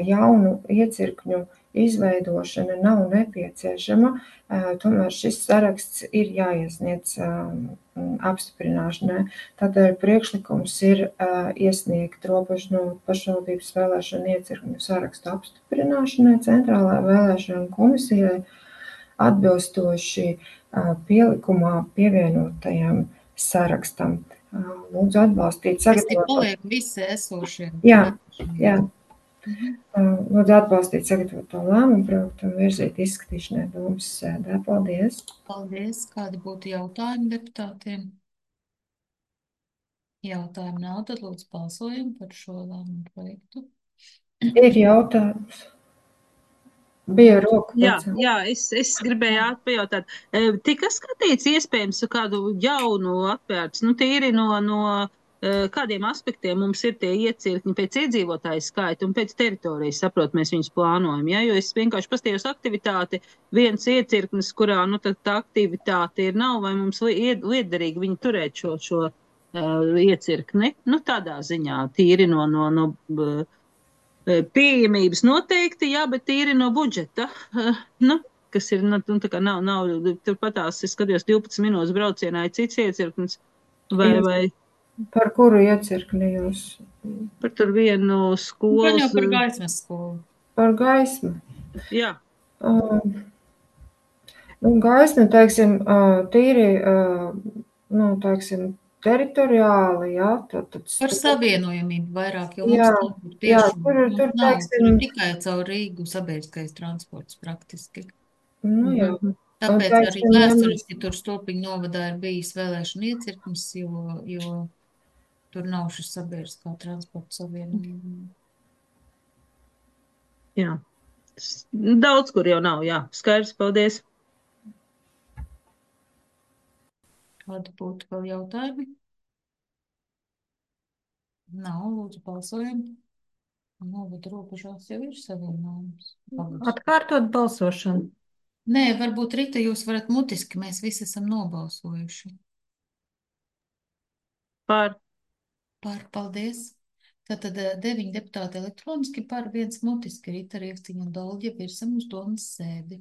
jaunu iecirkņu izveidošana nav nepieciešama, tomēr šis saraksts ir jāiesniedz apstiprināšanai. Tādēļ priekšlikums ir iesniegt Robežnovadas pašvaldības vēlēšanu iecirkņu sarakstu apstiprināšanai Centrālajai vēlēšanu komisijai atbilstoši pielikumā pievienotajam sarakstam. Lūdzu atbalstīt Tas ir sagatavoto. paliek visi esošie. Jā, jā. Mhm. Lūdzu atbalstīt sagatavoto lēmumu projektu un virzīt izskatīšanai domas sēdē. Paldies. Paldies. Kādi būtu jautājumi deputātiem? Jautājumu nav, tad lūdzu balsojam par šo lēmumu projektu. Ir jautājums. Bija roku pacelt. Jā, es gribēju pajautāt. Tika skatīts iespējams kādu jaunu atvērts, nu tīri no kādiem aspektiem mums ir tie iecirkņi pēc iedzīvotāju skaita un pēc teritorijas, saprot, mēs viņus plānojam, ja? Jo es vienkārši paskatījos aktivitāti, viens iecirknis, kurā, nu, tā aktivitāte ir nav, vai mums liederīgi viņi turēt šo iecirkni, nu, tādā ziņā, tīri no pieejamības noteikti, jā, bet tīri no budžeta, nu, kas ir, nu, tā kā nav, turpatās, es skatījos 12 minūtes braucienā, ir cits iecirknis, vai Par kuru iecirkni jūs? par tur vienu Gan skolas. jau par gaismas skolu. Par gaismu. Jā. Nu, gaisma, teiksim, tīri, nu, teiksim, teritoriāli, jā, tad Par savienojamību vairāk, jo Jā, mums nav jā, piešķirta. tur, Nav, tur ir teiksim, tikai caur Rīgu sabiedriskais transports praktiski. nu, jā. Tāpēc Un, arī teiksim, vēsturiski tur Stulpiņu novadā ir bijis vēlēšana iecirknis, jo tur nav šis sabiedriskā transporta savienojuma. Jā. Daudz, kur jau nav, jā. Skaidrs, paldies. Kādi būtu vēl jautājumi? Nav, lūdzu, balsojam. Novada robežās jau ir savienojums. Atkārtot balsošanu. Nē, varbūt Rita jūs varat mutiski, mēs visi esam nobalsojuši. Par. Paldies. Tātad 9 deputāti elektroniski par, 1 mutiski Rita Riekciņa un Dolģa virsam uz domas sēdi.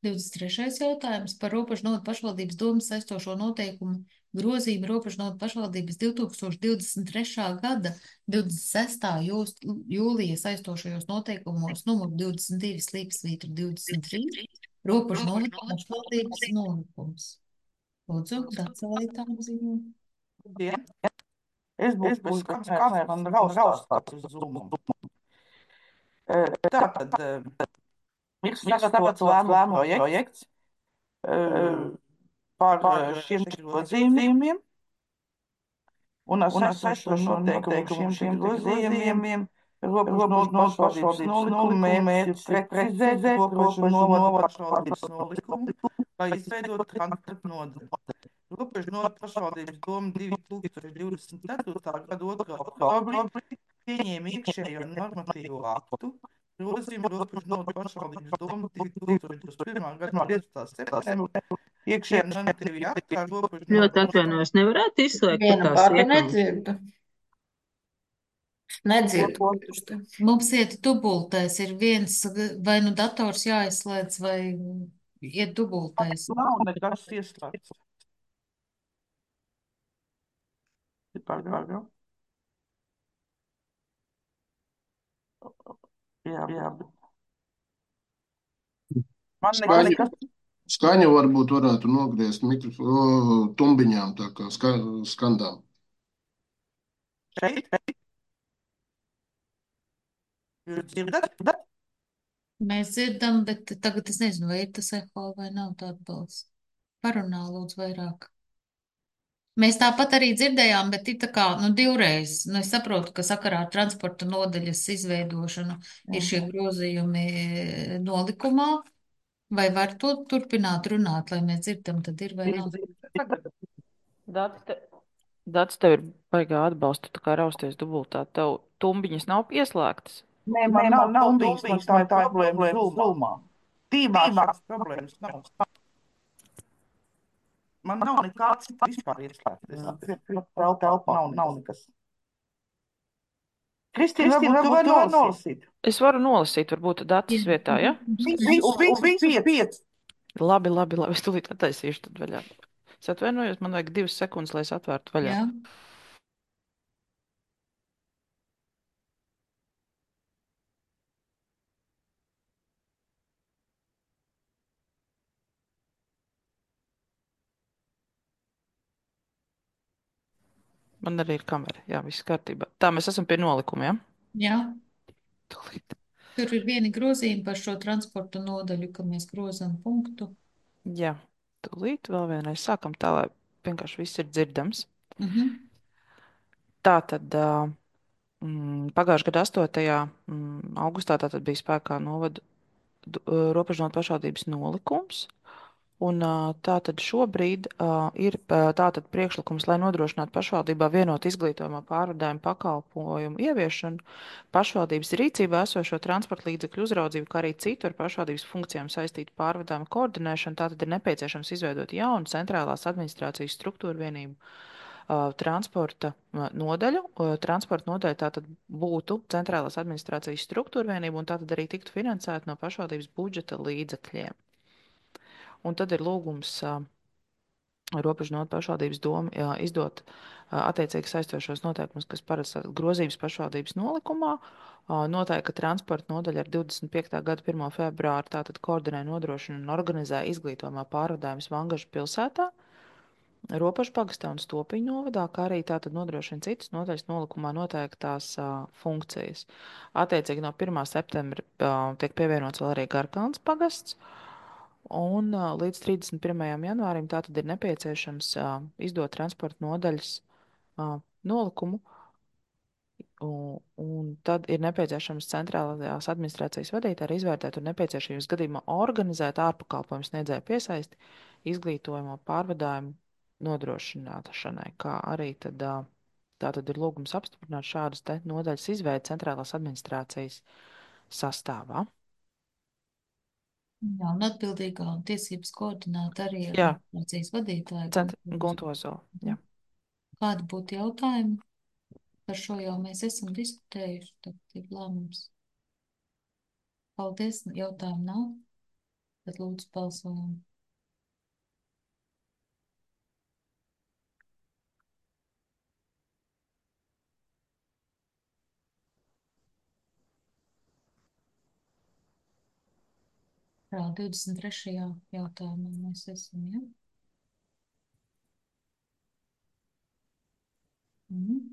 23. jautājums par Robežnodu pašvaldības domas saistošo noteikumu grozījumu Robežnodu pašvaldības 2023. gada 26. jūlija saistošajos noteikumos numur 22/23 Robežnodu pašvaldības nolikums. Lūdzu, Dacēlītām ziņu. Es būšu bez kameras, man raustās uz Zoom. Tātad ir sagatavots lēmumu projekts par šiem grozījumiem un ar saistīšo noteikumu šiem grozījumiem Robežnodu pašvaldības nolikumu mērķis ir precizēt Robežnodu pašvaldības nolikumu, lai izveidot transporta nodaļu. Robežnodu pašvaldības doma 2024. gada 2. oktobrī pieņēma iekšējo normatīvo aktu, grozījumu Robežnodu pašvaldības doma 2021. gada 15. septembrī iekšējā normatīvajā aktā Robežnodu. Ļoti atvainojos, nevarētu izslēgt Viena tās pati iekārtas? nedzirdu. Nedzirdu. Mums iet dubultais, ir viens, vai nu dators jāizslēdz, vai iet dubultais. Nav nekas ieslēgts. Pagaidām. Jā, bet man nekas. Skaņa varbūt varētu nogriezt tumbiņām, tā kā skandām. Šeit? Jūs dzirdat? Mēs dzirdam, bet tagad es nezinu, vai ir tas eho vai nav tāda balss. Parunā lūdzu vairāk. Mēs tāpat arī dzirdējām, bet ir tā kā, nu, divreiz. Nu, es saprotu, ka sakarā ar transporta nodaļas izveidošanu ir šie grozījumi nolikumā. Vai var to turpināt runāt, lai mēs dzirdam, tad ir vai nav? Dats tev ir baigā atbalsta, tā kā rausties dubultā. Tev tumbiņas nav pieslēgtas? Nē, man nav tumbiņas, man tā ir problēma Zoomā. Tīmā šāds problēmas nav. Man nav nekāds vispār ieslēgts. Telpā nav nekas. Kristīna, varbūt tu vari nolasīt? Es varu nolasīt, varbūt Datas vietā, ja? Visu 5. Labi, es tūlīt attaisīšu tad vaļā. Es atvainojos, man vajag 2 sekundes, lai es atvērtu vaļā. Jā. Man arī ir kamera. Jā, viss kārtībā. Tā, mēs esam pie nolikuma, ja? Jā. Tūlīt. Tur ir vieni grozījumi par šo transporta nodaļu, ka mēs grozam punktu. Jā, tūlīt vēl vienreiz sākam tā, lai vienkārši viss ir dzirdams. Tā tad pagājušā gada 8. Augustā tātad bija spēkā novadu robežnotu pašvaldības nolikums. Un tātad šobrīd ir tātad priekšlikums, lai nodrošinātu pašvaldībā vienotu izglītojamo pārvadājumu pakalpojumu ieviešanu, pašvaldības rīcībā esošo transporta līdzekļu uzraudzību, kā arī citu ar pašvaldības funkcijām saistītu pārvadājumu koordinēšanu. Tātad ir nepieciešams izveidot jaunu centrālās administrācijas struktūru vienību transporta nodaļu. Transporta nodaļa tātad būtu centrālās administrācijas struktūra vienība un tātad arī tiktu finansēta no pašvaldības budžeta līdzekļiem. Un tad ir lūgums robežnotu pašvaldības domu izdot attiecīgi saistošos noteikumus, kas paredz grozījums pašvaldības nolikumā. Noteikti, ka transporta nodaļa ar 25. gada 1. februāru tātad koordinē, nodrošina un organizē izglītojumā pārvadājumus Vangažu pilsētā, Ropažu pagastā un Stopiņu novadā, kā arī tātad nodrošina citas nodaļas nolikumā noteiktās funkcijas. Attiecīgi no 1. septembra tiek pievienots vēl arī Garkalns pagasts. Un līdz 31. janvārim tātad ir nepieciešams izdot transporta nodaļas nolikumu, un tad ir nepieciešams centrālās administrācijas vadītāji izvērtēt un nepieciešamības gadījumā organizēt ārpakalpojumu sniedzēju piesaisti izglītojumu pārvadājumu nodrošināšanai, kā arī tad, tātad ir lūgums apstiprināt šādas te nodaļas izveidi centrālās administrācijas sastāvā. Jā, un atbildīgā un tiesības koordinēt arī ar Jā. administrācijas vadītāju. Guntozo, jā. Kādi būtu jautājumi? Par šo jau mēs esam diskutējuši, tad ir lēmums. Paldies, jautājumu nav. Tad lūdzu balsojam. Jā, 23. jautājumā mēs esam, ja?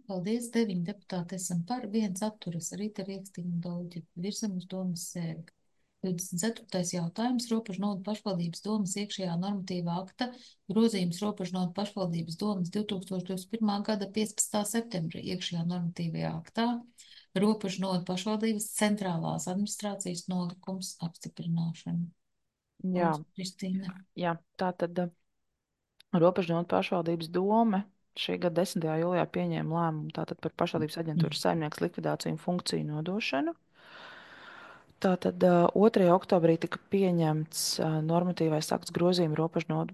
Paldies, 9 deputāti esam par, 1 atturas, Rīta Riekstīna un Dolģi. Virzam uz domas sēdi. 24. jautājums, Robežnotu pašvaldības domas iekšējā normatīvā akta, grozījums Robežnotu pašvaldības domas 2021. gada 15. septembra iekšējā normatīvajā aktā, Robežnotu pašvaldības centrālās administrācijas nolikums apstiprināšana. Jā. Lūdzu, Kristīne. Jā, tā tad Robežnotu pašvaldības dome šī gada 10. jūlijā pieņēma lēmumu tātad par pašvaldības aģentūras saimnieks likvidāciju un funkciju nodošanu. Tātad 2. oktobrī tika pieņemts normatīvais akts grozījuma Robežnotu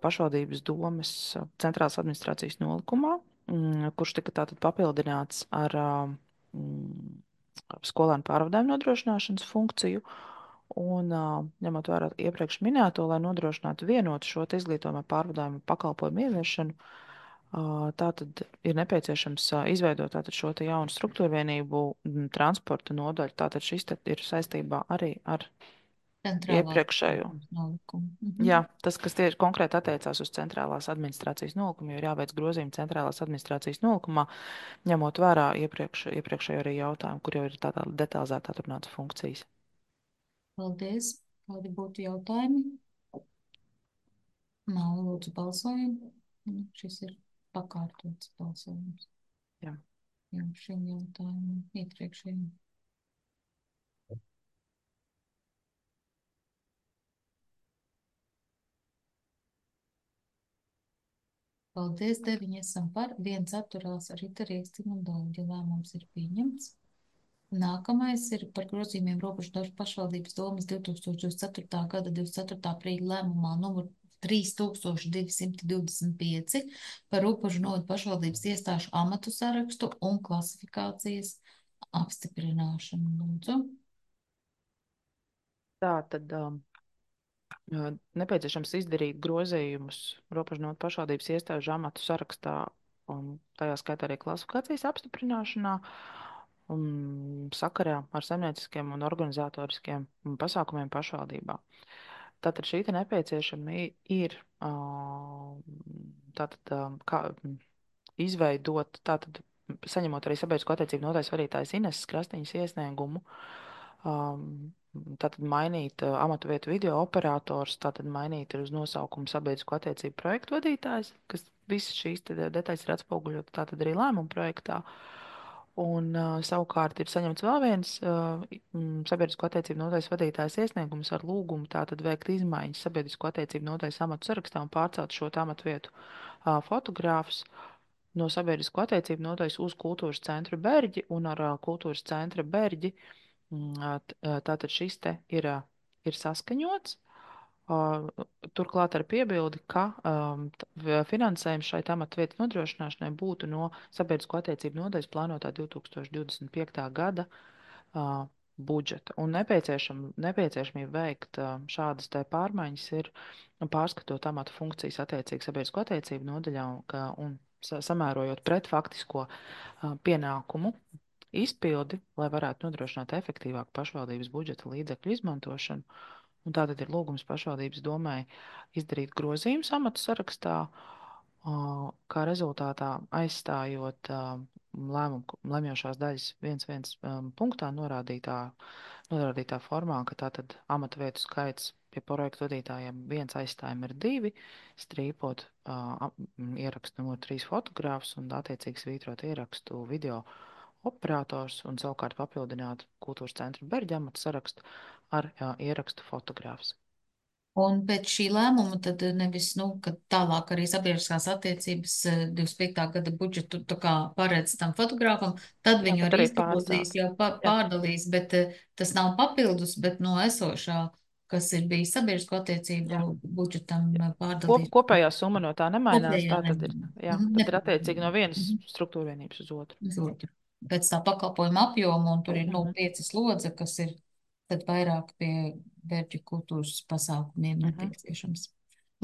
pašvaldības domes centrālās administrācijas nolikumā, kurš tika tātad papildināts ar skolēnu pārvadājumu nodrošināšanas funkciju. Un ņemot vērā iepriekš minēto, lai nodrošinātu vienotu šo izglītojumā pārvadājumu pakalpojumu ieviešanu, tātad ir nepieciešams izveidot tātad šo te jaunu struktūru vienību transporta nodaļu. Tātad šis ir saistībā arī ar iepriekšējo. Jā, tas, kas tieši konkrēti attiecās uz centrālās administrācijas nolikumu, jo ir jāveic grozījumi centrālās administrācijas nolikumā, ņemot vērā iepriekšējo arī jautājumu, kur jau ir tādā detalizēti atrunātas funkcijas. Paldies. Kādi būtu jautājumi? Nav, lūdzu, balsojam. Šis ir pakārtots balsojums. Jā. Jā, šim jautājumam iepriekšējiem. Paldies, 9 esam par, 1 atturās Rīta Riekstīna un Dolģi. Lēmums ir pieņemts. Nākamais ir par grozījumiem Robežnotu pašvaldības domas 2024. gada 24. aprīļa lēmumā numur 3225 par Robežnotu pašvaldības iestāžu amatu sarakstu un klasifikācijas apstiprināšanu. Lūdzu. Tā tad nepieciešams izdarīt grozījumus Robežnotu pašvaldības iestāžu amatu sarakstā un tajā skaitā arī klasifikācijas apstiprināšanā. Sakarā ar saimnieciskiem un organizatoriskiem pasākumiem pašvaldībā. Tātad šī nepieciešama ir tātad, izveidot, tātad saņemot arī sabiedrisko attiecību nodaļas vadītājas Ineses Krastiņas iesniegumu, tātad mainīt amatu vietu video operators, tātad mainīt ir uz nosaukumu sabiedrisko attiecību projektu vadītājs, kas visas šīs detaļas ir atspoguļot tātad arī lēmumu projektā. Un savukārt ir saņemts vēl viens sabiedrisko attiecību nodaļas vadītājas iesniegums ar lūgumu tātad veikt izmaiņas sabiedrisko attiecību nodaļas amatu sarakstā un pārcelt šo amatu vietu fotogrāfus no sabiedrisko attiecību nodaļas uz kultūras centru Berģi un ar kultūras centra Berģi. Tātad šis te ir saskaņots. Turklāt ar piebildi, ka finansējums šai amatu vietas nodrošināšanai būtu no sabiedrisko attiecību nodaļas plānotā 2025. gada budžeta. Un nepieciešamība veikt šādas te pārmaiņas ir pārskatot amatu funkcijas attiecīgi sabiedrisko attiecību nodaļā un samērojot pret faktisko pienākumu izpildi, lai varētu nodrošināt efektīvāku pašvaldības budžeta līdzekļu izmantošanu. Un tātad ir lūgums pašvaldības domai izdarīt grozījumus amatu sarakstā, kā rezultātā aizstājot lemjošās daļas 1.1 punktā norādītā formā, ka tātad amatu vietu skaits pie projektu vadītājiem 1 aizstājumi ir 2, strīpot ierakstu numur 3 fotogrāfus un attiecīgi svītrot ierakstu video operators un savukārt papildināt kultūras centra Berģa amatu sarakstu ar ierakstu fotogrāfs. Un pēc šī lēmuma tad nevis, ka tālāk arī sabiedriskās attiecības 25. gada budžetu tā kā paredz tam fotogrāfam, tad viņu arī izpildīs, jau pārdalīs, bet tas nav papildus, bet no esošā, kas ir bijis sabiedrisko attiecību budžetam pārdalīt. Kopējā summa no tā nemainās, tā tad ir attiecīgi no vienas struktūra vienības uz otru. Uz otru. Pēc tā pakalpojuma apjoma, un tur ir 5 slodze, kas ir tad vairāk pie Berģu kultūras pasākumiem nepieciešams.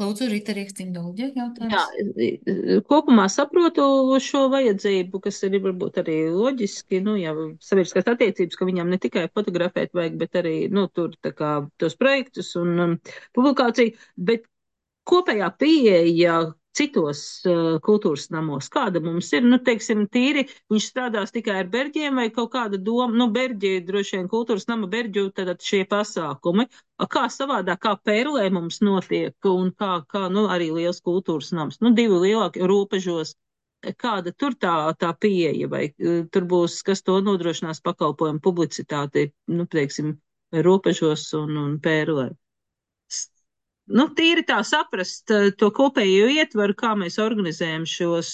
Lūdzu, Rita Rīkstiņa, jautājums. Jā, kopumā saprotu šo vajadzību, kas ir varbūt arī loģiski, ja sabiedriskās attiecības, ka viņam ne tikai fotografēt vajag, bet arī, tur tā kā tos projektus un publikāciju, bet kopējā pieeja citos kultūras namos, kāda mums ir, teiksim, tīri, viņš strādās tikai ar Berģiem vai kaut kāda doma, Berģi, droši vien kultūras nama Berģu, tad šie pasākumi, kā savādāk, kā Pērlē mums notiek un kā arī liels kultūras nams, 2 lielāki robežos, kāda tur tā pieeja, vai tur būs, kas to nodrošinās pakalpojumu publicitāti, teiksim, robežos un Pērlē. Tīri tā saprast to kopējo ietvaru, kā mēs organizējam šos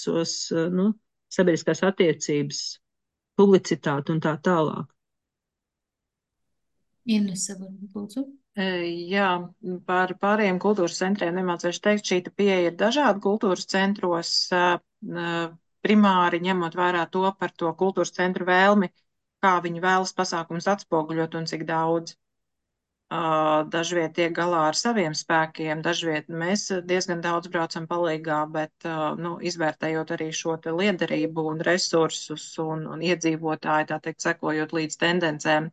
sabiedriskās attiecības, publicitāti un tā tālāk. Inese, varbūt lūdzu. Jā, par pārējiem kultūras centriem nemācīšu teikt, šī pieeja ir dažāda kultūras centros, primāri ņemot vērā to par to kultūras centru vēlmi, kā viņi vēlas pasākums atspoguļot un cik daudz. Dažviet tiek galā ar saviem spēkiem, dažviet mēs diezgan daudz braucam palīgā, bet izvērtējot arī šo te liederību un resursus un iedzīvotāji, tā teikt, sekojot līdz tendencēm,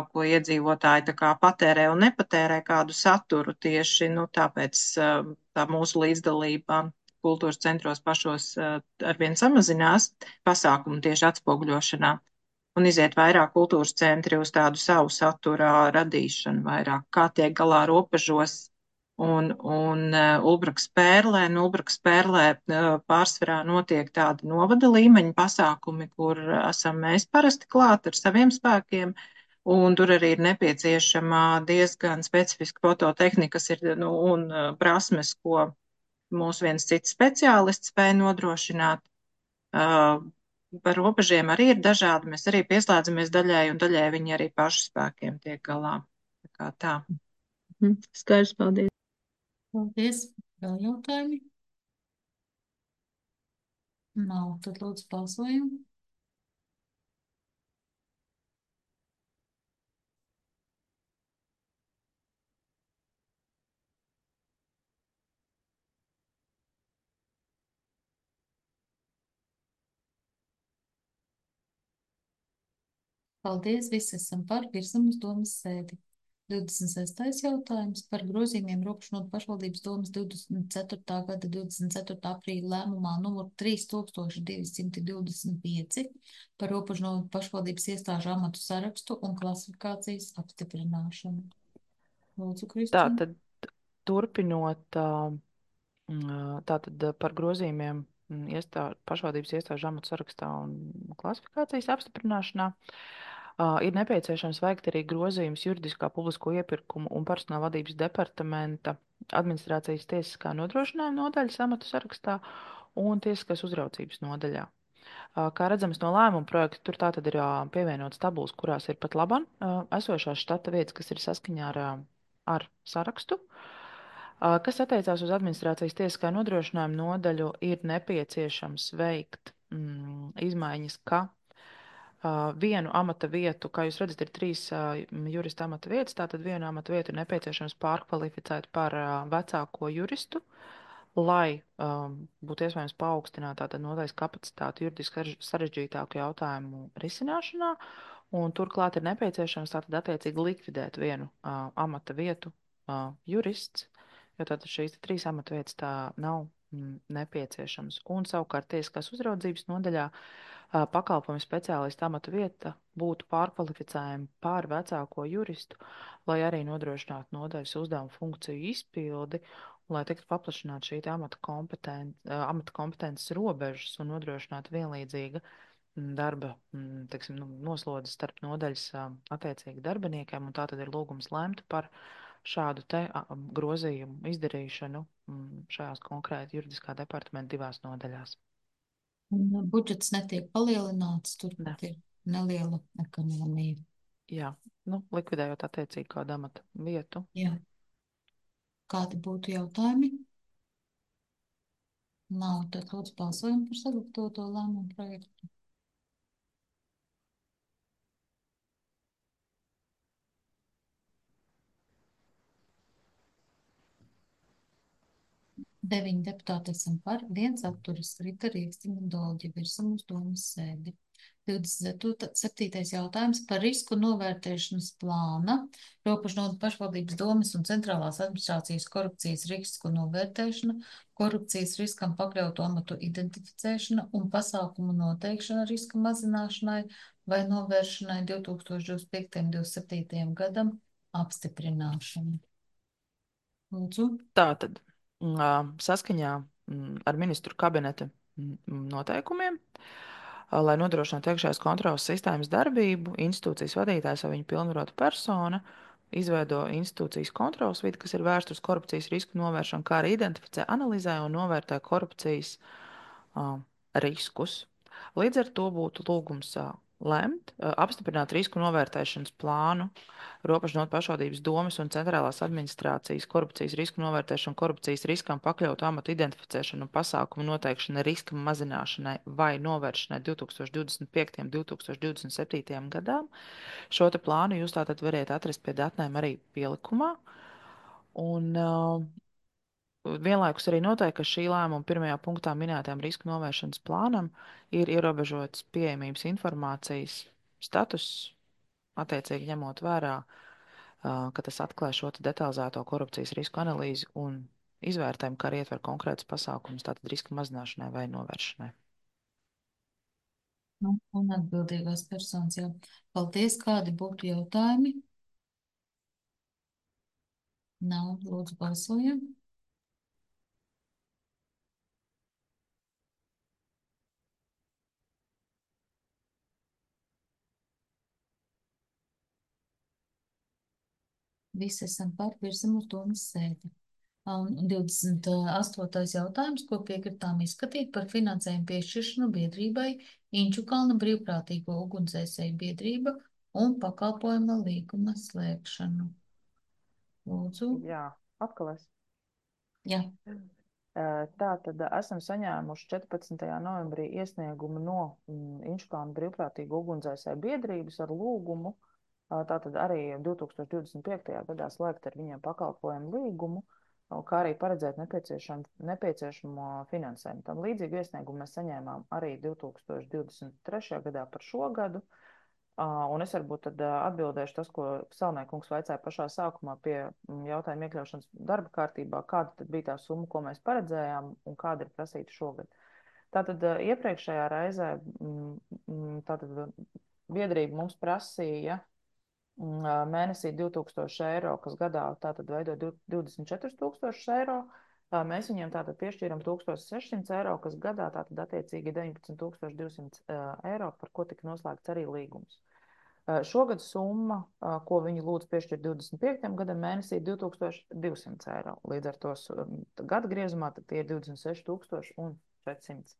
ko iedzīvotāji tā kā patērē un nepatērē kādu saturu tieši, tāpēc tā mūsu līdzdalība kultūras centros pašos arvien samazinās pasākumu tieši atspoguļošanā. Un iziet vairāk kultūras centri uz tādu savu satura radīšanu vairāk, kā tiek galā robežos un Ulbraks Pērlē. Ulbraks Pērlē pārsvarā notiek tādi novada līmeņa pasākumi, kur esam mēs parasti klāt ar saviem spēkiem, un tur arī ir nepieciešama diezgan specifiska fototehnika, kas ir un prasmes, ko mūsu viens cits speciālists spēj nodrošināt. Par robežiem arī ir dažādi. Mēs arī pieslēdzamies daļai, un daļai viņi arī pašu spēkiem tiek galā. Tā kā tā. Skaidrs, paldies. Paldies. Vēl jautājumi? Nav, tad lūdzu balsojumu. Paldies, visi esam par, virzam uz domas sēdi. 26. jautājums par grozījumiem Robežnotu pašvaldības domes 24. gada 24. aprīļa lēmumā numur 3225 par Robežnotu pašvaldības iestāžu amatu sarakstu un klasifikācijas apstiprināšanu. Lūdzu, Kristīna. Tātad, turpinot, tātad par grozījumiem pašvaldības iestāžu amatu sarakstā un klasifikācijas apstiprināšanā. Ir nepieciešams veikt arī grozījums juridiskā publisko iepirkumu un personāla vadības departamenta administrācijas tiesiskā nodrošinājuma nodaļas amatu sarakstā un tiesiskās uzraudzības nodaļā. Kā redzams no lēmuma projekta, tur tātad ir pievienotas tabulas, kurās ir pat labam esošās štata vietas, kas ir saskaņā ar sarakstu. Kas attiecās uz administrācijas tiesiskā nodrošinājuma nodaļu, ir nepieciešams veikt izmaiņas, ka vienu amata vietu, kā jūs redzat, ir 3 jurista amata vietas, tātad vienu amata vietu ir nepieciešams pārkvalificēt par vecāko juristu, lai būtu iespējams paaugstināt tātad nodaļas kapacitāti juridiski sarežģītāku jautājumu risināšanā, un turklāt ir nepieciešams tātad attiecīgi likvidēt vienu amata vietu jurists, jo tātad šīs 3 amata vietas tā nav nepieciešams. Un savukārt tiesiskās uzraudzības nodaļā pakalpojumu speciālistu amata vieta būtu pārkvalificējama pār vecāko juristu, lai arī nodrošinātu nodaļas uzdevumu funkciju izpildi, un lai tiktu paplašināta šī amata kompetences robežas un nodrošinātu vienlīdzīga darba noslodzi starp nodaļas attiecīgi darbiniekiem, un tā tad ir lūgums lemt par šādu te grozījumu izdarīšanu šajās konkrēti juridiskā departamenta 2 nodaļās. Budžets netiek palielināts, tur ir neliela ekonomija. Jā, likvidējot attiecīgi kādu amata vietu. Jā. Kādi būtu jautājumi? Nav, tad lūdzu balsojam par sagatavoto lēmumu projektu. Deviņi deputāti esam par, 1 atturas, Rita Rīkstiņa un Dolģa virsam uz domas sēdi. 27. jautājums par risku novērtēšanas plāna, Robežnotu pašvaldības domes un centrālās administrācijas korupcijas risku novērtēšana, korupcijas riskam pakļautu amatu identificēšana un pasākumu noteikšana riska mazināšanai vai novēršanai 2025. 27. gadam apstiprināšana. Lūdzu. Tātad. Saskaņā ar ministru kabineta noteikumiem, lai nodrošinātu iekšējās kontrolas sistēmas darbību, institūcijas vadītājs vai viņa pilnvarota persona izveido institūcijas kontrolas vidi, kas ir vērsta uz korupcijas risku novēršanu, kā arī identificē, analizē un novērtē korupcijas riskus. Līdz ar to būtu lūgums lemt, apstiprināt risku novērtēšanas plānu, Robežnotu pašvaldības domes un centrālās administrācijas korupcijas risku novērtēšanu, korupcijas riskam pakļautu amatu identificēšanu un pasākumu noteikšanu riska mazināšanai vai novēršanai 2025. 2027. gadām. Šo te plānu jūs tātad variet atrast pie datnēm arī pielikumā. Un vienlaikus arī noteikti, ka šī lēmuma 1. punktā minētajam risku novēršanas plānam ir ierobežots pieejamības informācijas status, attiecīgi ņemot vērā, ka tas atklāj šo detalizēto korupcijas risku analīzi un izvērtējumu, kā arī ietver konkrētus pasākumus, tātad riska mazināšanai vai novēršanai. Un atbildīgās personas jau. Paldies, kādi būtu jautājumi? Nav, lūdzu balsojam. Visi esam par, virsam uz domas sēdi. Un 28. jautājums, ko piekritām izskatīt par finansējumu piešķiršanu biedrībai Inčukalna brīvprātīgo ugunsdzēsēju biedrība un pakalpojuma līguma slēgšanu. Lūdzu. Jā, atkal es. Jā. Tātad esam saņēmuši 14. novembrī iesniegumu no Inčukalna brīvprātīgo ugunsdzēsēju biedrības ar lūgumu tātad arī 2025. gadā slēgt ar viņiem pakalpojumu līgumu, kā arī paredzēt nepieciešamo finansējumu. Tam līdzīgu iesniegumu mēs saņēmām arī 2023. gadā par šo gadu. Un es varbūt tad atbildēšu tas, ko Salmēkungs vaicāja pašā sākumā pie jautājuma iekļaušanas darba kārtībā, kāda tad bija tā summa, ko mēs paredzējām un kāda ir prasīta šogad. Tātad iepriekšējā reizē tātad biedrība mums prasīja mēnesī 2000 eiro, kas gadā tātad veido 24 000 eiro. Mēs viņiem tātad piešķīram 1600 eiro, kas gadā tātad attiecīgi 19 200 eiro, par ko tika noslēgts arī līgums. Šogad summa, ko viņi lūdz piešķirt 25. gadam mēnesī, 2200 eiro. Līdz ar to gada griezumā tad tie ir 26 400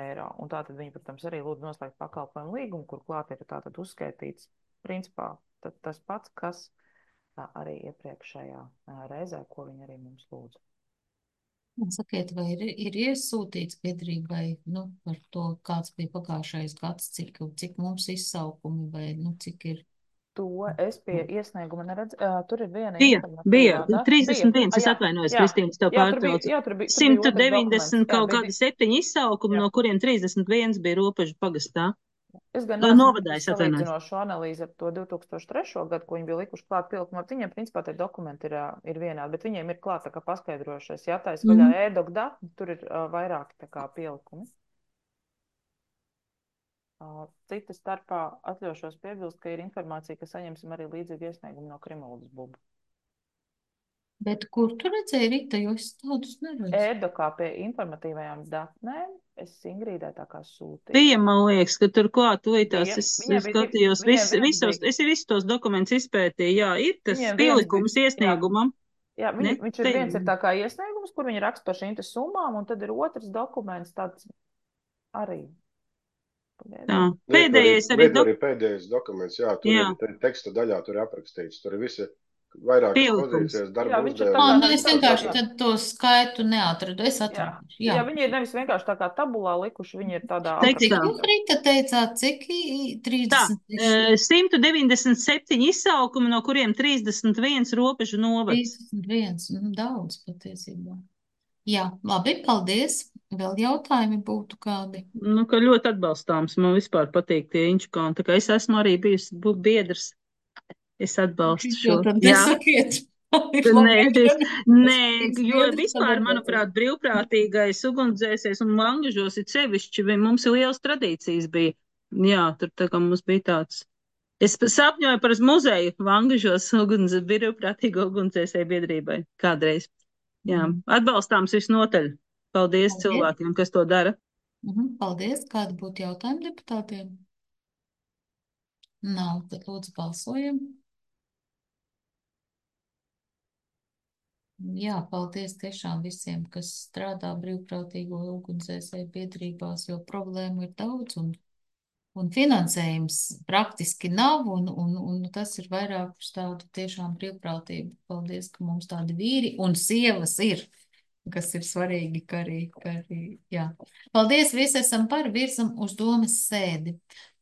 eiro. Un tātad viņi, protams, arī lūdz noslēgt pakalpojumu līgumu, kur klāt ir tātad uzskaitīts principā tas pats, kas arī iepriekšējā reizē, ko viņi arī mums lūdz. Sakiet, vai ir iesūtīts biedrībai, par to, kāds bija pagājušais gads, cik mums izsaukumi vai, cik ir? To es pie iesnieguma neredzu. Tur ir viena Bija 31, es atvainojos, Kristīnas, tev pārtraucu. 190 kaut kādi 7 izsaukumi, no kuriem 31 bija Robežu pagastā. Es gan neesmu salīdzinošu analīzi ar to 2003. Gadu, ko viņi bija likuši klāt pielikumā. Viņiem, principā, tie dokumenti ir vienādi, bet viņiem ir klāt tā kā paskaidrošais. Ja taisa vaļā e-doc dati, tur ir vairāki tā kā pielikumi. Cita starpā atļaušos piebilst, ka ir informācija, ka saņemsim arī līdzīgu iesniegumu no Krimuldas bubu. Bet kur tu redzēji, Rita, jo es tādus neredzu? E-dokā pie informatīvajām datnēm es Ingrīdai tā kā sūtīju. Bija, man liekas, ka tur klāt tuvītās es skatījos, visus tos dokumentus izpētīju, jā, ir tas pielikums iesniegumam. Jā, viņš ir viens ir tā kā iesniegums, kur viņi raksta par šīm te summām, un tad ir otrs dokuments tāds arī. Tā, pēdējais arī pēdējais dokuments, jā, tur ir teksta daļā, tur ir aprakstīts, tur ir visi vairākas pozīcijas, darba uzdevumi. Es vienkārši tad to skaitu neatradu, es atradu. Jā, viņi ir nevis vienkārši tā kā tabulā likuši, viņi ir tādā Cik jūs, Rita, teicāt, cik 30? Tā, 197 izsaukumi, no kuriem 31 Robežu novads. 31, daudz patiesībā. Jā, labi, paldies. Vēl jautājumi būtu kādi? Ka ļoti atbalstāms, man vispār patīk tie inčukāni, tā kā es esmu arī bijusi biedrs. Es atbalstu šo. Nesakiet. Nē, jo vispār, manuprāt, brīvprātīgais ugunsdzēsējs un Vangažos ir sevišķi, mums ir lielas tradīcijas bija. Jā, tur tā kā mums bija tāds. Es sapņoju par muzeju Vangažos brīvprātīgo ugunsdzēsēju biedrībai kādreiz. Jā, atbalstāms visnotaļ. Paldies cilvēkiem, kas to dara. Paldies. Kādi būtu jautājumi deputātiem? Nav, tad lūdzu balsojam. Jā, paldies tiešām visiem, kas strādā brīvprātīgo ugunsdzēsēju biedrībās, jo problēmu ir daudz un finansējums praktiski nav, un tas ir vairāk uz tādu tiešām brīvprātību. Paldies, ka mums tādi vīri un sievas ir, kas ir svarīgi, ka arī, jā. Paldies, visi esam par, virzam uz domas sēdi.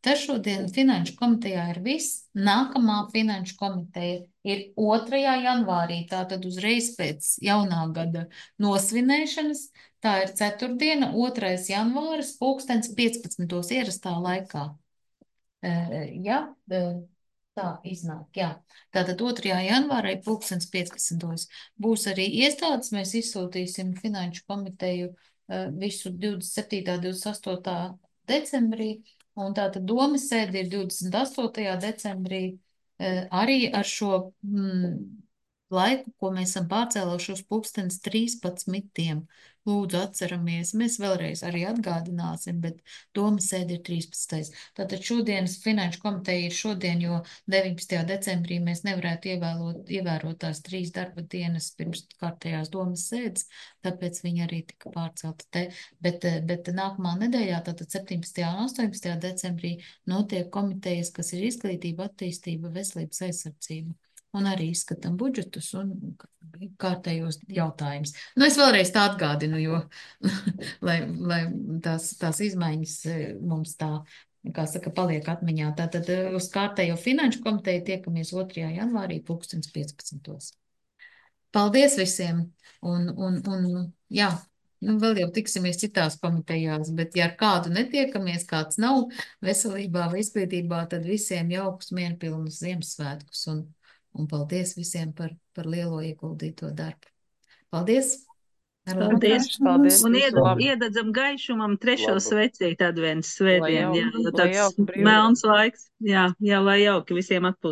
Tas šodien Finanšu komitejā ir viss. Nākamā Finanšu komiteja ir 2. janvārī, tātad uzreiz pēc jaunā gada nosvinēšanas. Tā ir ceturtdiena, 2. janvāris, 15:00 ierastā laikā. Jā, tā iznāk, jā. Tātad 2. janvārī 15:00 būs arī iestādes. Mēs izsūtīsim Finanšu komiteju visu 27. 28. decembrī. Un tātad domas sēde ir 28. decembrī arī ar šo laiku, ko mēs esam pārcēluši uz 13:00. Lūdzu, atceramies. Mēs vēlreiz arī atgādināsim, bet domas sēde ir 13. Tātad šodienas Finanšu komiteja ir šodien, jo 19. decembrī mēs nevarētu ievērot tās 3 darba dienas pirms kārtējās domas sēdes, tāpēc viņa arī tika pārcelta te. Bet nākamā nedēļā, tātad 17. un 18. decembrī, notiek komitejas, kas ir izglītība, attīstība, veselības aizsardzība. Un arī izskatām budžetus un kārtējos jautājumus. Es vēlreiz tā atgādinu, jo, lai tās izmaiņas mums tā, kā saka, paliek atmiņā. Tātad uz kārtējo Finanšu komiteju tiekamies 2. janvārī 15:00. Paldies visiem! Un jā, Nu, vēl jau tiksimies citās komitejās, bet ja ar kādu netiekamies, kāds nav veselībā vai izglītībā, tad visiem jaukus, mierpilnus Ziemassvētkus un paldies visiem par lielo ieguldīto darbu. Paldies! Paldies! Paldies! Un Visu labu! iededzam gaišumam trešo Labu. svecīti adventas svētdien. Lai Jā, jauki, jo lai tāds jauki brīvdiena. melns laiks. Jā, lai jauki visiem atpūst.